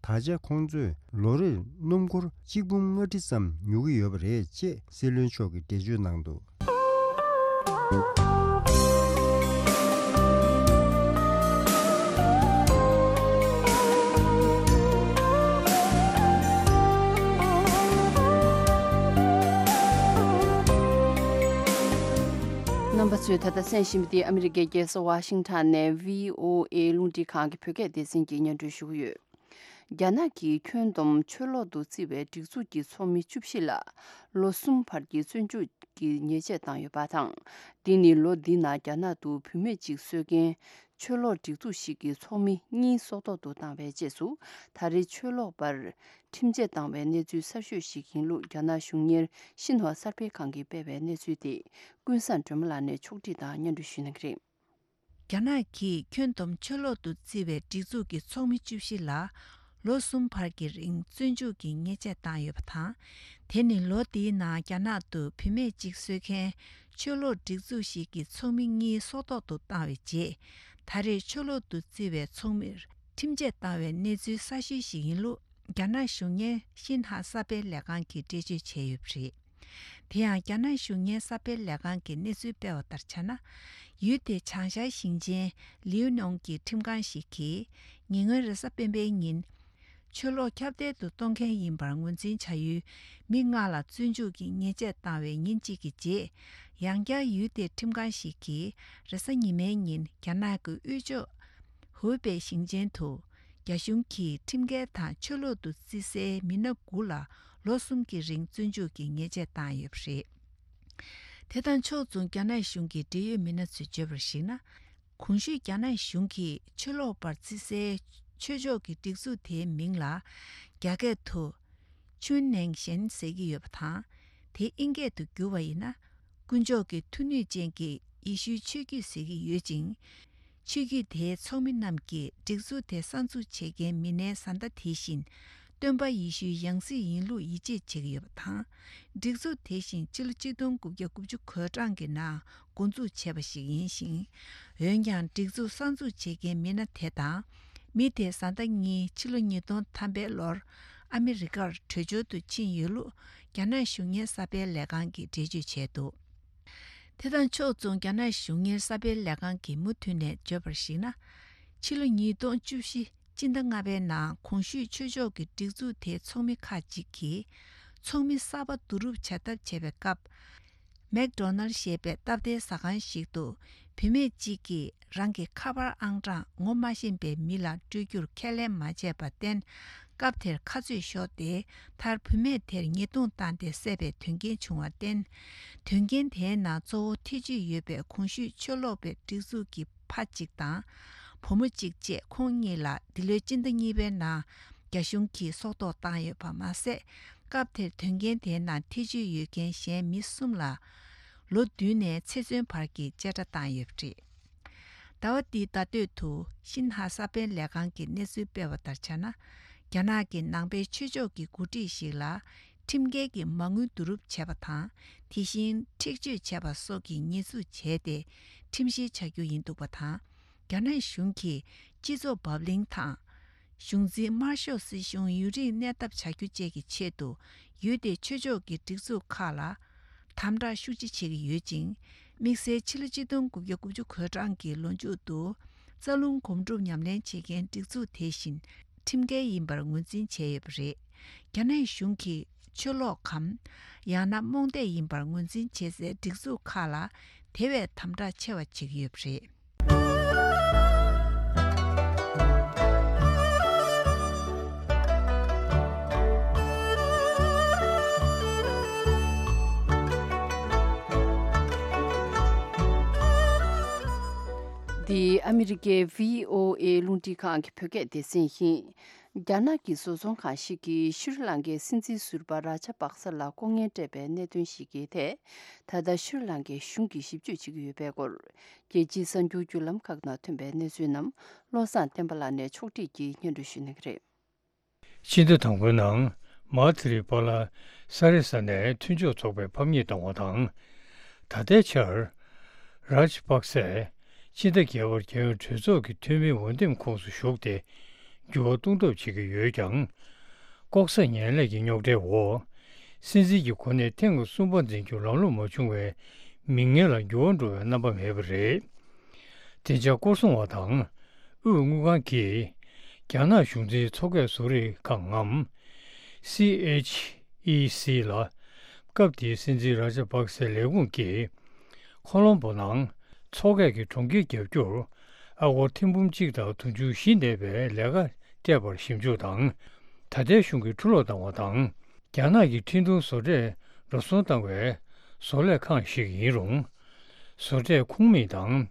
ད་ཆ་ཁོང་ཚོས་ལོ་རེར་སྣུམ་འཁོར་གཅིག་འབུམ་ལྔ་ཁྲི་ཙམ་ཉོ་གི་ཡོད་པ་རེད་ཅེས་སྲིད་བློན་མཆོག་གིས་འགྲེལ་བརྗོད་གནང་འདུག་རྣམ་པ་ཚོས་ད་ལྟ་གསན་བཞིན་པ་འདི་ཨ་མི་རི་ཀའི་རྒྱལ་ས་ཝ་ཤིང་ཊོན་ནས་བྷི་ཨོ་ཨེ་རླུང་འཕྲིན་ཁང་གི་བོད་སྐད་སྡེ་ཚན་གྱིས་སྙན་སྒྲོན་ཞུ་གི་ཡོད། རྒྱ་ནག་གིས་ཁྱོན་བསྡོམས་ཆོས་ལོག་ཏུ་བརྩི་བའི་སྒྲིག་འཛུགས་ཀྱི་ཚོགས་མི་བཅུ་བཞི་ལ་ལོ་གསུམ་བར་གྱི་བཙོན་འཇུག་གི་ཉེས་ཆད་བཏང་ཡོད་པ་དང་། འདི་ནི་ལོ་འདི་ནང་རྒྱ་ནག་ཏུ་བུད་མེད་ཅིག་གསོད་མཁན་ཆོས་ལོག་སྒྲིག་འཛུགས་ཤིག་གི་ཚོགས་མི་གཉིས་སྲོག་ཐོག་ཏུ་བཏང་བའི་རྗེས་སུ། ད་རེས་ཆོས་ལོག་པར་ཁྲིམས་ཆད་བཏང་བའི་གནས་ཚུལ་གསར་ཤོས་ཤིག་ཡིན་ལུགས་རྒྱ་ནག་གཞུང་གཉེར་ཤིན་ཧྭ་གསར་སྤེལ་ཁང་གིས་སྤེལ་བའི་གནས་ཚུལ་དེ་ཀུན་བཟང་སྒྲོལ་མ་ལགས་ནས་ཕྱོགས་བསྒྲིགས་དང་སྙན་སྒྲོན་ཞུ་གནང་གི་རེད། རྒྱ་ནག་གིས་ཁྱོན་བསྡོམས་ཆོས་ལོག་ཏུ་བརྩི་བའི་སྒྲིག་འཛུགས་ཀྱི་ཚོགས་མི་བཅུ་བཞི་ལ་ལོ་གསུམ་བར་གྱི་རིང་བཙོན་འཇུག་གི་ཉེས་ཆད་བཏང་ཡོད་པ་དང་། དེ་ནི་ལོ་འདིའི་ནང་རྒྱ་ནག་ཏུ་བུད་མེད་ཅིག་གསོད་མཁན་ཆོས་ལོག་སྒྲིག་འཛུགས་ཤིག་གི་ཚོགས་མི་གཉིས་སྲོག་ཐོག་ཏུ་བཏང་བའི་རྗེས། ད་རེས་ཆོས་ལོག་ཏུ་བརྩི་བའི་ཚོགས་མིར་ཁྲིམས་ཆད་བཏང་བའི་གནས་ཚུལ་གསར་ཤོས་ཤིག་ཡིན་ལུགས་རྒྱ་ནག་གཞུང་གཉེར་ཤིན་ཧྭ་གསར་སྤེལ་ལས་ཁང་གིས་འགྲེལ་བརྗོད་བྱས་ཡོད་པ་རེད། དེ་ཡང་རྒྱ་ནག་གཞུང་གཉེར་གསར་སྤེལ་ལས་ཁང་གིས་གནས་ཚུལ་སྤེལ་བ་ལྟར་ཆ་ན། ཡུལ་དེའི་བྱང་ཤར་ཞིང་ཆེན་ལིའུ་ནོང་གི་ཁྲིམས་ཁང་ཞིག་གིས་ཉེ་སྔོན་རེས་གཟའ་སྤེན་པའི་ཉིན། ཆོས་ལོག་ཁྱབ་གདལ་དུ་གཏོང་མཁན་ཡིན་པར་ངོས་འཛིན་བྱ་ཡུལ་མི་ལྔ་ལ་བཙོན་འཇུག་གི་ཉེས་ཆད་བཏང་བའི་ཉིན་གཅིག་གི་རྗེས། ཡང་བསྐྱར་ཡུལ་དེའི་ཁྲིམས་ཁང་ཞིག་གིས་རེས་གཟའ་ཉི་མའི་ཉིན་རྒྱ་ནག་གི་དབུས་ཕྱོགས་ཧུའུ་པེ་ཞིང་ཆེན་དུ། རྒྱ་གཞུང་གིས་ཁྲིམས་འགལ་དང་ཆོས་ལོག་ཏུ་བརྩི་སའི་མི་སྣ་དགུ་ལ་ལོ་གསུམ་གྱི་རིང་བཙོན་འཇུག་གི་ཉེས་ཆད་བཏང་ཡོད་པ་རེད། དེ་དང་ཕྱོགས་མཚུངས་རྒྱ་ནག་གཞུང་གི་འབྲེལ་ཡོད་མི་སྣ་ཚོས་བརྗོད་པར་གཞིགས་ན། གོང་ཞུས་རྒྱ་ནག་གཞུང་གིས་ཆོས་ལོག་པར་བརྩི་སའི་ཆོས་ཕྱོགས་ཀྱི་སྒྲིག་འཛུགས་དེའི་མིང་ལ་རྒྱ་སྐད་དུ་ཆུན་ནེང་ཞན་ཟེར་གྱི་ཡོད་པ་དང་། དེ་ཨིན་སྐད་དུ་བསྒྱུར་བ་ཡིན་ན། དཀོན་མཆོག་གི་མཐུ་ནུས་ཅན་གྱི་ཡེ་ཤུའི་ཆོས་བརྒྱུད་ཟེར་གྱི་ཡོད་ཅིང་། ཆོས་བརྒྱུད་དེའི་ཚོགས་མི་རྣམས་ཀྱིས་སྒྲིག་འཛུགས་དེ་གསར་འཛུགས་བྱེད་མཁན་མི་སྣའི་བཟའ་ཟླ་དེ་བཞིན་སྟོན་པ་ཡེ་ཤུའི་ཡང་སྲིད་ཡིན་ལུགས་ཡིད་ཆེས་བྱེད་ཀྱི་ཡོད་པ་དང་། སྒྲིག་འཛུགས་དེ་བཞིན་ཕྱི་ལོ་གཅིག་སྟོང་དགུ་བརྒྱ་དགུ་བཅུ་གོ་གྲངས་ཀྱི་ནང་འགོ་འཛུགས་བྱས་པ་ཞིག་ཡིན་ཞིང་། འོན་ཀྱང་སྒྲིག་འཛུགས་གསར་འཛུགས་བྱེད་མཁན་མི་སྣ་དེ་དང་། མི་དེའི་བཟའ་ཟླ་གཉིས་ཕྱི་ལོ་ཉིས་སྟོང་ཐམ་པའི་ལོར་ཨ་མི་རི་ཀར་བྲོས་བྱོལ་དུ་ཕྱིན་ཡོད་ལུགས་རྒྱ་ནག་གཞུང་གཉེར་གསར་སྤེལ་ལས་ཁང་གིས་འགྲེལ་བརྗོད་བྱས་འདུག་དེ་དང་ཕྱོགས་མཚུངས་རྒྱ་ནག་གཞུང་གཉེར་གསར་སྤེལ་ལས་ཁང་གིས་མུ་མཐུད་ནས་བརྗོད་པར་གཞིགས་ན། ཕྱི་ལོ་ཉིས་སྟོང་བཅུ་བཞི་སྤྱི་ཟླ་ལྔ་པའི་ནང་གོང་ཞུས་ཆོས་ཕྱོགས་ཀྱི་སྒྲིག་འཛུགས་དེའི་ཚོགས་མི་ཁག་ཅིག་གིས་ཚོགས་མི་གསར་པ་བསྡུ་རུབ་བྱ་ཐབས་བྱས་པའི་སྐབས། མེག་ཌོ་ནལ་ཞེས་པའི་སྟབས་བདེའི་ཟ་ཁང་ཞིག་ཏུ་བུད་མེད་ཅིག་གིས་རང་གི་ཁ་པར་ཨང་གྲངས་ངོ་མ་ཤེས་པའི་མི་ལ་སྤྲོད་རྒྱུར་ཁས་ལེན་མ་བྱས་པར་བརྟེན། སྐབས་དེར་ཁ་རྩོད་ཤོར་ཏེ། མཐར་བུད་མེད་དེར་ཉེས་རྡུང་བཏང་སྟེ་བསད་པའི་དོན་རྐྱེན་བྱུང་བར་བརྟེན། དོན་རྐྱེན་དེའི་ནང་གཙོ་བོ་ཐེ་བྱུས་ཡོད་པའི་གོང་ཞུས་ཆོས་ལོག་པའི་སྒྲིག་འཛུགས་ཀྱི་ཕ་གཅིག་དང་། བུ་མོ་གཅིག་བཅས་ཁོང་གཉིས་ལ་འདི་ལོའི་སྤྱི་ཟླ་གཉིས་པའི་ནང་རྒྱ་གཞུང་གིས་སྲོག་ཐོག་བཏང་ཡོད་པ་མ་ཟད། སྐབས་དེར་དོན་རྐྱེན་དེའི་ནང་ཐེ་བྱུས་ཡོད་མཁན་གཞན་མི་གསུམ་ལ་ལོ་བདུན་ནས་ཚེ་བཙོན་བར་གྱི་བཅད་ཁྲ་བཏང་ཡོད་པ་རེད། ཟླ་བ་འདིའི་ཟླ་སྟོད་དུ་ཤིན་ཧྭ་གསར་སྤེལ་ལས་ཁང་གིས་གནས་ཚུལ་སྤེལ་བ་ལྟར་ཆ་ན། རྒྱ་ནག་གི་ནང་པའི་ཆོས་ཕྱོགས་ཀྱི་འགོ་ཁྲིད་ཞིག་ལ་ཁྲིམས་འགལ་གྱི་མ་དངུལ་བསྡུ་རུབ་བྱས་པ་དང་། དེ་བཞིན་འཁྲིག་སྤྱོད་བྱས་པ་སོགས་ཀྱི་ཉེས་འཛུགས་བྱས་ཏེ་ཁྲིམས་བཤེར་བྱ་རྒྱུ་ཡིན་འདུག་པ་དང་། རྒྱ་ནག་གཞུང་གིས་སྤྱི་ཚོགས་བབ་བརླིང་དང་། གཞུང་འཛིན་དམར་ཤོག་སྲིད་གཞུང་ཡུན་རིང་གནས་ཐབས་བྱ་རྒྱུ་བཅས་ཀྱི་ཆེད་དུ་ཡུལ་དེའི་ཆོས་ཕྱོགས་ཀྱི་སྒྲིག་འཛུགས་ཁག་ལ་དམ་དྲག་ཤུགས་ཆེ་བྱེད་ཀྱི་ཡོད་ཅིང་། དམིགས་བསལ་ཕྱི་ལོ་ཆིག་སྟོང་དགུ་བརྒྱ་དགུ་བཅུ་གོ་གྲངས་ཀྱི་ལོ་མཇུག་ཏུ་རྩ་རླུང་སྒོམ་སྒྲུབ་ཉམས་ལེན་བྱེད་མཁན་སྒྲིག་འཛུགས་དེ་བཞིན་ཁྲིམས་འགལ་ཡིན་པར་ངོས་འཛིན་བྱས་ཡོད་པ་རེད། རྒྱ་ནག་གཞུང་གིས་ཆོས་ལོག་གམ། ཡང་ན་རྨོངས་དད་ཡིན་པར་ངོས་འཛིན་བྱེད་སའི་སྒྲིག་འཛུགས་ཁག་ལ་དེ་བས་དམ་དྲག་ཆེ་བ་བྱེད་ཀྱི་ཡོད་པ་རེད། འདི་ཨ་མི་རི་ཀའི་བྷི་ཨོ་ཨེ་རླུང་འཕྲིན་ཁང་གི་བོད་སྐད་སྡེ་ཚན་ཡིན། རྒྱ་ནག་གི་བཟོ་ཚོང་ཁང་ཞིག་གིས་ཤྲི་ལང་ཀའི་སྲིད་འཛིན་ཟུར་པ་རཱ་ཇ་པག་ས་ལ་ལྐོག་རྔན་སྤྲད་པའི་གནད་དོན་ཞིག་གི་ཐད། ད་ལྟ་ཤྲི་ལང་ཀའི་གཞུང་གིས་ཞིབ་དཔྱོད་བྱེད་ཀྱི་ཡོད་པའི་སྐོར། རྒྱལ་སྤྱིའི་གསར་འགྱུར་བརྒྱུད་ལམ་ཁག་ནང་ཐོན་པའི་གནས་ཚུལ་རྣམས་བློ་བཟང་བསྟན་པ་ལགས་ནས་ཕྱོགས་སྒྲིག་གིས་སྙན་སྒྲོན་ཞུ་གནང་གི་རེད། སྤྱི་ཟླ་དང་པོའི་ནང་མ་ཐི་རི་པ་ལ་ས་རི་ས་ནས་མཐུན་ཕྱོགས་ཚོགས་པས་ཕམ་ཉེས་བཏང་བ་དང་། ད་ལྟའི་ཆར། རཱཇ་པག་སེ་སྤྱི་ཟླ་བརྒྱད་པར་རྒྱལ་ཡོངས་གྲོས་ཚོགས་ཀྱི་འཐུས་མིའི་འོས་འདེམས་ཁོངས་སུ་ཞུགས་ཏེ་འགྱུར་བ་གཏོང་ཐབས་བྱེད་ཀྱི་ཡོད་ཀྱང་། ལྐོག་ཟ་ངན་ལྷད་ཀྱི་རྙོག་དྲའི་འོག་སྲིད་འཛིན་གྱི་གོ་གནས་ཐེངས་གསུམ་པ་འཛིན་རྒྱུར་ལམ་ལྷོང་མ་བྱུང་བའི་མིང་སྔོན་ལ་འགྱུར་བ་འགྲོ་བའི་རྣམ་པ་མེད་པ་རེད། བདེ་འཇགས་སྐོར་སྲུང་བ་དང་དབུས་དངུལ་ཁང་གིས་རྒྱ་ནག་གཞུང་འཛིན་མཚོ་སྐད་བཟོ་རིག་ཁང་ངམ། སི་ཨེཆ་ཨི་སི་ལ། སྐབས་དེའི་སྲིད་འཛིན་རཱ་ཇ་པག་སེ་ལས་ཁུངས་ཀྱིས་ཁོ་ལོམ་པོ་ནང་མཚོ་སྐད་ཀྱི་གྲོང་ཁྱེར་བརྒྱབ་རྒྱུར་ཨ་སྒོར་ཐེར་འབུམ་གཅིག་དང་དུང་ཕྱུར་བཞི་གནས་པའི་ལས་ཀ་སྤྲད་པར་ཞིབ་འཇུག་དང་། ད་ལྟའི་གཞུང་གིས་འཁྲུ་སློག་བཏང་བ་དང་། རྒྱ་ནག་གི་འཕྲིན་གཏོང་བཟོ་གྲྭས་འགྲོ་སོང་བཏང་བའི་བཟོ་ལས་ཁང་ཞིག་ཡིན་རུང་། བཟོ་གྲྭའི་ཁོངས་མི་དང་།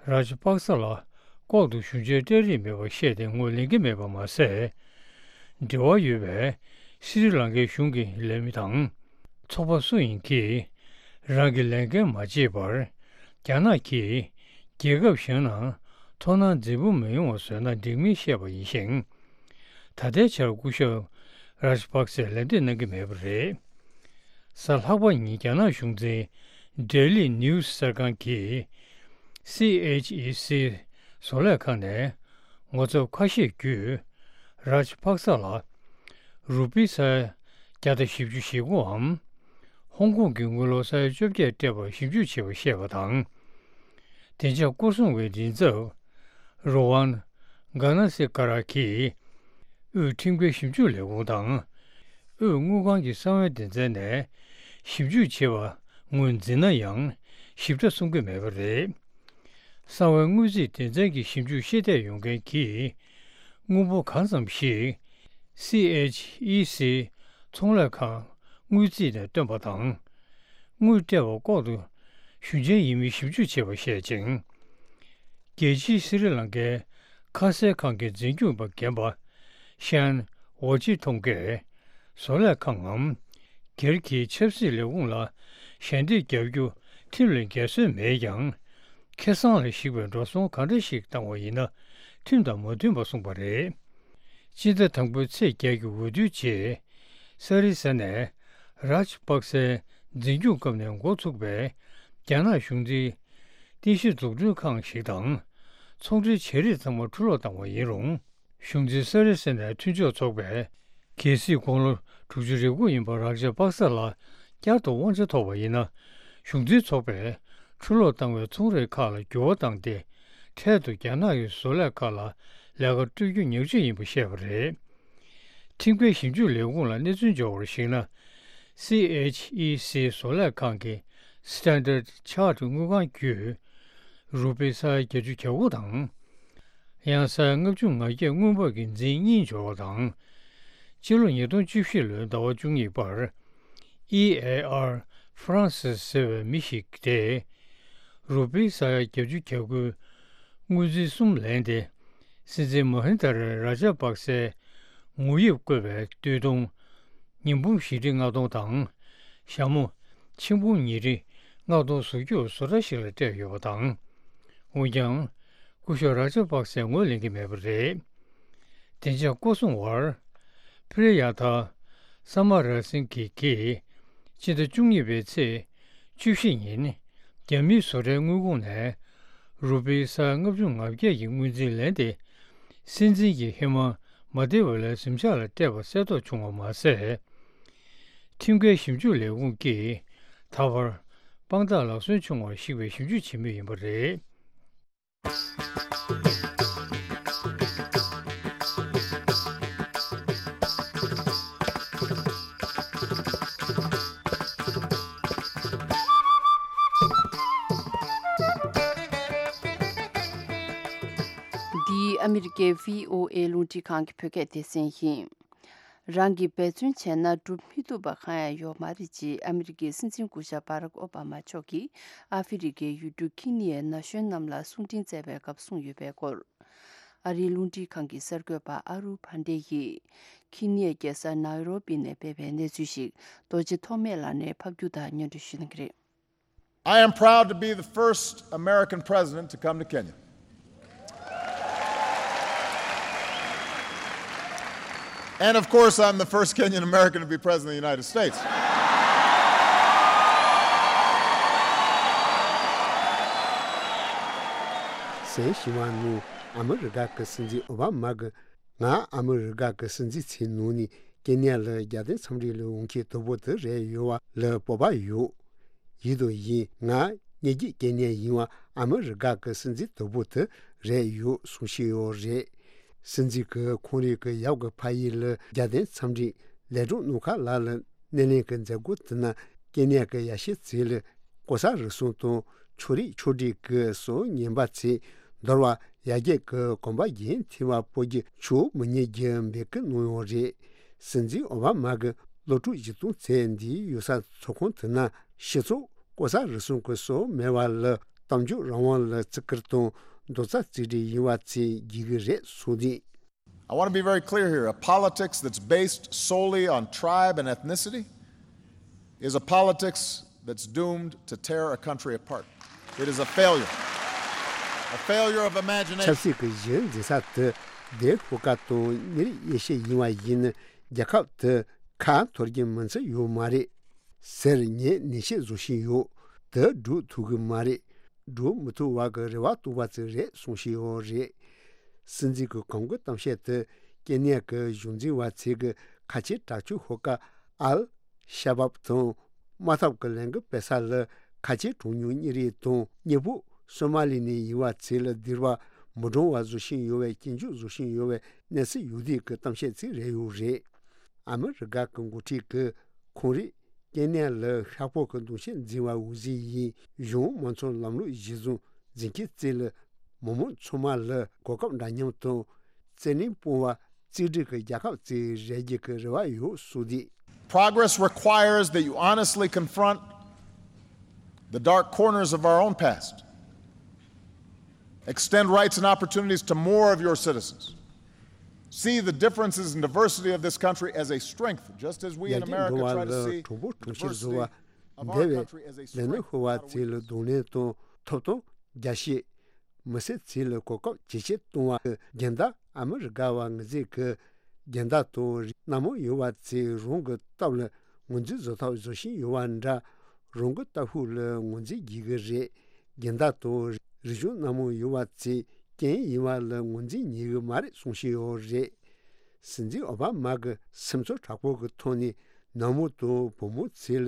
རཱཇ་པག་ས་ལ་ལྐོག་ཏུ་ཞུ་འཆར་སྤྲད་རིན་མེད་པ་བཤད་དེ་ངོས་ལེན་གྱི་མེད་པ་མ་ཟད། འབྲེལ་བ་ཡོད་པའི་སི་རི་ལང་ཀའི་གཞུང་གི་ལས་མི་དང་། ཚོགས་པ་སུ་ཡིན་གྱིས་རང་གི་ལས་འགན་མ་བྱས་པར་རྒྱ་ནག་གིས་རྒྱལ་ཁབ་གཞན་ནང་མཐོང་སྣང་འཛིན་སྤོབས་མི་ཡོང་བ་བཟོས་ན་འགྲིག་མིན་བཤད་པ་ཡིན་ཞིང་། ད་ལྟའི་ཆར་སྐུ་ཞབས་རཱཇ་པག་སེ་ལན་འདེབས་གནང་གི་མེད་པ་རེད། གཟའ་ལྷག་པ་ཉིན་རྒྱ་ནག་གཞུང་འཛིན་Daily News གསར་ཁང་གིས་སི་ཨེཆ་ཨི་སི་བཟོ་ལས་ཁང་ནས་ངོ་ཚབ་ཁ་ཤས་བརྒྱུད་རཱཇ་པག་ས་ལ་རུ་པི་ས་ཡ་བརྒྱ་དང་བཞི་བཅུ་ཞེ་དགུའམ། ཧོང་ཀོང་གི་དངུལ་ལོར་ས་ཡ་བཅོ་བརྒྱད་སྤྲད་པར་ཞིབ་འཇུག་བྱས་པ་བཤད་པ་དང་། བདེ་འཇགས་སྐོར་སྲུང་བའི་མགྲིན་ཚབ་རོ་ཝན་གྷ་ན་སི་ཀ་ར་གིས་དབུས་ཁྲིམས་འགལ་ཞིབ་འཇུག་ལས་ཁུངས་དང་། དབུས་དངུལ་ཁང་གི་གསང་བའི་སྡེ་ཚན་ནས་ཞིབ་འཇུག་བྱས་པ་ངོས་འཛིན་ན་ཡང་ཞིབ་ཕྲ་གསུང་གི་མེད་པ་རེད། གསང་བའི་དངུལ་རྩིས་སྡེ་ཚན་གྱི་ཞིབ་འཇུག་ཤེས་ལྡན་ཡོང་མཁན་གྱིས་དངུལ་འབོར་གང་ཙམ་ཞིག་སི་ཨེཆ་ཨི་སི་ཚོང་ལས་ཁང་དངུལ་རྩིས་ནས་བཏོན་པ་དང་། དངུལ་སྤྲད་པ་ལྐོག་ཏུ་ཞུ་མཁན་ཡིན་མིན་ཞིབ་འཇུག་བྱས་པ་བཤད་ཅིང་། རྒྱལ་སྤྱིའི་སི་རི་ལང་ཀའི་ཁ་གསལ་ཁང་གི་འཛིན་སྐྱོང་པ་རྒན་པ་ཤན་ཝོ་ཅི་ཐོང་གིས་བཟོ་ལས་ཁང་ངམ་སྒེར་གྱི་ཆབ་སྲིད་ལས་ཁུངས་ལ་ཞལ་འདེབས་བརྒྱབ་རྒྱུ་ཁྲིམས་ལ་འགལ་སྲོལ་མེད་ཀྱང་། ཁེ་བཟང་ལ་གཞིགས་པའི་འགྲོ་སོང་གང་འདྲ་ཞིག་བཏང་བ་ཡིན་ན་ཁྲིམས་དང་མ་མཐུན་པ་གསུངས་པ་རེད། སྤྱི་ཟླ་དང་པོའི་ཚེས་བརྒྱད་ཀྱི་འོས་བསྡུའི་རྗེས། ས་རི་ས་ནས་རཱཇ་པག་སེའི་འཛིན་སྐྱོང་སྐབས་ནས་འགོ་ཚུགས་པའི་རྒྱ་ནག་གཞུང་འཛིན་རྟེན་གཞི་འཛུགས་སྐྲུན་ཁང་ཞིག་དང་། ཚོང་འབྲེལ་བྱེད་རིགས་ཚང་མ་འཁྲུ་སློག་བཏང་བ་ཡིན་རུང་། གཞུང་འཛིན་ས་རི་ས་ནས་མཐུན་ཕྱོགས་ཚོགས་པས་གལ་སྲིད་དགུང་ལོ་དྲུག་ཅུ་རེ་དགུ་ཡིན་པ་རཱ་ཇ་པག་ས་ལ་བསྐྱར་དུ་དབང་ཆ་ཐོབ་པ་ཡིན་ན། གཞུང་འཛིན་ཚོགས་པས་འཁྲུ་སློག་བཏང་བའི་ཚོང་རའི་ཁག་ལ་འགྱུར་བ་བཏང་སྟེ། འཕྲལ་དུ་རྒྱ་ནག་གི་བཟོ་ལས་ཁག་ལ་ལས་ཀ་སྤྲོད་རྒྱུ་ཉག་ཕྲ་ཡིན་པ་བཤད་པ་རེད། ཁྲིམས་འགལ་ཞིབ་འཇུག་ལས་ཁུངས་ལ་གནས་ཚུལ་འབྱོར་བར་གཞིགས་ན། སི་ཨེཆ་ཨི་སི་བཟོ་ལས་ཁང་གི་Standard Chartered དངུལ་ཁང་བརྒྱུད། རུ་པི་ས་ཡ་བརྒྱད་ཅུ་གྱ་དགུ་དང་། ཡང་ས་ཡ་ལྔ་བཅུ་ང་བརྒྱད་དངུལ་འབབ་ཀྱི་འཛིན་གཉིས་འབྱོར་བ་དང་། སྤྱི་ལོ་ཉིས་སྟོང་བཅུ་བཞི་ལོའི་ཟླ་བ་བཅུ་གཉིས་པར། ཨི་ཨེ་ཨར་ཧྥ་རན་སིས་ཟེར་བའི་མི་ཞིག་སྟེ། རུ་པི་ས་ཡ་བརྒྱད་ཅུ་གྱ་དགུའི་དངུལ་རྫས་གསུམ་ལེན་ཏེ། སྲིད་འཛིན་མ་ཧིན་དྷ་ར་རཱ་ཇ་པག་སེའི་ངོ་དབྱིབས་བཀོད་པའི་སྟོད་ཐུང་། ཉི་འབུམ་བཞི་ཁྲི་ལྔ་སྟོང་དང་། ཞྭ་མོ་ཆིག་འབུམ་ཉིས་ཁྲི་ལྔ་སྟོང་བཟོ་རྒྱུར་བཟོ་གྲྭ་ཞིག་ལ་སྤྲད་ཡོད་པ་དང་། འོན་ཀྱང་། སྐུ་ཞབས་རཱ་ཇ་པག་སེ་ངོས་ལེན་གྱི་མེད་པ་རེད། བདེ་འཇགས་སྐོར་སྲུང་བར། པྲི་ཡ་ཐ་ས་མ་ར་སིང་གྷི་གིས་སྤྱི་ཟླ་བཅུ་གཉིས་པའི་ཚེས་བཅུ་བཞི་ཉིན་རྒྱ་མིའི་བཟོ་གྲྭའི་དངུལ་ཁང་ནས་རུ་པི་ས་ལྔ་བཅུ་ང་བརྒྱད་ཀྱི་དངུལ་རྩིས་ལེན་ཏེ། སྲིད་འཛིན་གྱི་ཧི་མ་ མ་བདེ་བ་ལ་གཟིམ་ཤག་ལ་བལྟས་པ་གསལ་རྟོགས་བྱུང་བ་མ་ཟད། ཁྲིམས་འགལ་ཞིབ་འཇུག་ལས་ཁུངས་ཀྱིས་ད་བར་དཔང་རྟགས་ལག་སོན་བྱུང་བར་གཞིགས་པའི་ཞིབ་འཇུག་བྱེད་མུས་ཡིན་པ་རེད། འདི་ཨ་མི་རི་ཀའི་བྷི་ཨོ་ཨེ་རླུང་འཕྲིན་ཁང་གི་བོད་སྐད་སྡེ་ཚན་ཡིན། རང་གིས་འབད་བརྩོན་བྱས་ན་སྒྲུབ་མི་ཐུབ་པ་གང་ཡང་ཡོད་མ་རེད་ཅེས་ཨ་མི་རི་ཀའི་སྲིད་འཛིན་སྐུ་ཞབས་བྷ་རག་ཨོ་བྷ་མ་མཆོག་གིས་ཨ་ཧྥེ་རི་ཀའི་ཡུལ་གྲུ་ཁི་ནི་ཡའི་ན་གཞོན་རྣམས་ལ་གསུང་འཕྲིན་བསྩལ་བའི་སྐབས་གསུངས་ཡོད་པའི་སྐོར། ཨ་རིའི་རླུང་འཕྲིན་ཁང་གི་གསར་འགོད་པ་ཨ་རུ་ཕན་ཌེ་ཡིས་ཁི་ནི་ཡའི་རྒྱལ་ས་ནཱི་རོ་པི་ནས་སྤེལ་བའི་གནས་ཚུལ་ཞིག་རྡོ་རྗེ་ཐོགས་མེད་ལགས་ནས་ཕབ་སྒྱུར་དང་སྙན་སྒྲོན་ཞུ་གནང་གི་རེད། I am proud to be the first American president to come to Kenya. And of course, I'm the first Kenyan American to be president of the United States. གསན་བཞིན་པ་ནང་ཨ་མི་རི་ཀ་གི་སྲིད་འཛིན་ཨོ་བྷ་མ་གིས། ང་ཨ་མི་རི་ཀ་གི་སྲིད་འཛིན་ཚའི་ནང་ནས་ཀེ་ནི་ཡ་ལ་རྒྱལ་བསྟན་འཚམས་འདྲི་ལ་འོང་མཁན་དང་པོ་དེ་རེད་ཡོད་པ་ལ་སྤོབས་པ་ཡོད། ཡིན་དང་ཡིན། ང་ཉེ་རྒྱུད་ཀེ་ནི་ཡ་ཡིན་པ་ཨ་མི་རི་ཀ་གི་སྲིད་འཛིན་དང་པོ་དེ་རེད་ཡོད་གསུངས་བཞིན་ཡོད་རེད། སྲིད་འཛིན་གྱིས་ཁོང་རང་གི་ཡབ་ཀྱི་ཕ་ཡུལ་ལ་རྒྱལ་བསྟན་འཚམས་འདྲི་ལས་གྲོགས་ནང་ཁ་ལ་ལ་སྣེ་ལེན་གྱི་མཛད་སྒོ་དེ་ནང་ཀེ་ནི་ཡ་གི་ཡ་ཤི་ཚའི་ལ་ལྐོག་ཟ་རུལ་སུངས་དང་ཕྱོགས་རིས་ཕྱོགས་སྒྲིག་གི་སྲོལ་ངན་པ་ཚོས་འདོར་བ་ཡར་རྒྱས་ཀྱི་གོམ་པ་རྒྱུན་མཐུད་པ་སྤོ་རྒྱུ་ཆོག་མི་ཉན་རྒྱུ་འབོད་སྐུལ་གནང་ཡོད་རེད། སྲིད་འཛིན་ཨོ་བྷ་མ་གིས་སློབ་ཕྲུག་བཞི་སྟོང་ཚོས་འདིའི་ཡུལ་ས་ཚོགས་ཁང་དེ་ནང་སྤྱི་ཚོགས་ལྐོག་ཟ་རུལ་སུངས་ཀྱི་སྲོལ་མེད་པ་ལ་གཏམ་བརྗོད་རང་དབང་ལ་བརྩི་བཀུར་དང་རྡོག་རྩ་གཅིག་སྒྲིལ་ཡིན་པ་ཚོས་བགྱིད་ཀྱི་རེད་གསུངས་ཏེ། I want to be very clear here. A politics that's based solely on tribe and ethnicity is a politics that's doomed to tear a country apart. It is a failure. A failure of imagination. ཆབ་སྲིད་ཀྱི་གཞི་འཛིན་ས་དེ་དེ་ཧུ་ཀ་དང་ཉེ་རིགས་དབྱེ་ཞིབ་ཡིན་པ་ཡིན་ན་རྒྱལ་ཁབ་དེ་ཁ་འཐོར་རྒྱུ་མིན་ཚོད་ཡོད་མ་རེད། ཟེར་ངས་ནན་བཤད་བཟོ་བཞིན་ཡོད། དེ་སྒྲུབ་ཐུབ་ཀྱི་མ་རེད། སྒྲུབ་མི་ཐུབ་བ་གི་རེ་བ་གཏོང་བ་ཙམ་རེད་གསུངས་བཞིན་ཡོད་རེད། སྲིད་འཛིན་གྱི་གོང་གི་གཏམ་བཤད་དེ་ཀེ་ནི་ཡ་གི་གཞུང་འཛིན་པ་ཚོས་ཀྱི་ཁ་ཆེ་དྲག་སྤྱོད་ཤོག་ཁག་ཨལ་ཤ་བབ་དང་དམག་འཐབ་ཀྱི་ལས་འགུལ་སྤེལ་ས་ལ་ཁ་ཆེ་གྲངས་ཉུང་གཉེར་རིགས་དང་གཉེན་པོ་སོ་མ་ལི་ནས་ཡིན་པ་ཚོས་ལ་སྡིགས་པ་མི་འདྲོང་བ་བཟོ་བཞིན་ཡོད་པའི་སྐྱོན་བརྗོད་བཟོ་བཞིན་ཡོད་པའི་གནས་ཚུལ་ཡོད་དུས་ཀྱི་གཏམ་བཤད་ཅིག་རེད་ཡོད་རེད། ཨ་མི་རི་ཀ་གི་འགོ་ཁྲིད་ཀྱིས་ཁོང་རང་ཀེ་ནི་ཡ་ལ་ཤ་ཁྲག་གི་གདུང་ཤེས་འཛིན་པ་འོས་གཞི་ཡིན། གཞུང་མང་ཚོགས་ལམ་ལུགས་གཞིར་བཟུང་འཛིན་མཁན་བཅས་ལ་མི་མང་ཚང་མ་ལ་གོ་སྐབས་འདྲ་མཉམ་དང་བརྩེ་ལེན་སྤོང་བ་གཅིག་སྒྲིལ་གྱི་རྒྱལ་ཁབ་ཅིག་རེད་རྒྱུ་གི་རེ་བ་ཡོད་གསུངས་ཏེ། Progress requires that you honestly confront the dark corners of our own past. Extend rights and opportunities to more of your citizens. See the differences and diversity of this country as a strength, just as we in America try to see the diversity of our country as a strength. འདས་པའི་ལས་སྣེ་ཤོར་བ་ཚོ་ལ་གདོང་ལེན་དང་ཐོབ་ཐང་རྒྱ་སྐྱེད། མི་སེར་ཚོ་ལ་གོ་སྐབས་ཇེ་ཆེར་གཏོང་བ། རྒྱལ་དར་ཨ་མི་རི་ཀ་བ་ངོས་འཛིན་གྱི་རྒྱལ་དར་དང་རིགས་སྣ་མང་ཡོད་པ་ཚོས་རང་གི་སྟབས་ལ་ངོས་འཛིན་བཟོ་ཐབས་བཟོ་བཞིན་ཡོད་པ་འདྲ། རང་གི་ལྟ་ཕུགས་ལ་ངོས་འཛིན་བགྱིད་ཀྱི་རེད། རྒྱལ་དར་དང་རིག་གཞུང་སྣ་མང་ཡོད་པ་ཚོས་རྐྱེན་ཡིན་པ་ལ་ངོས་འཛིན་ཉན་གྱི་མ་རེད་གསུངས་བཞིན་ཡོད་རེད། སྲིད་འཛིན་ཨོ་བྷ་མ་གིས་སེམས་ཚོར་དྲག་པོ་གི་ཐོག་ནས་ནང་མི་དང་བུ་མོ་ཚོ་ལ་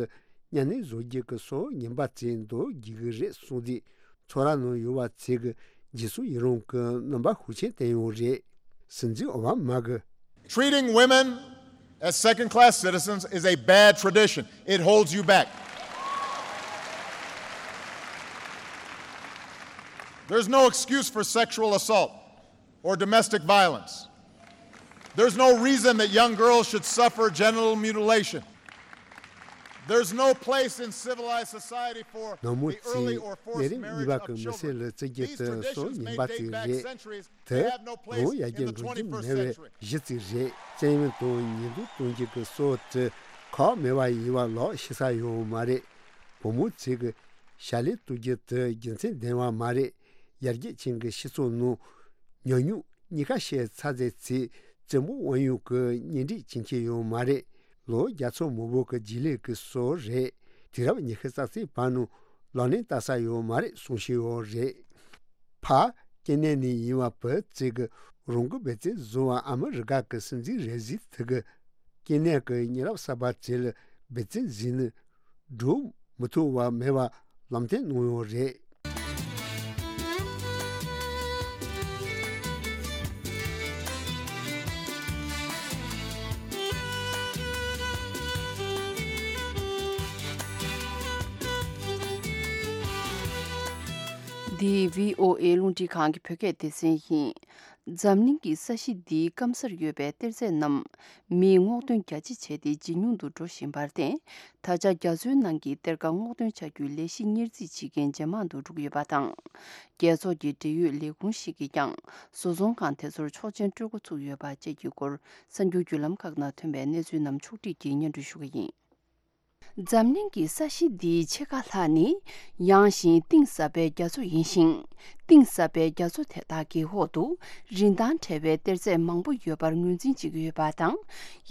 གཉའ་གནོན་བཟོ་རྒྱུ་གི་སྲོལ་ངན་པ་ཚོ་འདོར་བགྱིད་ཀྱི་རེད་གསུངས་ཏེ། ཚོགས་ར་ནང་ཡོད་པ་ཚོས་ཀྱི་རྗེས་སུ་ཡི་རང་གི་རྣམ་པ་ཤུགས་ཆེན་བསྟན་ཡོད་རེད། སྲིད་འཛིན་ཨོ་བྷ་མ་གིས། Treating women as second class citizens is a bad tradition. It holds you back. There's no excuse for sexual assault or domestic violence. There's no reason that young girls should suffer genital mutilation. There's no place in civilized society for the early or forced marriage of children. These traditions may date back centuries. They have no place in the twenty-first century. བུ་མོ་ཚོས་ཀྱི་བྱ་ལས་གཏོང་རྒྱུ་གི་སྲོལ་དེ་ཁག་མེད་པ་ཡིན་པ་ལོག་ཤེས་ས་ཡོད་མ་རེད། བུ་མོ་ཚོས་ཀྱི་བྱ་ལས་གཏོང་རྒྱུ་དེ་རྒྱུ་མཚན་ལྡན་པ་མ་རེད། ཡར་རྒྱས་ཅན་གྱི་སྤྱི་ཚོགས་ནང་ཉམས་མྱོང་གཉིས་ཀ་བཤད་ཚར་ཚེ་ཚེ་བཙན་པོ་དབང་ཡོད་ཀྱི་གཉེན་སྒྲིག་བྱེད་མཁན་ཡོད་མ་རེད། ལོ་བརྒྱ་ཚོ་མང་པོ་གི་རྗེས་ལུས་ཀྱི་སྲོལ་རེད། དུས་རབས་ཉི་ཤུ་རྩ་གཅིག་པ་ནང་ལག་ལེན་བསྟར་ས་ཡོད་མ་རེད་གསུངས་བཞིན་ཡོད་རེད། ཕ། སྐྱེ་གནས་ནས་ཡིན་པ་བུ་བཙས་ཀྱི་རང་གི་བེ་ཙེ་བཟོ་བ་ཨ་མི་རི་ཀ་གི་སྲིད་འཛིན་རེ་ཟི་ཐི་གི་སྐྱེ་གནས་ཀྱི་ཉེ་རབས་གསར་པ་བཙས་ལ་བེ་ཙེ་བཟོས་ནི་འགྲོ་མི་ཐུབ་པ་མེད་པ་ལམ་སྟོན་གནང་ཡོད་རེད། འདི་བྷི་ཨོ་ཨེ་རླུང་འཕྲིན་ཁང་གི་བོད་སྐད་སྡེ་ཚན་ཡིན། འཛམ་གླིང་གི་ས་གཞི་འདིའི་སྐམ་སར་ཡོད་པའི་གཏེར་རྫས་རྣམས་མིས་སྔོག་འདོན་རྒྱ་ཆེ་བྱས་ཏེ་ཇེ་ཉུང་དུ་འགྲོ་བཞིན་པར་བརྟེན། ད་ཆ་རྒྱ་མཚོའི་ནང་གི་གཏེར་ཁ་སྔོག་འདོན་བྱ་རྒྱུའི་ལས་གཞི་གཉེར་རྩིས་བྱེད་མཁན་ཇེ་མང་དུ་འགྲོ་གི་ཡོད་པ་དང་། རྒྱལ་ཚོགས་ཀྱི་འབྲེལ་ཡོད་ལས་ཁུངས་ཤིག་གིས་ཀྱང་བཟོ་ཚོང་ཁང་དེ་ཚོར་ཆོག་མཆན་སྤྲོད་འགོ་ཚུགས་ཡོད་པ་བཅས་ཀྱི་སྐོར་གསར་འགྱུར་བརྒྱུད་ལམ་ཁག་ནང་ཐོན་པའི་གནས་ཚུལ་རྣམས་ཕྱོགས་བསྒྲིགས་ཀྱིས་སྙན་སྒྲོན་ཞུ་གི་ཡིན། འཛམ་གླིང་གི་ས་གཞི་འདིའི་ཕྱེད་ཀ་ལྷག་ནི་ཡངས་ཤིང་གཏིང་ཟབ་པའི་རྒྱ་མཚོ་ཡིན་ཞིང་། གཏིང་ཟབ་པའི་རྒྱ་མཚོ་དེ་དག་གི་འོག་ཏུ་རིན་ཐང་བྲལ་བའི་གཏེར་རྫས་མང་པོ་ཡོད་པར་ངོས་འཛིན་བྱེད་ཀྱི་ཡོད་པ་དང་།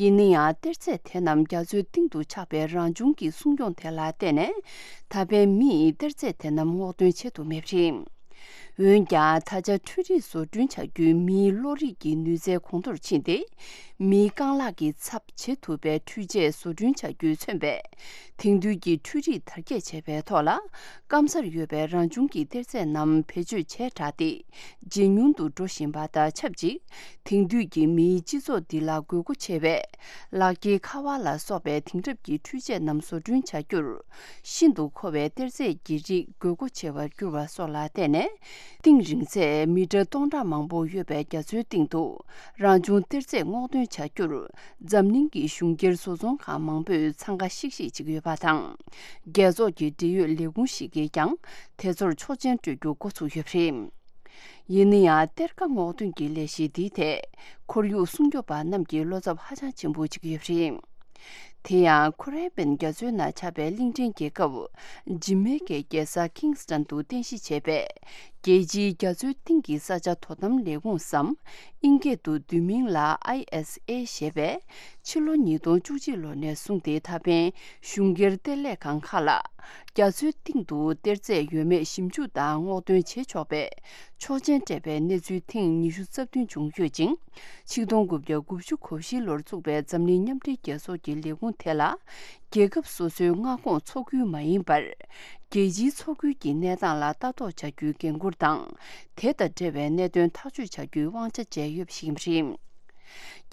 ཡིན་ན་ཡང་གཏེར་རྫས་དེ་རྣམས་རྒྱ་མཚོའི་གཏིང་དུ་ཆགས་པའི་རང་བྱུང་གི་སྲུང་སྐྱོང་དེ་ལ་བརྟེན་ནས། ད་ཕན་མིས་གཏེར་རྫས་དེ་རྣམས་སྔོག་འདོན་བྱེད་ཐུབ་མེད་པ་རེད། འོན་ཀྱང་ད་ཆ་འཕྲུལ་རིག་བཟོ་སྐྲུན་བྱ་རྒྱུའི་མིའི་གློག་རིག་གི་ནུས་རྩལ་གོང་མཐོར་ཕྱིན་ཏེ། མིའི་རྐང་ལག་གི་ཚབ་བྱེད་ཐུབ་པའི་འཕྲུལ་ཆས་བཟོ་སྐྲུན་བྱ་རྒྱུས་མཚོན་པའི་དེང་དུས་ཀྱི་འཕྲུལ་རིག་དར་རྒྱས་བྱས་པའི་ཐོག་ལ། སྐམ་སར་ཡོད་པའི་རང་བྱུང་གི་གཏེར་རྫས་རྣམས་བེད་སྤྱོད་བྱས་དྲགས་ཏེ། ཇེ་ཉུང་དུ་འགྲོ་བཞིན་པ་དང་ཆབས་ཅིག་དེང་དུས་ཀྱི་མིའི་སྤྱི་ཚོགས་འདི་ལ་དགོས་མཁོ་ཆེ་བའི་ལག་འཁྱེར་ཁ་པར་ལ་སོགས་པའི་དེང་རབས་ཀྱི་འཕྲུལ་ཆས་རྣམས་བཟོ་སྐྲུན་བྱ་རྒྱུར། ཤིན་ཏུ་མཁོ་བའི་གཏེར་རྫས་ཀྱི་རིགས་དགོས་མཁོ་ཆེ་བར་གྱུར་བ་སོགས་ལ་བརྟེན་ནས། གཏིང་རིང་ཚད་མི་ཊར་སྟོང་ཕྲག་མང་པོ་ཡོད་པའི་རྒྱ་མཚོའི་གཏིང་དུ་རང་བྱུང་གཏེར་རྫས་སྔོག་འདོན་བྱ་རྒྱུར། འཛམ་གླིང་གི་གཞུང་སྒེར་བཟོ་ཚོང་ཁང་མང་པོས་འཚང་ཁ་ཤིག་ཤིག་བྱེད་ཀྱི་ཡོད་པ་དང་། རྒྱལ་ཚོགས་ཀྱི་འབྲེལ་ཡོད་ལས་ཁུངས་ཤིག་གིས་ཀྱང་དེ་ཚོར་ཆོག་མཆན་སྤྲོད་རྒྱུ་འགོ་ཚུགས་ཡོད་པ་རེད། ཡིན་ན་ཡང་གཏེར་ཁ་སྔོག་འདོན་གྱི་ལས་གཞི་འདིའི་ཐད་ཁོར་ཡུག་སྲུང་སྐྱོབ་པ་རྣམས་ཀྱིས་བློ་འཚབ་ཧ་ཅང་ཆེན་པོ་བྱེད་ཀྱི་ཡོད་པ་རེད། དེ་ཡང་ཁོ་རེ་པན་རྒྱ་མཚོའི་ནང་ཆགས་པའི་གླིང་ཕྲན་རྒྱལ་ཁབ་ཇི་མེ་ཀའི་རྒྱལ་ས་ཁིང་སི་ཊོན་དུ་རྟེན་གཞི་བྱས་པའི་རྒྱལ་སྤྱིའི་རྒྱ་མཚོའི་གཏིང་གི་ས་ཆ་དོ་དམ་ལས་ཁུངས་སམ། ཨིན་སྐད་དུ་བསྡུས་མིང་ལ་ཨའི་ཨེས་ཨེ་ཞེས་པས་ཕྱི་ལོ་ཉིས་སྟོང་བཅུ་གཅིག་ལོ་ནས་བཟུང་སྟེ་ད་ཕན་གཞུང་སྒེར་གཏེར་ལས་ཁང་ཁག་ལ། རྒྱ་མཚོའི་གཏིང་དུ་གཏེར་རྫས་ཡོད་མེད་ཞིབ་འཇུག་དང་སྔོག་འདོན་བྱེད་ཆོག་པའི་ཆོག་མཆན་སྤྲད་པའི་གནས་ཚུལ་ཐེངས་ཉི་ཤུ་རྩ་བདུན་བྱུང་ཡོད་ཅིང་། ཆིག་སྟོང་དགུ་བརྒྱ་དགུ་བཅུ་གོ་བཞི་ལོར་བཙུགས་པའི་འཛམ་གླིང་མཉམ་འབྲེལ་རྒྱལ་ཚོགས་ཀྱི་ལས་ཁུངས་དེ་ལ། རྒྱལ་ཁབ་སོ་སོའི་མངའ་ཁོངས་མཚོ་ཁུལ་མ་ཡིན་པར། རྒྱལ་སྤྱིའི་མཚོ་ཁུལ་གྱི་གནས་སྟངས་ལ་ལྟ་རྟོག་བྱ་རྒྱུའི་འགན་འཁུར་དང་། དེ་དང་འབྲེལ་བའི་གནད་དོན་ཐག་གཅོད་བྱ་རྒྱུའི་དབང་ཆ་བཅས་ཡོད་པ་ཞིག་ཡིན་པ་རེད།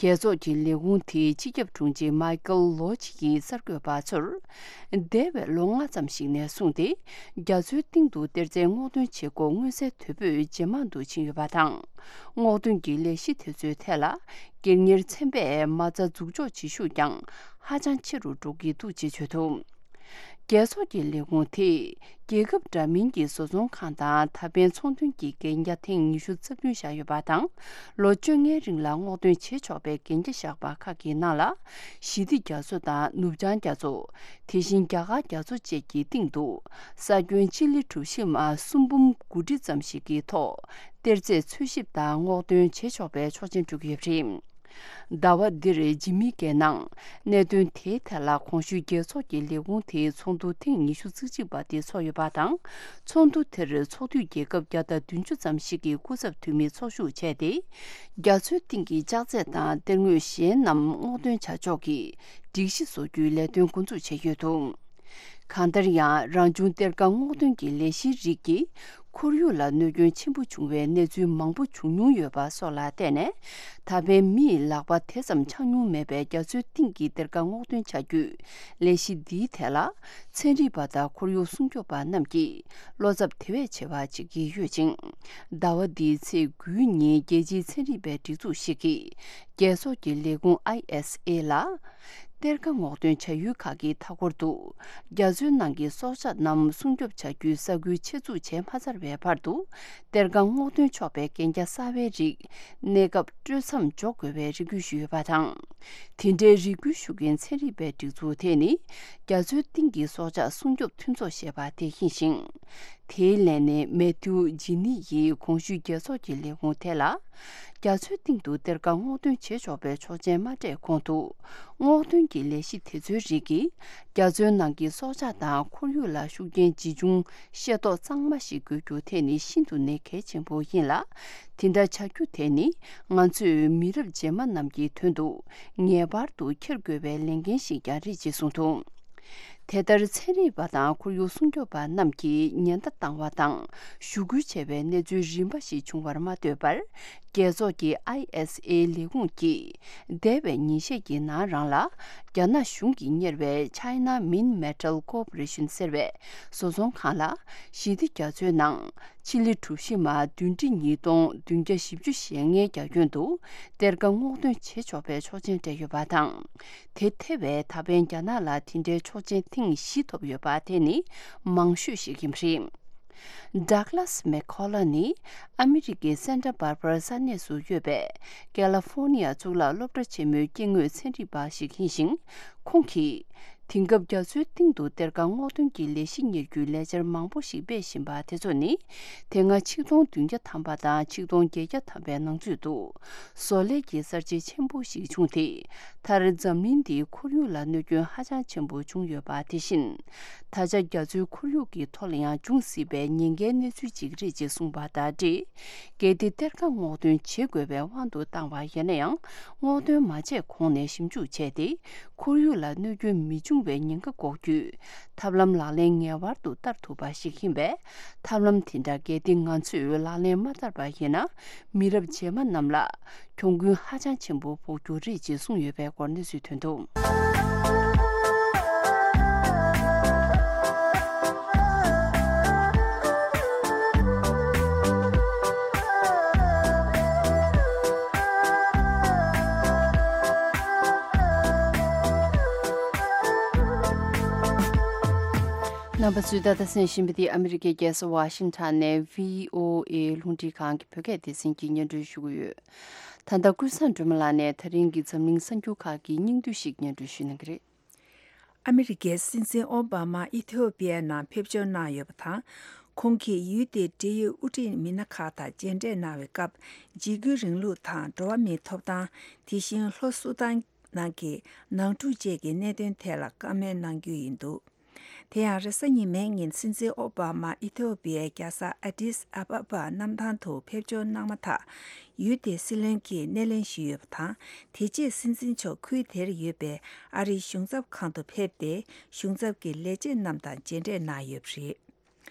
རྒྱལ་ཚོགས་ཀྱི་ལས་ཁུངས་དེའི་སྤྱི་ཁྱབ་དྲུང་ཆེ་མའི་ཀལ་ལོ་ཆི་ཡིས་གསར་འགོད་པ་ཚོར། འདས་པའི་ལོ་ལྔ་ཙམ་ཞིག་ནས་བཟུང་སྟེ། རྒྱ་མཚོའི་གཏིང་དུ་གཏེར་རྫས་སྔོག་འདོན་བྱེད་སྒོ་མངོན་གསལ་དོད་པོས་ཇེ་མང་དུ་ཕྱིན་ཡོད་པ་དང་། སྔོག་འདོན་གྱི་ལས་གཞི་དེ་ཚོའི་ཐད་ལ། སྒེར་གཉེར་ཚན་པས་མ་རྩ་འཛུགས་འཇོག་བྱེད་ཤུགས་ཀྱང་ཧ་ཅང་ཆེ་རུ་འགྲོ་གི་འདུག་ཅེས་བརྗོད་འདུག་རྒྱལ་ཚོགས་ཀྱི་ལས་ཁུངས་དེས་རྒྱལ་ཁབ་འདྲ་མིན་གྱི་བཟོ་ཚོང་ཁང་དང་ད་ཕན་ཚོང་དོན་གྱི་གན་རྒྱ་ཐེངས་ཉི་ཤུ་རྩ་བདུན་བཞག་ཡོད་པ་དང་། ལོ་བཅོ་ལྔའི་རིང་ལ་སྔོག་འདོན་བྱེད་ཆོག་པའི་གན་རྒྱ་བཞག་པ་ཁག་གི་ནང་ལ། ཞི་བདེ་རྒྱ་མཚོ་དང་ནུབ་བྱང་རྒྱ་མཚོ། དེ་བཞིན་རྒྱ་གར་རྒྱ་མཚོ་བཅས་ཀྱི་སྟེང་དུ། ས་ཁྱོན་སྤྱི་ལེ་གྲུ་བཞི་མ་སུམ་འབུམ་དགུ་ཁྲི་ཙམ་ཞིག་གི་ཐོག་གཏེར་རྫས་འཚོལ་ཞིབ་དང་སྔོག་འདོན་བྱེད་ཆོག་པའི་ཆོག་མཆན་སྤྲོད་ཀྱི་ཡོད་པ་རེད། ཟླ་བ་འདིར་ཇི་མི་ཀའི་ནང་གནད་དོན་དེའི་ཐད་ལ་གོང་ཞུས་རྒྱལ་ཚོགས་ཀྱི་ལས་ཁུངས་དེའི་ཚོགས་འདུ་ཐེངས་ཉི་ཤུ་རྩ་གཅིག་པ་དེ་ཚོགས་ཡོད་པ་དང་། ཚོགས་འདུ་དེར་ཚོགས་འཐུས་རྒྱལ་ཁབ་བརྒྱ་དང་བདུན་ཅུ་ཙམ་ཞིག་གི་སྐུ་ཚབ་འཐུས་མི་ཚོགས་ཞུགས་བྱས་ཏེ། རྒྱ་མཚོའི་གཏིང་གི་ལྕགས་རྫས་དང་གཏེར་དངོས་གཞན་རྣམས་སྔོག་འདོན་བྱ་ཕྱོགས་ཀྱི་སྒྲིག་གཞི་བཟོ་རྒྱུའི་ལས་དོན་འགོ་འཛུགས་བྱས་ཡོད་འདུག་གང་ལྟར་ཡང་རང་བྱུང་གཏེར་ཁ་སྔོག་འདོན་གྱི་ལས་གཞིའི་རིགས་ཀྱིས་ཁོར་ཡུག་ལ་གནོད་སྐྱོན་ཆེན་པོ་བྱུང་བའི་གནས་ཚུལ་མང་པོ་བྱུང་མྱོང་ཡོད་པ་སོགས་ལ་བརྟེན་ནས། ད་ཕན་མིས་ལག་པ་དེ་ཙམ་འཆང་མྱོང་མེད་པའི་རྒྱ་མཚོའི་གཏིང་གི་གཏེར་ཁ་སྔོག་འདོན་བྱ་རྒྱུའི་ལས་གཞི་འདིའི་ཐད་ལ། ཚན་རིག་པ་དང་ཁོར་ཡུག་སྲུང་སྐྱོབ་པ་རྣམས་ཀྱིས་བློ་འཚབ་དེ་བས་ཆེ་བ་བྱེད་ཀྱི་ཡོད་ཅིང་། ཟླ་བ་འདིའི་ཚེས་དགུའི་ཉིན་རྒྱལ་སྤྱིའི་ཚན་རིག་པའི་སྒྲིག་འཛུགས་ཤིག་གིས། རྒྱལ་ཚོགས་ཀྱི་ལས་ཁུངས་ཨའི་ཨེས་ཨེ་ལ། གཏེར་ཁ་སྔོག་འདོན་བྱ་ཡུལ་ཁག་གི་མཐའ་འཁོར་དུ། རྒྱ་མཚོའི་ནང་གི་སྲོག་ཆགས་རྣམས་སྲུང་སྐྱོབ་བྱ་རྒྱུའི་ས་ཁུལ་ཆེད་འཛུགས་བྱས་མ་ཚར་བའི་བར་དུ། གཏེར་ཁ་སྔོག་འདོན་ཆོག་པའི་གན་རྒྱ་གསར་པའི་རིགས། གནས་སྐབས་སྤྲོད་མཚམས་འཇོག་དགོས་པའི་རེ་སྐུལ་ཞུས་ཡོད་པ་དང་། དེ་འདྲའི་རེ་སྐུལ་ཞུ་མཁན་ཚན་རིག་པའི་སྒྲིག་འཛུགས་དེ་ནི། རྒྱ་མཚོའི་གཏིང་གི་སྲོག་ཆགས་སྲུང་སྐྱོབ་མཐུན་ཚོགས་ཞེས་པ་དེ་ཡིན་ཞིང་། དེའི་ལན་ནི་མེ་ཐིའུ་ཇི་ནི་ཡིས་གོང་ཞུས་རྒྱལ་ཚོགས་ཀྱི་ལས་ཁུངས་དེ་ལ། རྒྱ་མཚོའི་གཏིང་དུ་གཏེར་ཁ་སྔོག་འདོན་བྱེད་ཆོག་པའི་ཆོག་མཆན་མ་སྤྲད་གོང་དུ། སྔོག་འདོན་གྱི་ལས་གཞི་དེ་ཚོའི་རིགས་ཀྱིས་རྒྱ་མཚོའི་ནང་གི་སྲོག་ཆགས་དང་ཁོར་ཡུག་ལ་ཤུགས་རྐྱེན་ཇི་བྱུང་ཤེས་རྟོགས་གཙང་མ་ཞིག་དགོས་རྒྱུ་དེ་ནི་ཤིན་ཏུ་ནས་གལ་ཆེན་པོ་ཡིན་ལ། དེ་འདྲ་བྱ་རྒྱུ་དེ་ནི་ང་ཚོས་མི་རབས་རྗེས་མ་རྣམས་ཀྱི་དོན་དུ་ངེས་པར་དུ་འཁྱེར་དགོས་པའི་ལས་འགན་ཞིག་ཀྱང་རེད་ཅེས་གསུངས་འདུག་དེ་ལྟར་ཚན་རིག་པ་དང་ཁོར་ཡུག་སྲུང་སྐྱོབ་པ་རྣམས་ཀྱིས་ཉེན་བརྡ་བཏང་བ་དང་ཞུ་སྐུལ་བྱས་པའི་གནས་ཚུལ་རིམ་པ་ཞིག་བྱུང་བར་མ་ལྟོས་པར། རྒྱལ་ཚོགས་ཀྱི་ཨའི་ཨེས་ཨེ་ལས་ཁུངས་ཀྱིས་འདས་པའི་ཉིན་ཤས་ཀྱི་ནང་རང་ལ་རྒྱ་ནག་གཞུང་གིས་གཉེར་བའི་China Minmetal Corporation ཟེར་བའི་བཟོ་ཚོང་ཁང་ལ་ཞི་བདེ་རྒྱ་མཚོའི་ནང་ཕྱི་ལི་གྲུ་བཞི་མ་བདུན་ཁྲི་ཉིས་སྟོང་བདུན་བརྒྱ་བཞི་བཅུ་ཞེ་ལྔའི་རྒྱ་ཁྱོན་དུ་གཏེར་ཁ་སྔོག་འདོན་བྱེད་ཆོག་པའི་ཆོག་མཆན་སྤྲད་ཡོད་པ་དང་། དེ་ཐེ་བའི་ད་ཕན་རྒྱ་ནག་ལ་དེ་འདྲའི་ཆོག་མཆན་ཐེངས་བཞི་ཐོབ་ཡོད་པ་དེ་ནི་མང་ཤོས་ཤིག་ཡིན་པ་རེད། Douglas McCullough ནི་ཨ་མི་རི་ཀའི་Santa Barbara ས་གནས་སུ་ཡོད་པའི་California གཙུག་ལག་སློབ་གྲྭ་ཆེན་མོའི་སྐྱེ་དངོས་ཚན་རིག་པ་ཞིག་ཡིན་ཞིང་། ཁོང་གིས་དེང་སྐབས་རྒྱ་མཚོའི་གཏིང་དུ་གཏེར་ཁ་སྔོག་འདོན་གྱི་ལས་གཞི་གཉེར་རྒྱུའི་ལས་འཆར་མང་པོ་ཞིག་སྤེལ་བཞིན་པ་དེ་ཚོ་ནི་དེ་སྔ་ཆིག་སྟོང་བདུན་བརྒྱ་ཐམ་པ་དང་ཆིག་སྟོང་བརྒྱད་བརྒྱ་ཐམ་པའི་ནང་ཚུད་འདུག་བཟོ་ལས་ཀྱི་གསར་བརྗེ་ཆེན་པོ་ཞིག་བྱུང་སྟེ། མཐར་འཛམ་གླིང་འདིའི་ཁོར་ཡུག་ལ་གནོད་སྐྱོན་ཧ་ཅང་ཆེན་པོ་བྱུང་ཡོད་པ་དེ་བཞིན། ད་ཆ་རྒྱ་མཚོའི་ཁོར་ཡུག་གི་ཐོག་ལ་ཡང་འབྱུང་སྲིད་པའི་ཉེན་ཁའི་གནས་ཚུལ་ཅིག་རེད་ཅེས་གསུངས་པ་དང་འབྲེལ། གལ་ཏེ་གཏེར་ཁ་སྔོག་འདོན་བྱེད་དགོས་པའི་དབང་དུ་བཏང་བ་ཡིན་ན་ཡང་། སྔོག་འདོན་མ་བྱས་གོང་ནས་ཞིབ་འཇུག་བྱས་ཏེ། ཁོར་ཡུག་ལ་གནོད་སྐྱོན་མི་འབྱུང་བའི་ཉེན་ཁ་འགོག་རྒྱུའི་ཐབས་ལམ་ལག་ལེན་ངེས་པར་དུ་བསྟར་ཐུབ་པ་ཞིག་ཡིན་པས། ཐབས་ལམ་དེ་འདྲ་གལ་ཏེ་ང་ཚོས་ལག་ལེན་མ་བསྟར་པ་ཡིན་ན། མི་རབས་རྗེས་མ་རྣམས་ལ་གྱོང་གུན་ཧ་ཅང་ཆེན་པོ་ཕོག་རྒྱུ་རེད་ཅེས་གསུངས་ཡོད་པའི་སྐོར་གནས་ཚུལ་ཐོན་འདུག་རྣམ་པ་ཚོས་ད་ལྟ་གསན་བཞིན་པ་འདི་ཨ་མི་རི་ཀའི་རྒྱལ་ས་ཝ་ཤིང་ཊོན་ནས་བྷི་ཨོ་ཨེ་རླུང་འཕྲིན་ཁང་གི་བོད་སྐད་སྡེ་ཚན་གྱིས་སྙན་སྒྲོན་ཞུ་གི་ཡོད། ད་ལྟ་ཀུན་བཟང་སྒྲོལ་མ་ལགས་ནས་ད་རིང་གི་འཛམ་གླིང་གསར་འགྱུར་ཁག་གི་སྙིང་བསྡུས་ཤིག་སྙན་སྒྲོན་ཞུ་གནང་གི་རེད། ཨ་མི་རི་ཀའི་སྲིད་འཛིན་ཨོ་བྷ་མ་ཨི་ཐི་ཡོ་པི་ཡའི་ནང་ཕེབས་འབྱོར་གནང་ཡོད་པ་དང་། ཁོང་གིས་ཡུལ་དེའི་འབྲེལ་ཡོད་དབུ་ཁྲིད་མི་སྣ་ཁག་དང་མཇལ་འཕྲད་གནང་བའི་སྐབས། འཇིགས་སྐུལ་རིང་ལུགས་དང་འགྲོ་བ་མིའི་ཐོབ་ཐང་། དེ་བཞིན་ལྷོ་སུ་དཱན་ནང་གི་ནང་འཁྲུག་བཅས་ཀྱི་གནད་དོན་ཐད་ལ་བཀའ་མོལ་གནང་རྒྱུ་ཡིན་འདུག་དེ་ཡང་རེས་གཟའ་ཉི་མའི་ཉིན་སྲིད་འཛིན་ཨོ་བྷ་མ་ཨི་ཐི་ཡོ་པི་ཡའི་རྒྱལ་ས་ཨ་ཏིས་ཨ་བྷ་བྷ་གནམ་ཐང་དུ་ཕེབས་འབྱོར་གནང་མ་ཐག་ཡུལ་དེའི་སྲིད་བློན་གྱིས་སྣེ་ལེན་ཞུས་ཡོད་པ་དང་། དེ་རྗེས་སྲིད་འཛིན་མཆོག་ཁུལ་དེར་ཡོད་པའི་ཨ་རིའི་གཞུང་ཚབ་ཁང་དུ་ཕེབས་ཏེ། གཞུང་ཚབ་ཀྱི་ལས་བྱེད་རྣམས་དང་མཇལ་འཕྲད་གནང་ཡོད་པ་རེད།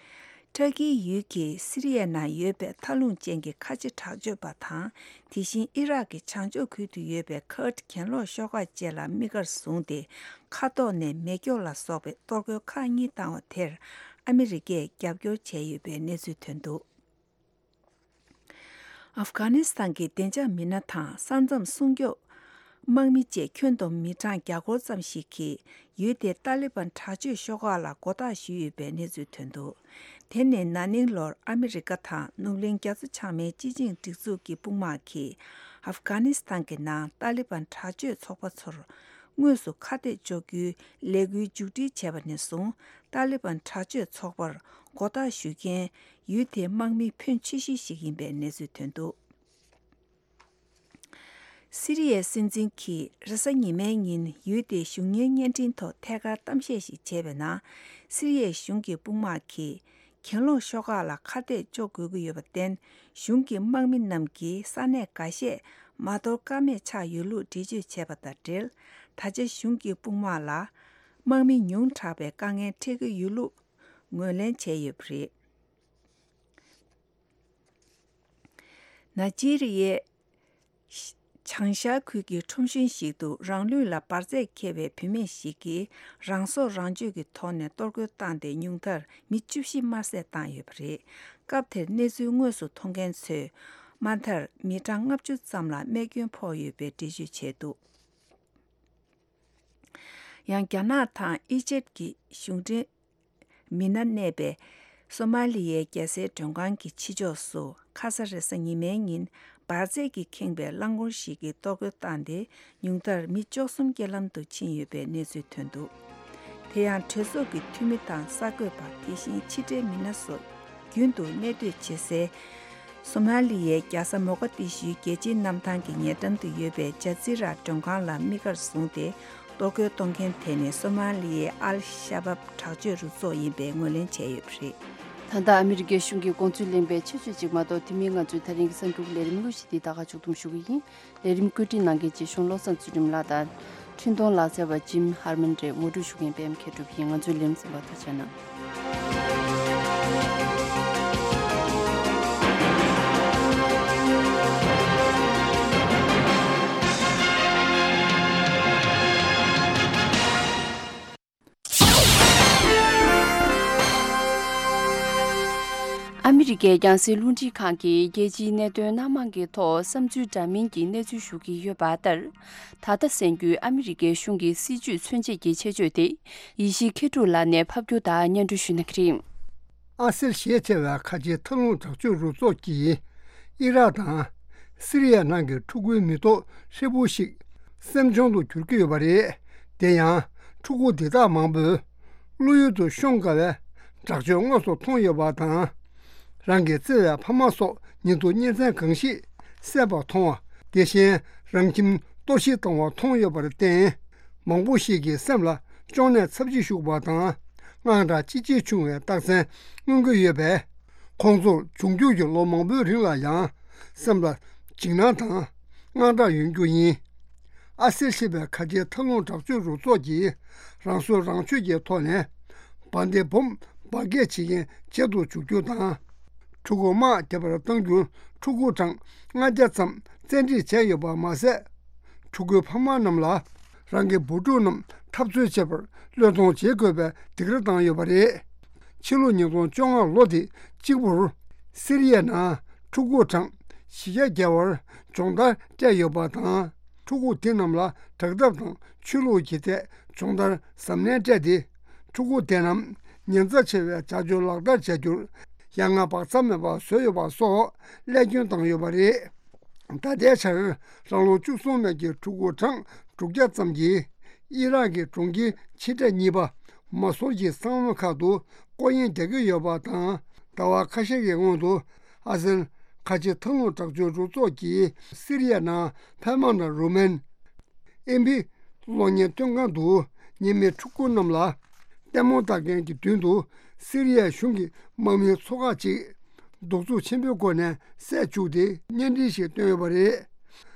ཊར་ཀིའི་ཡུལ་གྱི་སི་རི་ཡའི་ནང་ཡོད་པའི་མཐའ་ལྷུང་ཅན་གྱི་ཁ་ཆེ་དྲག་སྤྱོད་པ་དང་། དེ་བཞིན་ཨི་རག་གི་བྱང་ཕྱོགས་ཁུལ་དུ་ཡོད་པའི་ཁར་ཌི་གྱེན་ལོག་ཤོག་ཁག་བཅས་ལ་དམིགས་བཀར་བཟུང་སྟེ། མཁའ་ཐོག་ནས་མེ་སྒྱོགས་ལ་སོགས་པའི་གཏོར་རྒོལ་ཁག་གཉིས་བཏང་བ་དེར་ཨ་མི་རི་ཀས་རྒྱབ་སྐྱོར་བྱས་ཡོད་པའི་གནས་ཚུལ་ཐོན་འདུག་ཨབ་གྷ་ནི་སི་ཐན་གྱི་བདེ་འཇགས་མི་སྣ་དང་ས་མཚམས་སྲུང་སྐྱོབ་དམག་མི་བཅས་ཁྱོན་བསྡོམས་མི་གྲངས་བརྒྱ་སྐོར་ཙམ་ཞིག་གིས་ཡུལ་དེའི་ཏཱ་ལི་བན་དྲག་སྤྱོད་ཤོག་ཁག་ལ་མགོ་བཏགས་ཞུས་ཡོད་པའི་གནས་ཚུལ་ཐོན་འདུག་དེ་ནི་ན་ནིང་ལོར་ཨ་མི་རི་ཀ་དང་ནུབ་གླིང་རྒྱ་མཚོ་བྱང་མའི་སྤྱི་ཆིངས་སྒྲིག་འཛུགས་ཀྱི་དཔུང་དམག་གིས་ཨབ་གྷ་ནི་སི་ཐན་གྱི་ནང་ཏཱ་ལི་བན་དྲག་སྤྱོད་ཚོགས་པ་ཚོར་དངོས་སུ་ཁ་གཏད་གཅོག་རྒྱུའི་ལས་འགུལ་མཇུག་སྒྲིལ་བྱས་པ་ནས་བཟུང་། ཏཱ་ལི་བན་དྲག་སྤྱོད་ཚོགས་པར་མགོ་བཏགས་ཞུ་མཁན་ཡུལ་དེའི་དམག་མི་ཕོན་ཆེ་ཤོས་ཤིག་ཡིན་པའི་གནས་ཚུལ་ཐོན་འདུག་སི་རི་ཡའི་སྲིད་འཛིན་གྱིས་རེས་གཟའ་ཉི་མའི་ཉིན་ཡུལ་དེའི་གཞུང་གཉེར་བརྙན་འཕྲིན་ཐོག་ཐད་ཀར་གཏམ་བཤད་ཞིག་བྱས་པའི་ནང་། སི་རི་ཡའི་གཞུང་གི་དཔུང་དམག་གིས་གྱེན་ལོག་ཤོག་ཁག་ལ་ཁ་གཏད་གཅོག་དགོས་ཀྱི་ཡོད་པར་བརྟེན། གཞུང་གི་དམག་མི་རྣམས་ཀྱིས་ས་གནས་འགའ་ཤས་མ་དོར་ཀ་མེད་ཆགས་ཡོད་ལུགས་འགྲེལ་བརྗོད་བྱས་པ་དང་འབྲེལ། ད་ཆ་གཞུང་གི་དཔུང་དམག་ལ་དམག་མི་ཉུང་དྲགས་པའི་དཀའ་ངལ་འཕྲད་ཀྱི་ཡོད་ལུགས་ངོས་ལེན་བྱས་ཡོད་པ་རེད། ནཱ་ཇི་རི་ཡའི་བྱང་ཤར་ཁུལ་གྱི་ཁྲོམ་གཞུང་ཞིག་ཏུ་རང་ལུས་ལ་འབར་རྫས་འཁྱེར་བའི་བུད་མེད་ཞིག་གིས་རང་སྲོག་རང་གཅོད་ཀྱི་ཐོག་ནས་གཏོར་རྒོལ་བཏང་སྟེ། ཉུང་མཐར་མི་བཅུ་བཞི་དམར་བསད་བཏང་ཡོད་པ་རེད། སྐབས་དེར་གནས་ཚུལ་དངོས་སུ་མཐོང་མཁན་ཚོས་མ་མཐར་མི་གྲངས་ལྔ་བཅུ་ཙམ་ལ་རྨས་སྐྱོན་ཕོག་ཡོད་པའི་འགྲེལ་བརྗོད་བྱས་འདུག་ཡང་རྒྱ་ནག་དང་ཨི་ཇེབ་ཀྱི་གཞུང་འབྲེལ་མི་སྣ་གནས་པའི་སོ་མ་ལི་ཡའི་རྒྱལ་སའི་མགྲོན་ཁང་གི་ཕྱི་ཕྱོགས་སུ་ཁ་ས་རེས་གཟའ་ཉི་མའི་ཉིན་འབར་རྫས་ཀྱིས་ཁེངས་པའི་རླངས་འཁོར་ཞིག་གིས་གཏོར་རྒོལ་བཏང་སྟེ། ཉུང་མཐར་མི་བཅུ་གསུམ་རྐྱེན་ལམ་དུ་ཕྱིན་ཡོད་པའི་གནས་ཚུལ་ཐོན་འདུག་དེ་ཡང་གྲོས་ཚོགས་ཀྱི་འཐུས་མི་དང་གསར་འགོད་པ། དེ་བཞིན་ཕྱི་འབྲེལ་མི་སྣ་སོགས་ རྒྱུན་དུ་གནས་སྡོད་བྱེད་སའི་སོ་མ་ལི་ཡའི་རྒྱལ་ས་མོ་ག་དི་ཤུའི་རྒྱལ་སྤྱིའི་གནམ་ཐང་གི་ཉེ་འགྲམ་དུ་ཡོད་པའི་ཇ་ཛི་ར་མགྲོན་ཁང་ལ་དམིགས་བཀར་བཟུང་སྟེ། གཏོར་རྒོལ་གཏོང་མཁན་དེ་ནི་སོ་མ་ལི་ཡའི་ཨལ་ཤ་བབ་དྲག་སྤྱོད་རུ་ཚོགས་ཡིན་པའི་ངོས་ལེན་བྱས་ཡོད་པ་རེད། ད་ལྟ་ཨ་མི་རི་ཀའི་གཞུང་གི་དགོངས་ཚུལ་ལེན་པའི་ཆེད་བརྗོད་ཅིག་མ་གཏོགས། དེ་མིན་ང་ཚོའི་ད་རིང་གི་གསར་འགྱུར་ལས་རིམ་དངོས་གཞི་འདི་ད་ག་མཇུག་བསྡོམས་ཞུ་གི་ཡིན། ལས་རིམ་བཀོད་སྒྲིག་གནང་མཁན་རྗེ་གཞུང་བློ་བཟང་ཚུལ་ཁྲིམས་ལགས་དང་། འཕྲིན་གཏོང་ལག་རྩལ་བ་ཇིམ་ཧར་མན་རེད། ངོ་སྤྲོད་ཞུ་མཁན་པད་མ་མཁས་གྲུབ་ཡིན། ང་ཚོའི་ལས་རིམ་གསན་པར་ཐུགས་རྗེ་གནང་། ཨ་མི་རི་ཀའི་རྒྱང་སྲིང་རླུང་འཕྲིན་ཁང་གིས་རྒྱལ་སྤྱིའི་གནད་དོན་སྣ་མང་གི་ཐོག་བསམ་ཚུལ་འདྲ་མིན་གྱི་གནས་ཚུལ་ཞུ་གི་ཡོད་པ་ལྟར། ད་ལྟ་གསན་རྒྱུའི་ཨ་མི་རི་ཀའི་གཞུང་གི་སྲིད་བྱུས་མཚོན་བྱེད་ཀྱི་ཆེད་བརྗོད་དེ། ཡེ་ཤེས་མཁས་གྲུབ་ལགས་ནས་ཕབ་སྒྱུར་དང་སྙན་སྒྲོན་ཞུ་གནང་གི་རེད། ཨ་སེལ་ཞེས་བྱ་བའི་ཁ་ཆེའི་མཐའ་ལྷུང་དྲག་སྤྱོད་རུ་ཚོགས་ཀྱིས་ཨི་རག་དང་སི་རི་ཡ་ནང་གི་ཕྲུ་གུའི་མི་ཐོག་ཧྲིལ་པོ་ཞིག་སེམས་གཅོང་དུ་གྱུར་གྱི་ཡོད་པ་རེད། དེ་ཡང་ཕྲུ་གུ་འདི་དག་མང་པོས་བློ་ཡུལ་དུ་ཤོང་དཀའ་བའི་དྲག་སྤྱོད་དངོས་སུ་མཐོང་ཡོད་པ་དང་། རང་གི་བརྩེ་བའི་ཕ་མ་སོགས་ཉིད་དུ་གཉེན་ཚན་གང་ཞིག་བསད་པ་མཐོང་བ། དེ་བཞིན་རང་ཁྱིམ་གཏོར་བཤིག་བཏང་བ་མཐོང་ཡོད་པར་བརྟེན། མང་པོ་ཞིག་གི་སེམས་ལ་གཅོང་ནད་ཚབས་ཆེ་ཤོར་བ་དང་། དངངས་སྐྲག་ཅི་ཆེ་བྱུང་བའི་རྟགས་མཚན་མངོན་གྱི་ཡོད་པས། ཁོང་ཚོར་འབྱུང་འགྱུར་གྱི་ལོ་མང་པོའི་རིང་ལ་ཡང་སེམས་ལ་འཇིགས་སྣང་དང་དངངས་སྐྲག་ཡོང་རྒྱུ་ཡིན། ཨ་སེལ་ཞེས་པའི་ཁ་ཆེའི་མཐའ་ལྷུང་དྲག་སྤྱོད་རུ་ཚོགས་ཀྱིས་རང་སྲོག་རང་གཅོད་ཀྱི་ཐོག་ནས་བ་དན་བུམ་འབར་གས་བྱེད་མཁན་བྱེད་དུ་འཇུག་རྒྱུ་དང་། ཕྲུ་གུ་དམག་རྒྱག་པར་གཏང་རྒྱུར་ཕྲུ་གུ་གྲངས་ལྔ་བརྒྱ་ཙམ་བཙན་ཁྲིད་བྱས་ཡོད་པ་མ་ཟད། ཕྲུ་གུའི་ཕ་མ་རྣམས་ལ་རང་གི་བུ་ཕྲུག་རྣམས་འཐབ་རྩོད་བྱེད་པར་བློས་གཏོང་བྱེད་དགོས་པའི་སྡིགས་ར་བཏང་ཡོད་པ་རེད། ཕྱི་ལོ་ཉིས་སྟོང་བཅོ་ལྔ་ལོ་དེ་གཅིག་པུར་སི་རི་ཡའི་ནང་ཕྲུ་གུ་གྲངས་བཞི་བརྒྱ་བར་སྦྱོང་བརྡར་སྤྲད་ཡོད་པ་དང་། ཕྲུ་གུ་དེ་རྣམས་ལ་དྲག་འཐབ་དང་ཆོས་ལུགས་ཀྱི་ཐད་སྦྱོང་བརྡར་གཟབ་ནན་སྤྲད་དེ། ཕྲུ་གུ་དེ་རྣམས་ཉེན་ཚབས་ཆེ་བའི་བྱ་སྤྱོད་ལག་བསྟར་བྱ་རྒྱུར་ཡ་ང་བག་ཚ་མེད་པར་བཟོས་ཡོད་པ་སོགས་བསླད་སྐྱོན་བཏང་ཡོད་པ་རེད། ད་ལྟའི་ཆར་རང་ལོ་བཅུ་གསུམ་མའི་གི་ཕྲུ་གུ་གྲངས་དྲུག་བརྒྱ་ཙམ་གྱིས་ཨི་རག་གི་གྲོང་ཁྱེར་ཆེ་གྲས་གཉིས་པ་མ་སུར་གྱི་ས་བོན་ཁག་ཏུ་སྐོར་གཡེང་རྒྱག་གི་ཡོད་པ་དང་། ཟླ་བ་ཁ་ཤས་ཀྱི་སྔོན་དུ་ཨ་སེལ་ཁ་ཆེ་མཐའ་ལྷུང་དྲག་སྤྱོད་རུ་ཚོགས་ཀྱིས་སི་རི་ཡ་ནང་ཕལ་མོ་ན་རུ་མན་ཨེ་བྷི་གློག་བརྙན་སྟོན་ཁང་དུ་ཉེས་མེད་ཕྲུ་གུ་རྣམས་ལ་ལྟད་མོ་ལྟ་མཁན་གྱི་མདུན་དུ་སི་རི་ཡའི་གཞུང་གི་དམག་མིའི་ཚོ་ཁག་ཅིག་གདུག་རྩུབ་ཆེན་པོའི་སྒོ་ནས་བསད་བཅུག་སྟེ་བརྙན་འཕྲིན་ཞིག་བཏོན་ཡོད་པ་རེད།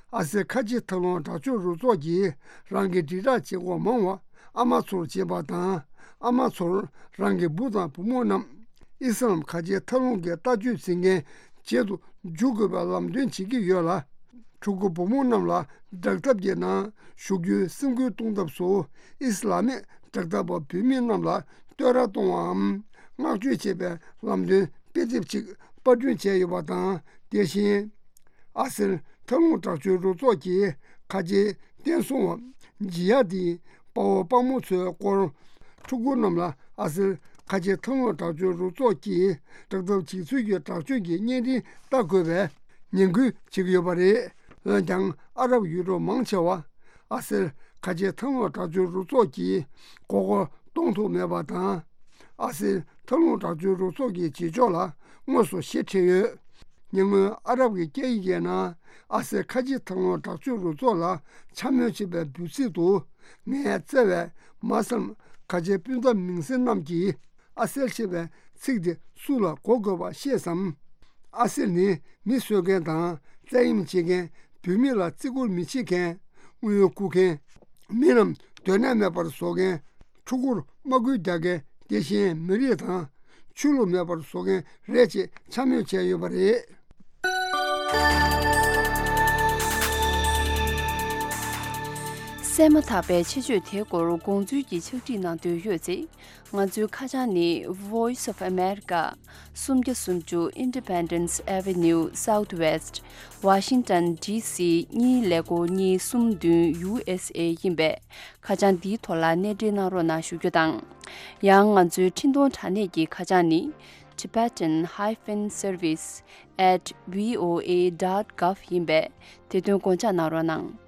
ཨ་སེ་ཁ་ཆེ་མཐའ་ལྷུང་དྲག་སྤྱོད་རུ་ཚོགས་ཀྱིས་རང་གི་དྲིལ་བསྒྲགས་བྱེད་སྒོ་མང་བ་ཨ་མ་ཚོར་བྱེད་པ་དང་། ཨ་མ་ཚོར་རང་གི་བུ་དང་བུ་མོ་རྣམས་ཨི་སི་ལམ་ཁ་ཆེའི་མཐའ་ལྷུང་གི་ལྟ་སྤྱོད་འཛིན་མཁན་བྱེད་དུ་འཇུག་དགོས་པའི་ལམ་སྟོན་བྱེད་ཀྱི་ཡོད་ལ། ཕྲུ་གུ་བུ་མོ་རྣམས་ལ་དྲག་འཐབ་ཀྱི་ནང་ཞུགས་རྒྱུའི་སེམས་ཁུར་གཏོང་ཐབས་སུ་ཨི་སི་ལ་མིག་དྲག་འཐབ་པ་བུད་མེད་རྣམས་ལ་བསྟོད་ར་གཏོང་བའམ་བསྔགས་བརྗོད་བྱེད་པའི་ལམ་སྟོན་དཔེ་དེབ་ཅིག་པར་སྐྲུན་བྱས་ཡོད་པ་དང་། དེ་བཞིན། ཨ་སེལ་མཐའ་ལྷུང་དྲག་སྤྱོད་རུ་ཚོགས་ཀྱི་ཁ་ཆེའི་བསྟན་སྲུང་བ་ཇི་ཡ་ཏིའི་དཔའ་བོ་དཔའ་མོ་ཚོའི་སྐོར། ཕྲུ་གུ་རྣམས་ལ་ཨ་སེལ་ཁ་ཆེའི་མཐའ་ལྷུང་དྲག་སྤྱོད་རུ་ཚོགས་ཀྱིས་དྲག་འཐབ་བྱེད་ཚུལ་གྱི་དྲག་སྤྱོད་ཀྱི་བརྙན་འཕྲིན་ལྟ་དགོས་པའི་ངན་སྐུལ་བྱེད་ཀྱི་ཡོད་པ་རེད། འོན་ཀྱང་ཨ་རབ་ཡུལ་གྲུ་མང་ཆེ་བ་ཨ་སེལ་ཁ་ཆེའི་མཐའ་ལྷུང་དྲག་སྤྱོད་རུ་ཚོགས་ཀྱིས་མགོ་སྐོར་གཏོང་ཐུབ་མེད་པ་དང་། ཨ་སེལ་མཐའ་ལྷུང་དྲག་སྤྱོད་རུ་ཚོགས་ཀྱི་བྱེད་ཕྱོགས་ལ་དངོས་སུ་ཞེ་ཁྲེལ་ཡོད། ཉེ་སྔོན་ཨ་རབ་ཀྱི་སྐད་ཡིག་ཡན་ནང་ཨ་སེ་ཁ་ཆེ་མཐའ་ལྷུང་དྲག་སྤྱོད་རུ་ཚོགས་ལ་འཕྱ་སྨོད་བྱེད་པའི་འབོད་ཚིག་ཏུ། ངའི་བརྩེ་བའི་མ་སེལ་ཁ་ཆེ་སྤུན་ཟླ་མིང་སྲིང་རྣམས་ཀྱིས་ཨ་སེལ་ཞེས་པའི་ཚིག་དེ་སུ་ལ་གོ་དགོས་པ་ཤེས་སམ། ཨ་སེལ་ནི་མི་གསོད་མཁན་དང་བཙན་གཡེམ་བྱེད་མཁན། བུད་མེད་ལ་བརྩི་བཀུར་མི་བྱེད་མཁན། དངུལ་རྐུ་མཁན། མི་རྣམས་སྡོད་གནས་མེད་པར་བཟོ་མཁན། ཕྲུ་གུར་དམག་སྐུལ་རྒྱག་མཁན། དེ་བཞིན་མི་རིགས་དང་ཆོས་ལུགས་མེད་པར་བཟོ་མཁན་རེད་ཅེས་འཕྱ་སྨོད་བྱས་ཡོད་པ་རེད། གསན་མ་ཐག་པའི་ཆེད་བརྗོད་དེའི་སྐོར་དགོངས་ཚུལ་གྱི་ཕྱག་བྲིས་གནང་འདོད་ཡོད་ཚེ། ང་ཚོའི་ཁ་བྱང་ནི། Voice of America། སུམ་བརྒྱ་སུམ་ཅུ་Independence Avenue Southwest། Washington D C གཉིས་ཀླད་ཀོར་གཉིས་གསུམ་བདུན། U S A ཡིན་པས། ཁ་བྱང་འདིའི་ཐོག་ལ་གནས་འབྲེལ་གནང་རོགས་གནང་ཞུ་རྒྱུ་དང་། ཡང་ང་ཚོའི་འཕྲིན་གཏོང་དྲ་གནས་ཀྱི་ཁ་བྱང་ནི། Tibetan hyphen service at V O A dot gov ཡིན་པས། དེ་དོན་དགོངས་འཇགས་གནང་རོགས་གནང་།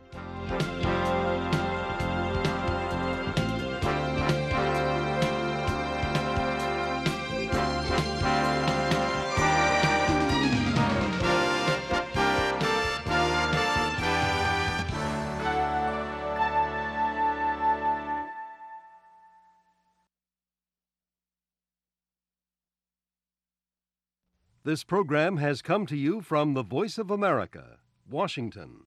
This program has come to you from the Voice of America, Washington.